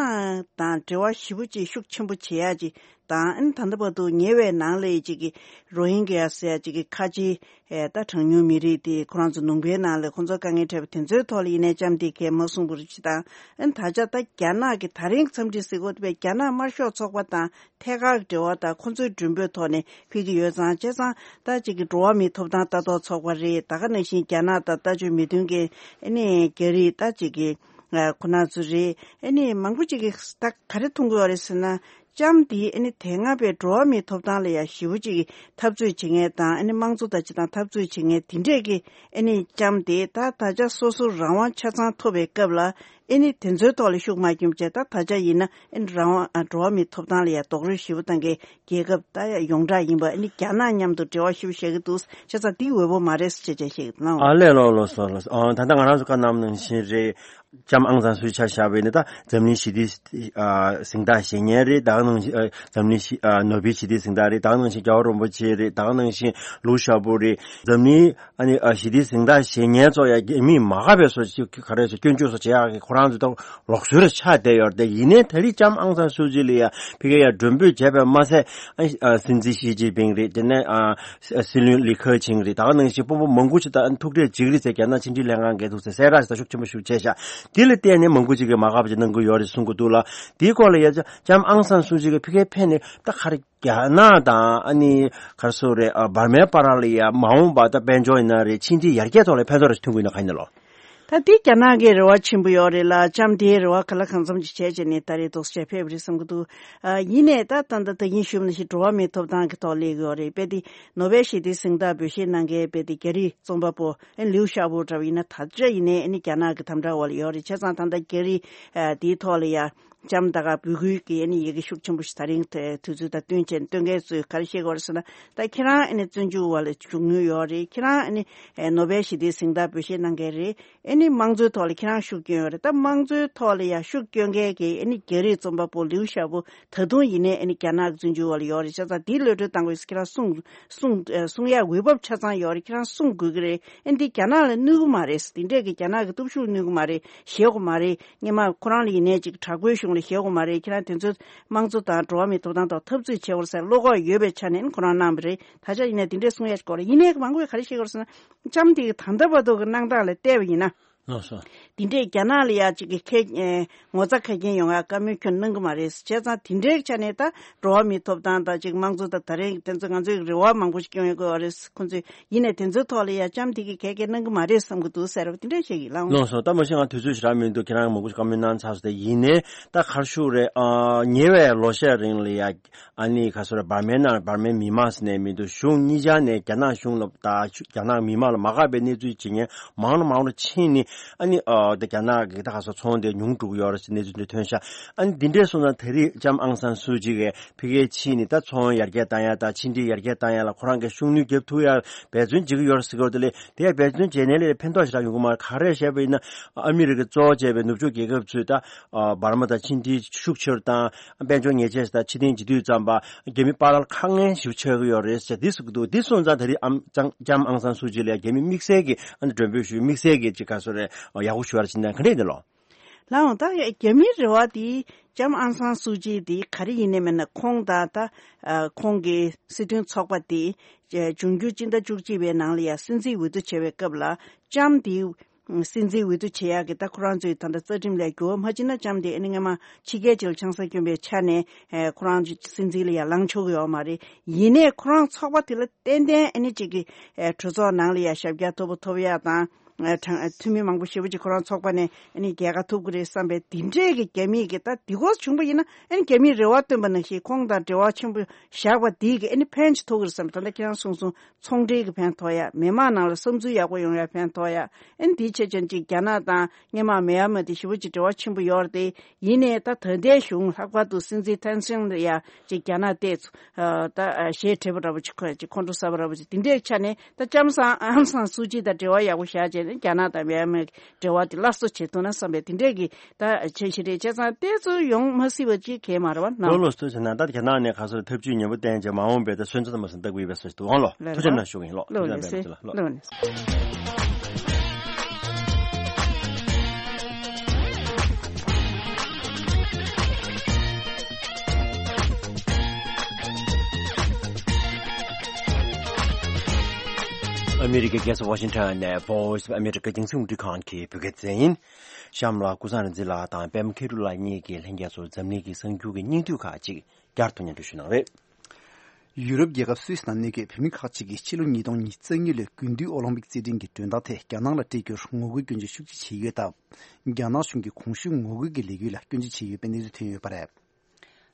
དང་འབྲེལ་བ་ཞེ་པོ་ཅིག་ཤུགས་ཆེན་པོ་བྱེད་ཡ་ཅིག་དང་། ཨ་ནི་ད་ལྟ་བར་དུ་ཉེ་བའི་ནང་ལ་ཡི་ཅིག་གི་རོ་ཧིན་གྱི་ཡ་ཟེར་ཡ་ཅིག་གི་ཁ་ཆེའི་ཨེ་ད་གྲངས་ཉུང་མི་རིགས་དེ་ཁོ་རང་ཚོ་ལུང་པའི་ནང་ལ་ཁོ་ཚོ་དཀའ་ངལ་འཕྲད་པ་དེ་ཚོའི་ཐོག་ལ་ཡིན་ནའི་ལྕམ་དེ་གས་མ་གསུངས་པ་རེད་ཅིག་དང་། ཨ་ནི་ད་ཆ་ད་རྒྱ་ནག་གི་ད་རིང་འཚམས་འདྲི་གཟིགས་སྐོར་དེ་བས་རྒྱ་ནག་དམར་ཤོག་ཚོགས་པ་དང་ཐད་ཀར་འབྲེལ་བ་དང་ཁོ་ཚོའི་མགྲོན་འབོད་ཐོག་ནས་ཕེབས་ཀྱི་ཡོད་ཙང་། བྱས་ཙང་ད་ཅིག་གི་འགྲོ་བ་མིའི་ཐོབ་ཐང་ལྟ་རྟོག་ཚོགས་པ་རེད། ད་ག་ནང་བཞིན་རྒྱ་ནག་དང་ལྟ་སྤྱོད་མི་མཐུན་མཁན་ཨ་ནི་རྒྱ་རིགས་ད་ཅིག་གི་ཁོ་ན་ཚོ་རེད། ཨ་ནི་མང་པོ་ཅིག་གིས་ད་ག་རེ་མཐོང་གི་ཡོད་རེད་ཟེར་ན། ལྕམ་དེ་ཨ་ནི་དེ་སྔ་བའི་འགྲོ་བ་མིའི་ཐོབ་ཐང་ལ་ཡ་ཞེ་པོ་ཅིག་གི་འཐབ་རྩོད་བྱེད་མཁན་དང་། ཨ་ནི་དམངས་གཙོ་དང་སྤྱི་དང་འཐབ་རྩོད་བྱེད་མཁན་དེ་འདྲས་ཀྱི་ཨ་ནི་ལྕམ་དེ་ད་ད་ཆ་སོ་སོ་རང་དབང་ཆ་ཚང་ཐོབ་པའི་སྐབས་ལ་ཨ་ནི་དེ་ཚོའི་ཐོག་ལ་ཤུགས་མ་བསྐྱོན་བྱས། ད་ད་ཆ་ཡིན་ན་ཨ་ནི་རང་དབང་ཨ་འགྲོ་བ་མིའི་ཐོབ་ཐང་ལ་ཡ་རྡོག་རོལ་ཞེ་པོ་བཏང་མཁན་རྒྱལ་ཁབ་ད་ཡ་ཡོངས་གྲགས་ཡིན་པ། ཨ་ནི་རྒྱ་ནག་མཉམ་དུ་འབྲེལ་བ་ཞེ་པོ་བཞག་གི་འདུག་བྱས་ཙང་འདི་འོས་པ་མ་རེད་ཟེར་བྱས་བྱས་བཤད་ཀྱི་འདུག་ཨ་ལས། ལགས་ལགས་སོ། ལགས་སོ། ཨ་ད་ལྟ་ང་རང་ཚོ་བཀའ་གནང་ནང་བཞིན་རེད། ལྕམ་ཨང་སང་སུའུ་ཆ་བཞག་པ་ཡིན་ན་ད་འཛམ་གླིང་ཞི་བདེའི་ཨ་གཟེངས་རྟགས་བཞེས་མཁན་རེད། ད་ག་ནང་བཞིན་ཨ་འཛམ་གླིང་ཞི་ཨ་ནོ་བེལ་ཞི་བདེའི་གཟེངས་རྟགས་རེད། ད་ག་ནང་བཞིན་རྒྱལ་བ་རིན་པོ་ཆེ་རེད། ད་ག་ནང་བཞིན་ལུའུ་ཞའོ་པོ་རེད། འཛམ་གླིང་ཨ་ནི་ཨ་ཞི་བདེའི་གཟེངས་རྟགས་བཞེས་མཁན་ཚོ་ཡ་རྒྱ་མིས་མ་དགའ་བའི་བཟོ་ཅིག་ག་རེ་ཟེར། སྐྱོན་བརྗོད་སོགས་བྱེད་ཡག་གི་ཁོ་རང་ཚོ་ད་ལོག་སྲོལ་ཆགས་བསྡད་ཡོད་རེད། ཡིན་ནའི་ད་རེས་ལྕམ་ཨང་སང་སུའུ་ཅི་ལ་ཡ་ཕ་གིར་ཡ་མགྲོན་འབོད་བྱས་པས་མ་ཟད། ཨ་ཨ་སྲིད་འཛིན་ཞི་ཅིན་ཕིང་རེད། དེ་ནས་ཨ་སྲིད་བློན་ལི་ཁེ་ཆིང་རེད། ད་ག་ནང་བཞིན་དཔོན་པོ་མང་པོ་ཞིག་ད་ཐུག་འཕྲད་བྱེད་ཀྱི་རེད་ཟེར། རྒྱ་ནག་ཕྱི་འབྲེལ་ལྷན་ཁང་འགན་འཛིན་ཟེར་གསལ་བསྒྲགས་ཞིག་ད་ཤུགས་ཆེན་པོ་ཞིག་བྱས་ཤག་དེ་ལ་བརྟེན་ནས་མང་པོ་ཅིག་གིས་མ་དགའ་བ་ཅིག་གནང་གི་ཡོད་རེད་གསུང་གི་འདུག་ལ། དེའི་སྐོར་ལ་ཡ་ལྕམ་ཨང་སང་སུའུ་ཅི་གིས་ཕ་གིར་ཕེབས་ནས་ད་ག་རེ་རྒྱ་ནག་དང་ཨ་ནི་ག་རེ་ཟེར་རེད། ཨ་འབར་མའི་བར་ལ་ཡ་མ་འོངས་པ་ད་དཔལ་འབྱོར་ཡིན་ན་རེད། ཕྱི་འབྲེལ་ཡར་རྒྱས་ཐོག་ལ་ཕན་ཐོགས་རེ་ཐོན་གྱི་ཡོད་ན་ག་ཡིན་ན་ལོ། ད་འདི་རྒྱ་ནག་གི་རེ་བ་ཆེན་པོ་ཡོད་རེད་ལ། ལྕམ་དེའི་རེ་བ་ག་ལ་གང་འཚམ་ཅིག་བྱས་བྱས་ནས་ད་རེས་ཏོག་ཙམ་ཕེབས་རེད་བསམ་གྱི་འདུག་ཨ་ཡིན་ནའི་ད་ད་ད་ད་ཡིན་ཞུས་པ་ནང་བཞིན་འགྲོ་བ་མིའི་ཐོབ་ཐང་གི་ཐོག་སླེབས་ཀྱི་ཡོད་རེད། དཔེ་དེ་ནོ་བེལ་ཞི་བདེའི་གཟེངས་རྟགས་འབུལ་བཞེས་གནང་མཁན་དཔེ་དེ་རྒྱ་རིགས་རྩོམ་པ་པོ་ཨེ་ལིའུ་ཞའོ་པོ་འདྲ་བ་ཡིན་ན། ད་ཆ་ཡིན་ནའི་ཨེ་ནི་རྒྱ་ནག་གི་དམ་དྲག་འོག་ལ་ཡོད་རེད། བྱས་ཙང་ད་ལྟ་རྒྱ་རིགས་ཨ་དེའི་ཐོག་ལ་ཡ་ལྕམ་ད་ག་འབོད་སྐུལ་གྱི་ཨེ་ནི་ཡི་གེ་ཤུགས་ཆེན་པོ་ཞིག་ད་རིང་དེ་དུས་ཚོད་དང་བསྟུན་བྱས་ནས་སྟོན་མཁན་ཚོས་ག་རེ་བཤད་ཀྱི་ཡོད་རེད་ཟེར་ན། ད་ཁྱེད་རང་ཨེ་ནི་བཙོན་འཇུག་འོག་ལ་བཞུགས་མྱོང་ཡོད་རེད། ཁྱེད་རང་ཨེ་ནི་ཨེ་ནོ་བེལ་ཞི་བདེའི་གཟེངས་རྟགས་འབུལ་བཞེས་གནང་མཁན་རེད། ཨེ་ནི་དམངས་གཙོའི་ཐོག་ལ་ཁྱེད་རང་ཤུགས་སྐྱོན་ཡོད་རེད། ད་དམངས་གཙོའི་ཐོག་ལ་ཡ་ཤུགས་སྐྱོན་མཁན་གྱི་ཨེ་ནི་རྒྱ་རིགས་རྩོམ་པ་པོ་ལིའུ་ཞའོ་པོ་ད་དུང་ཡིན་ནའི་ཨེ་ནི་རྒྱ་ནག་གི་བཙོན་འཇུག་འོག་ལ་ཡོད་རེད། བྱས་ཙང་འདིའི་གློད་གྲོལ་གཏང་དགོས་ཟེར་ཁྱེད་རང་གསུང་གསུང་ཨེ་གསུང་ཡ་འོས་བབ་ཆ་ཚང་ཡོད་རེད། ཁྱེད་རང་གསུང་དགོས་ཀྱི་རེད། ཨེ་འདི་རྒྱ་ནག་ལ་གནོད་ཀྱི་མ་རེད། འདི་འདྲས་ཀྱི་རྒྱ་ནག་གི་སྟོབས་ཤུགས་གནོད་ཀྱི་མ་རེད། ཞེད་དགོས་མ་རེད། སྔོན་མ་ཁོ་རང་ལ་ཡིན་ནའི་ཅིག་དྲག་པོའི་གཞུང་ ལ་ཞེད་དགོས་མ་རེད། ཁྱེད་རང་དེ་ཚོའི་དམངས་གཙོ་དང་འགྲོ་བ་མིའི་ཐོབ་ཐང་དང་འཐབ་རྩོད་བྱེད་དགོས་ཟེར་བློ་ཁོག་ཡོད་པའི་ཆ་ནས་ཁོ་རང་གནང་བ་རེད། ད་ཆ་ཡིན་ནའི་དེ་འདྲས་གསུང་ཡ་ཞིག་གོ་རེད། ཡིན་ནའི་མང་པོས་ག་རེ་བཤད་ཀྱི་ཡོད་རེད་ཟེར་ན། ལྕམ་དེ་གི་ད་ལྟ་བར་དུ་གི་གནང་སྟངས་ལ་བལྟས་པ་ཡིན་ན། ལགས་སོ། དེ་འདྲས་རྒྱ་ནག་ལ་ཡ་གཅིག་གི་ཁེ་ཨེ་ངོ་ཚ་ཁ་རྒྱན་ཡོང་ཡ་བཀའ་མོལ་ཁྱོན་གནང་གི་མ་རེད། བྱས་ཙང་དེ་འདྲའི་ཆ་ནས་ད་འགྲོ་བ་མིའི་ཐོབ་ཐང་དང་གཅིག་དམངས་གཙོ་དང་ད་རེས་དེ་ཚོ་ང་ཚོའི་རེ་བ་མང་པོ་ཞིག་སྐྱོན་ཡོང་གི་ཡོད་རེད། ཁོང་ཚོས་ཡིན་ནའི་དེ་ཚོའི་ཐོག་ལ་ཡ་ལྕམ་དེ་གིས་ག་གེ་གནང་གི་མ་རེད་བསམ་གི་འདུག་ཟེར་བ་དེ་འདྲ་བཤད་ཀྱི་ལགས། ལགས་སོ། ད་མ་གཞི་ང་དུས་ཚོད་ཞེ་དྲག་མི་འདུག་ཁྱེད་རང་མང་པོ་ཞིག་བཀའ་མོལ་གནང་ཚར་སོང་སྟེ། ཡིན་ནའི་ད་ག་རེ་ཞུ་རེད། ཨ་ཉེ་བའི་ལོ་ཤས་རིང་ལ་ཡ་ཨ་ནི་ག་ཚོད་རེད། འབར་མའི་ནང་འབར་མའི་མི་མང་ཟེར་ནས་མི་འདུག་གཞུང་གཉིས་ཆ་ནས་རྒྱ་ནག་གཞུང་ལ་ད་རྒྱ་ནག་མི་མང་ལ་མ་དགའ་བའི་གནས་ཚུལ་བྱེད་མཁན་མང་རུ་མང་རུ་ཕྱིན་ནས། ཨ་ནི་ཨ་ད་རྒྱ་ནག་གི་ད་ག་ཚོད་ཚོང་དེ་ཉུང་འགྲོ་གི་ཡོད་རེད་ཟེར་གནས་ཚུལ་འདི་ཐོན་ཤག་ཨ་ནི་འདི་འདྲས་སོང་ཙང་ད་རེས་ལྕམ་ཨང་སན་སུའུ་ཅི་གིས་ཕ་གིར་ཕྱིན་ནས་ད་ཚོང་ཡར་རྒྱས་བཏང་ཡ་དང་ཕྱི་འབྲེལ་ཡར་རྒྱས་བཏང་ཡ་ལ་ཁོ་རང་གིས་ཤུགས་སྣོན་རྒྱབ་ཐུབ་ཡ་འབད་བརྩོན་བྱེད་ཀྱི་ཡོད་རེད་ཟེར་གྱི་ཡོད་རེད། དེ་ལས་དེ་ཡ་འབད་བརྩོན་བྱས་ནའི་ལས་ཕན་ཐོགས་ཞེ་དྲག་ཡོང་གི་མ་རེད། ག་རེ་བཤད་པ་ཡིན་ན། ཨ་མི་རི་ཀས་གཙོ་བོ་བྱས་པའི་ནུབ་ཕྱོགས་རྒྱལ་ཁབ་ཚོས་ད་ཨ་འབར་མ་དང་ཕྱི་འབྲེལ་ཤུགས་ཆེ་རུ་བཏང་། དཔལ་འབྱོར་ཉེས་ཆད་དང་ཕྱིར་འཐེན་བྱེད་དུས་ཙམ་པ་རྒྱ་མི་པཱ་ལགས་ལ་དཀའ་ངལ་ཞིག་ཆགས་ཀྱི་ཡོད་རེད་ཟེར་འདི་ཟེར་གྱི་འདུག་འདི་སོང་ཙང་ད་རེས་ཨམ་ལྕམ་ལྕམ་ཨང་སན་སུའུ་ཅི་ལ་རྒྱ་མི་དམིགས་བསལ་གྱི་ཨ་ནི་མགྲོན་འབོད་ཞུས། དམིགས་བསལ་གྱི་ཅིག་ག་ཚོད་རེད། ཡག་པོ་ཞུ་བ་རེད་ཟེར་ན་ག་འདྲས་འདི་ལོ། ལགས་འོང་། ད་རྒྱ་མིའི་རེ་བ་དེ་ལྕམ་ཨང་སན་སུའུ་ཅི་དེ་ག་རེ་ཡིན་ནའི་མིན་ན་ཁོང་དང་ད་ཨ་ཁོང་གི་སྲིད་དོན་ཚོགས་པ་དེ་འབྱུང་འགྱུར་སྤྱི་ཟླ་བཅུ་གཅིག་པའི་ནང་ལ་ཡང་སྲིད་འཛིན་འོས་བསྡུ་བྱེད་པའི་སྐབས་ལ་ལྕམ་དེ་སྲིད་འཛིན་འོས་བསྡུ་བྱེད་ཡག་གི་ད་ཁོ་རང་ཚོའི་ད་ལྟ་རྩ་ཁྲིམས་ལ་འགྱུར་བ་མ་ཕྱིན་ན་ལྕམ་དེ་ཨ་ནི་སྔ་མ་ཕྱི་རྒྱལ་ཅིག་ལ་ཆང་ས་བསྐྱོན་པའི་ཆ་ནས་ཨེ་ཁོ་རང་ཚོ་སྲིད་འཛིན་ལ་ཡང་ལངས་ཆོག་གི་ཡོད་མ་རེད། ཡིན་ནའི་ཁོ་རང་ཚོགས་པ་དེ་ལ་ཏན་ཏན་ཨ་ནི་གཅིག་གི་ཨེ་གྲོས་ཚོགས་ནང་ལ་ཡང་ཞབས་བཀྱག་མཐོ་པོ་ཐོབ་ཡག་དང་ཨེ་གྲངས་ཨེ་འཐུས་མི་མང་པོ་ཞེ་པོ་ཅིག་ཁོ་རང་ཚོགས་པ་ནས་ཨ་ནི་རྒྱལ་ཁ་ཐོབ་གི་རེད་བསམ་པའི་དེ་འདྲས་ཀྱི་རྒྱ་མིས་ཀྱི་ད་དེ་སྐོར་བྱུང་པ་ཡིན་ན་ཨ་ནི་རྒྱ་མིས་རེ་བ་བཏོན་པ་ནང་བཞིན་ཁོང་དང་འབྲེལ་བ་ཆེན་པོ་བཞག་པ་དེ་གི་ཨ་ནི་ཕན་ཅིག་ཐོགས་ཀྱི་རེད་བསམ། ད་ལྟ་ཁྱེད་རང་གསུངས་སོང་། ཚོང་འབྲེལ་གྱི་ཕན་ཐོགས་ཡ། མི་མང་ནང་ལ་བསམ་ཚུལ་ཡག་པོ་ཡོང་ཡ་ཕན་ཐོགས་ཡ། ཨ་ནི་དེའི་ཆེད་ཅན་ཅིག་རྒྱ་ནག་དང་སྔོན་མ་མེན་མར་དེ་ཞེ་པོ་ཅིག་འབྲེལ་བ་ཆེན་པོ་ཡོད་རེད་དེ། ཡིན་ནའི་ད་ད་ལྟའི་གཞུང་ལྷག་པར་དུ་སྲིད་འཛིན་ཐན་སིན་ལ་ཡ་ཅིག་རྒྱ་ནག་བལྟས་ཚུ་ཨ་ད་ཨ་ཞེ་ཁྲེལ་པོ་འདྲ་པོ་ཅིག་ཁོ་ཅིག་ཁོང་ཁྲོ་ཟ་བ་འདྲ་པོ་ཅིག་དེ་འདྲའི་ཆ་ནས་ད་ལྕམ་སང་ཨང་སང་སུ་ཅི་དང་འབྲེལ་བ་ཡག་པོ་བཞག་བྱས་ནས་རྒྱ་ནག་དང་མེན་མར་གྱི་འབྲེལ་བ་དེ་སླར་གསོ་བྱེད་ཐུབ་ན་བསམ་པའི་དེ་འདྲའི་གི་ད་བྱེད་ཤེས་རེད། བྱས་ཙང་བལྟས་ཚུལ་ཡོང་མ་སྲིད་པ་ཅིག་གས་མ་རེད་བ་ན། ལོ་ལོ་སུ་བྱས་ན་ད་རྒྱ་ནག་ནས་ག་ཚོད་ཐབས་ཇུས་ཉེ་པོ་བསྟན་བྱས་མ་འོངས་པའི་ད་སོན་རྩ་དང་མ་སོན་ལྟ་དགོས་པའི་བཟོ་ཞིག་འདུག་ཨང་ལོ། ལགས་ཐུགས་རྗེ་གནང་ཞུ་གི་ཡིན་ལོ། ལོ་ཐུགས་རྗེ་གནང་ལགས་སེ། ལོ་ལགས་སེ། ཨ་མི་རི་ཀའི་རྒྱལ་ས་ཝ་ཤིང་ཊོན་ནས་Voice of America རྒྱང་སྲིང་རླུང་འཕྲིན་ཁང་གི་བོད་སྐད་སྡེ་ཚན་ཡིན། གཤམ་ལ་ཀུན་བཟང་རིག་འཛིན་ལགས་དང་པད་མ་མཁས་གྲུབ་ལགས་གཉིས་ཀྱིས་ལྷན་རྒྱས་ཚོར་འཛམ་གླིང་གི་གསར་འགྱུར་གྱི་སྙིང་བསྡུས་ཁག་ཅིག་བསྐྱར་དུ་སྙན་སྒྲོན་ཞུ་གནང་རེད། ཡུ་རོབ་རྒྱལ་ཁབ་སུད་སི་ནང་གནས་འཁོད་བོད་མི་ཁག་ཅིག་གིས་ཕྱི་ལོ་ཉིས་སྟོང་ཉི་ཤུ་རྩ་གཉིས་ལོའི་དགུན་དུས་ཨོ་ལིམ་པིག་རྩེད་འགྲན་གྱི་མགྲོན་བདག་ཐད་རྒྱ་ནག་ལ་སྤྲད་རྒྱུར་ངོ་རྒོལ་སྐྱོན་བརྗོད་ཤུགས་ཆེ་བྱས་ཡོད་སྟབས། རྒྱ་ནག་གཞུང་གིས་གོང་ཞུས་ངོ་རྒོལ་གྱི་ལས་འགུལ་ལ་སྐྱོན་བརྗོད་བྱས་ཡོད་པའི་གནས་ཚུལ་ཐོན་ཡོད་པ་རེད།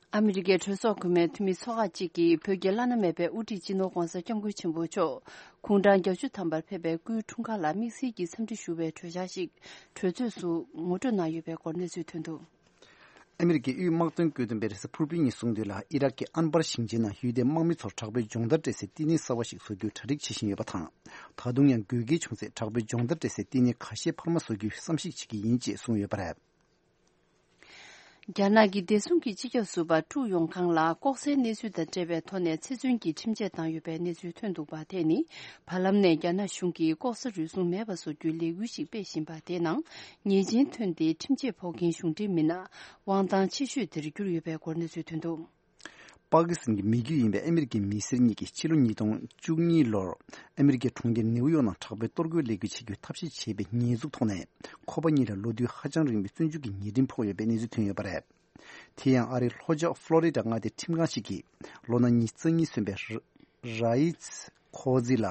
ཨ་མི་རི་ཀའི་གྲོས་ཚོགས་གོང་མའི་འཐུས་མི་ཚོ་ཁག་ཅིག་གིས་བོད་ཀྱི་བླ་ན་མེད་པའི་དབུ་ཁྲིད་སྤྱི་ནོར་༧གོང་ས་༧སྐྱབས་མགོན་ཆེན་པོ་མཆོག་དགུང་གྲངས་བརྒྱད་ཅུ་ཐམ་པར་ཕེབས་པའི་སྐུའི་འཁྲུངས་སྐར་ལ་དམིགས་བསལ་གྱི་འཚམས་འདྲི་ཞུ་བའི་གྲོས་འཆར་ཞིག་གྲོས་ཚོགས་སུ་ངོ་སྤྲོད་གནང་ཡོད་པའི་སྐོར་གནས་ཚུལ་ཐོན་འདུག་ཨ་མི་རི་ཀའི་དབུས་དམག་དོན་བཀོད་འདོམས་པས་རེས་གཟའ་ཕུར་བུའི་ཉིན་གསུངས་དོན་ལ། ཨི་རག་གི་ཨན་པར་ཞིང་ཆེན་ནང་ཡུལ་དེའི་དམག་མི་ཚོར་དྲག་པོའི་སྦྱོང་བརྡར་སྤྲད་སའི་བསྟི་གནས་གསར་བ་ཞིག་བཟོ་རྒྱུའི་གྲ་སྒྲིག་བྱེད་བཞིན་ཡོད་པ་དང་། ད་དུང་ཡང་དགོས་གལ་བྱུང་ཚེ་དྲག་པོའི་སྦྱོང་བརྡར་སྤྲད་སའི་བསྟི་གནས་ཁ་ཤས་འཕར་མ་བཟོ་རྒྱུའི་བསམ་གཞིག་བྱེད་ཀྱི་ཡིན་ཅེས་གསུངས་ཡོད་པ་རེད། རྒྱ་ནག་གི་བདེ་སྲུང་གི་སྤྱི་ཁྱབ་ཟུར་པ་ཀྲུའུ་ཡོང་ཁང་ལ་ལྐོག་ཟའི་གནས་ཚུལ་དང་འབྲེལ་བའི་ཐོག་ནས་ཚེ་བཙོན་གྱི་ཁྲིམས་ཆད་བཏང་ཡོད་པའི་གནས་ཚུལ་ཐོན་འདུག་པ། དེ་ནི་བར་ལམ་ནས་རྒྱ་ནག་གཞུང་གིས་ལྐོག་ཟ་རུལ་སུངས་མེད་པ་བཟོ་རྒྱུའི་ལས་འགུལ་ཞིག་སྤེལ་བཞིན་པ་དེའི་ནང་ཉེས་ཅན་ཐོན་ཏེ་ཁྲིམས་ཆད་ཕོག་མཁན་གཞུང་འབྲེལ་མི་སྣ་དབང་ཐང་ཆེ་ཤོས་དེར་གྱུར་ཡོད་པའི་སྐོར་གནས་ཚུལ་ཐོན་འདུག་པ་ཀི་སི་ཐན་གྱི་མི་རྒྱུད་ཡིན་པའི་ཨ་མི་རི་ཀའི་མི་སེར་གཉིས་ཀྱིས་ཕྱི་ལོ་ཉིས་སྟོང་བཅུ་གཉིས་ལོར་ཨ་མི་རི་ཀའི་གྲོང་ཁྱེར་ནེའུ་ཡོག་ནང་དྲག་པོའི་གཏོར་རྒོལ་ལས་འགུལ་བྱེད་རྒྱུའི་ཐབས་ཤེས་བྱས་པའི་ཉེས་འཛུགས་ཐོག་ནས། ཁོ་པ་གཉིས་ལ་ལོ་དུས་ཧ་ཅང་རིང་བའི་བཙོན་འཇུག་གི་ཉེས་ཁྲིམས་ཕོག་ཡོད་པའི་གནས་ཚུལ་ཐོན་ཡོད་པ་རེད། དེ་ཡང་ཨ་རིའི་ལྷོ་ཕྱོགས་ཕློ་རི་ཌ་མངའ་སྡེའི་ཁྲིམས་ཁང་ཞིག་གིས་ལོ་ན་ཉི་ཤུ་རྩ་གཉིས་སོན་པའི་ར་ཡིས་ཁོ་ཛི་ལ་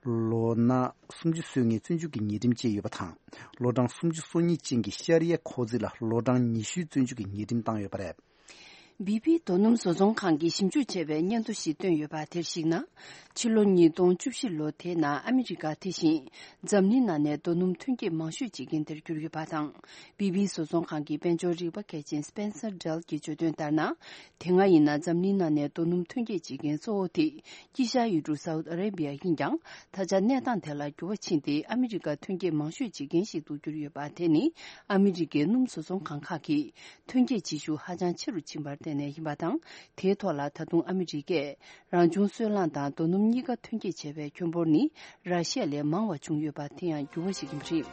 ལོ་ན་སུམ་ཅུ་སོན་མཁན་བཙོན་འཇུག་གི་ཉེས་ཁྲིམས་བཅད་ཡོད་པ་དང་། ལོ་གྲངས་སུམ་ཅུ་སོ་གཉིས་ཅན་གྱི་ཤ་རི་ཡ་ཁོ་ཛི་ལ་ལོ་གྲངས་ཉི་ཤུའི་བཙོན་འཇུག་གི་ཉེས་ཁྲིམས་བཏང་ཡོད་པ་རེད། བི་བི་རྡོ་སྣུམ་བཟོ་ཚོང་ཁང་གིས་ཞིབ་འཇུག་བྱས་པའི་སྙན་ཐོ་ཞིག་བཏོན་ཡོད་པ་དེར་གཞིགས་ན། ཕྱི་ལོ་ཉིས་སྟོང་བཅུ་བཞི་ལོ་དེའི་ནང་ཨ་མི་རི་ཀ་དེ་བཞིན་འཛམ་གླིང་ནང་ནས་རྡོ་སྣུམ་ཐོན་སྐྱེད་མང་ཤོས་བྱེད་མཁན་དེར་གྱུར་ཡོད་པ་དང་། བི་བི་བཟོ་ཚོང་ཁང་གི་དཔལ་འབྱོར་རིག་པ་མཁས་ཅན་སྤེན་སར་ཌེལ་གྱིས་བརྗོད་དོན་ལྟར་ན། དེ་སྔ་ཡིན་ན་འཛམ་གླིང་ནང་ནས་རྡོ་སྣུམ་ཐོན་སྐྱེད་བྱེད་མཁན་གཙོ་བོ་དེ་དཀྱིལ་ཤར་ཡུལ་གྲུ་སའུ་ཨ་རེ་བི་ཡ་ཡིན་ཀྱང་། ད་ཆ་གནས་སྟངས་དེ་ལ་འགྱུར་བ་ཕྱིན་ཏེ་ཨ་མི་རི་ཀ་ཐོན་སྐྱེད་མང་ཤོས་བྱེད་མཁན་ཞིག་ཏུ་གྱུར་ཡོད་པ་དེ་ནི་ཨ་མི་རི་ཀའི་སྣུམ་བཟོ་ཚོང་ཁང་ཁག་གིས་ཐོན་སྐྱེད་བྱེད་ཤུགས་ཧ་ཅང་ཆེ་རུ་ཕྱིན་པར་བརྟེན་ནས་ཡིན་པ་དང་། དེའི་ཐོག་ལ་ད་དུང་ཨ་མི་རི་ཀས་རང་བྱུང་སོལ་རླངས་དང་རྡོ་སྣུམ་གཉིས་ཀ་ཐོན་སྐྱེད་བྱས་པའི་ཁྱོན་འབོར་ནི་ར་ཤི་ཡ་ལས་མང་བ་བྱུང་ཡོད་པ་དེ་ཡང་འགྱུར་བ་ཞིག་ཡིན་པ་རེད།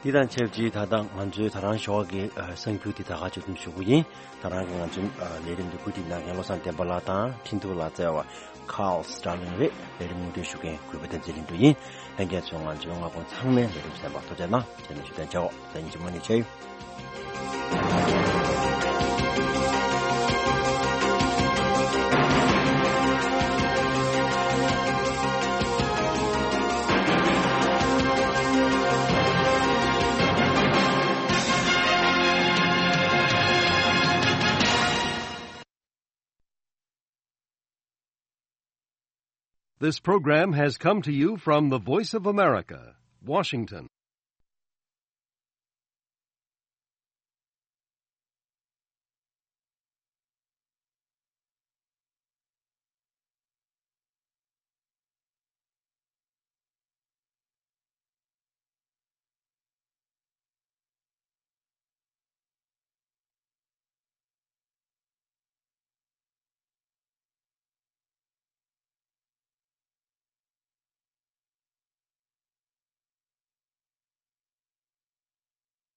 འདི་དང་ཆབས་ཅིག་ད་ལྟ་ང་ཚོའི་ད་རང་ཞོགས་ཀྱི་ཨ་གསར་འགྱུར་འདི་ད་ག་ཅིག་ཏུ་ཞུ་གི་ཡིན། ད་རང་གི་ང་ཚོའི་ཨ་ལས་རིམ་འདི་བཀོད་སྒྲིག་གནང་མཁན་བློ་བཟང་བསྟན་པ་ལགས་དང་འཕྲིན་ཐུང་ལག་རྩལ་བ་Carl Starling་རེད། ལས་རིམ་སྙན་སྒྲོན་ཞུ་མཁན་གུས་པ་བསྟན་འཛིན་ལྷུན་གྲུབ་ཡིན། ལྷན་རྒྱས་ཚོས་ང་ཚོའི་མངའ་ཁོངས་ཚང་མའི་ལས་རིམ་གསན་པར་ཐུགས་རྗེ་གནང་། རྗེས་ནས་ཞུ་དོན་བྱའོ། ད་ཡིན་གཅིག་མ་ནས་ཆེ། This program has come to you from the Voice of America, Washington.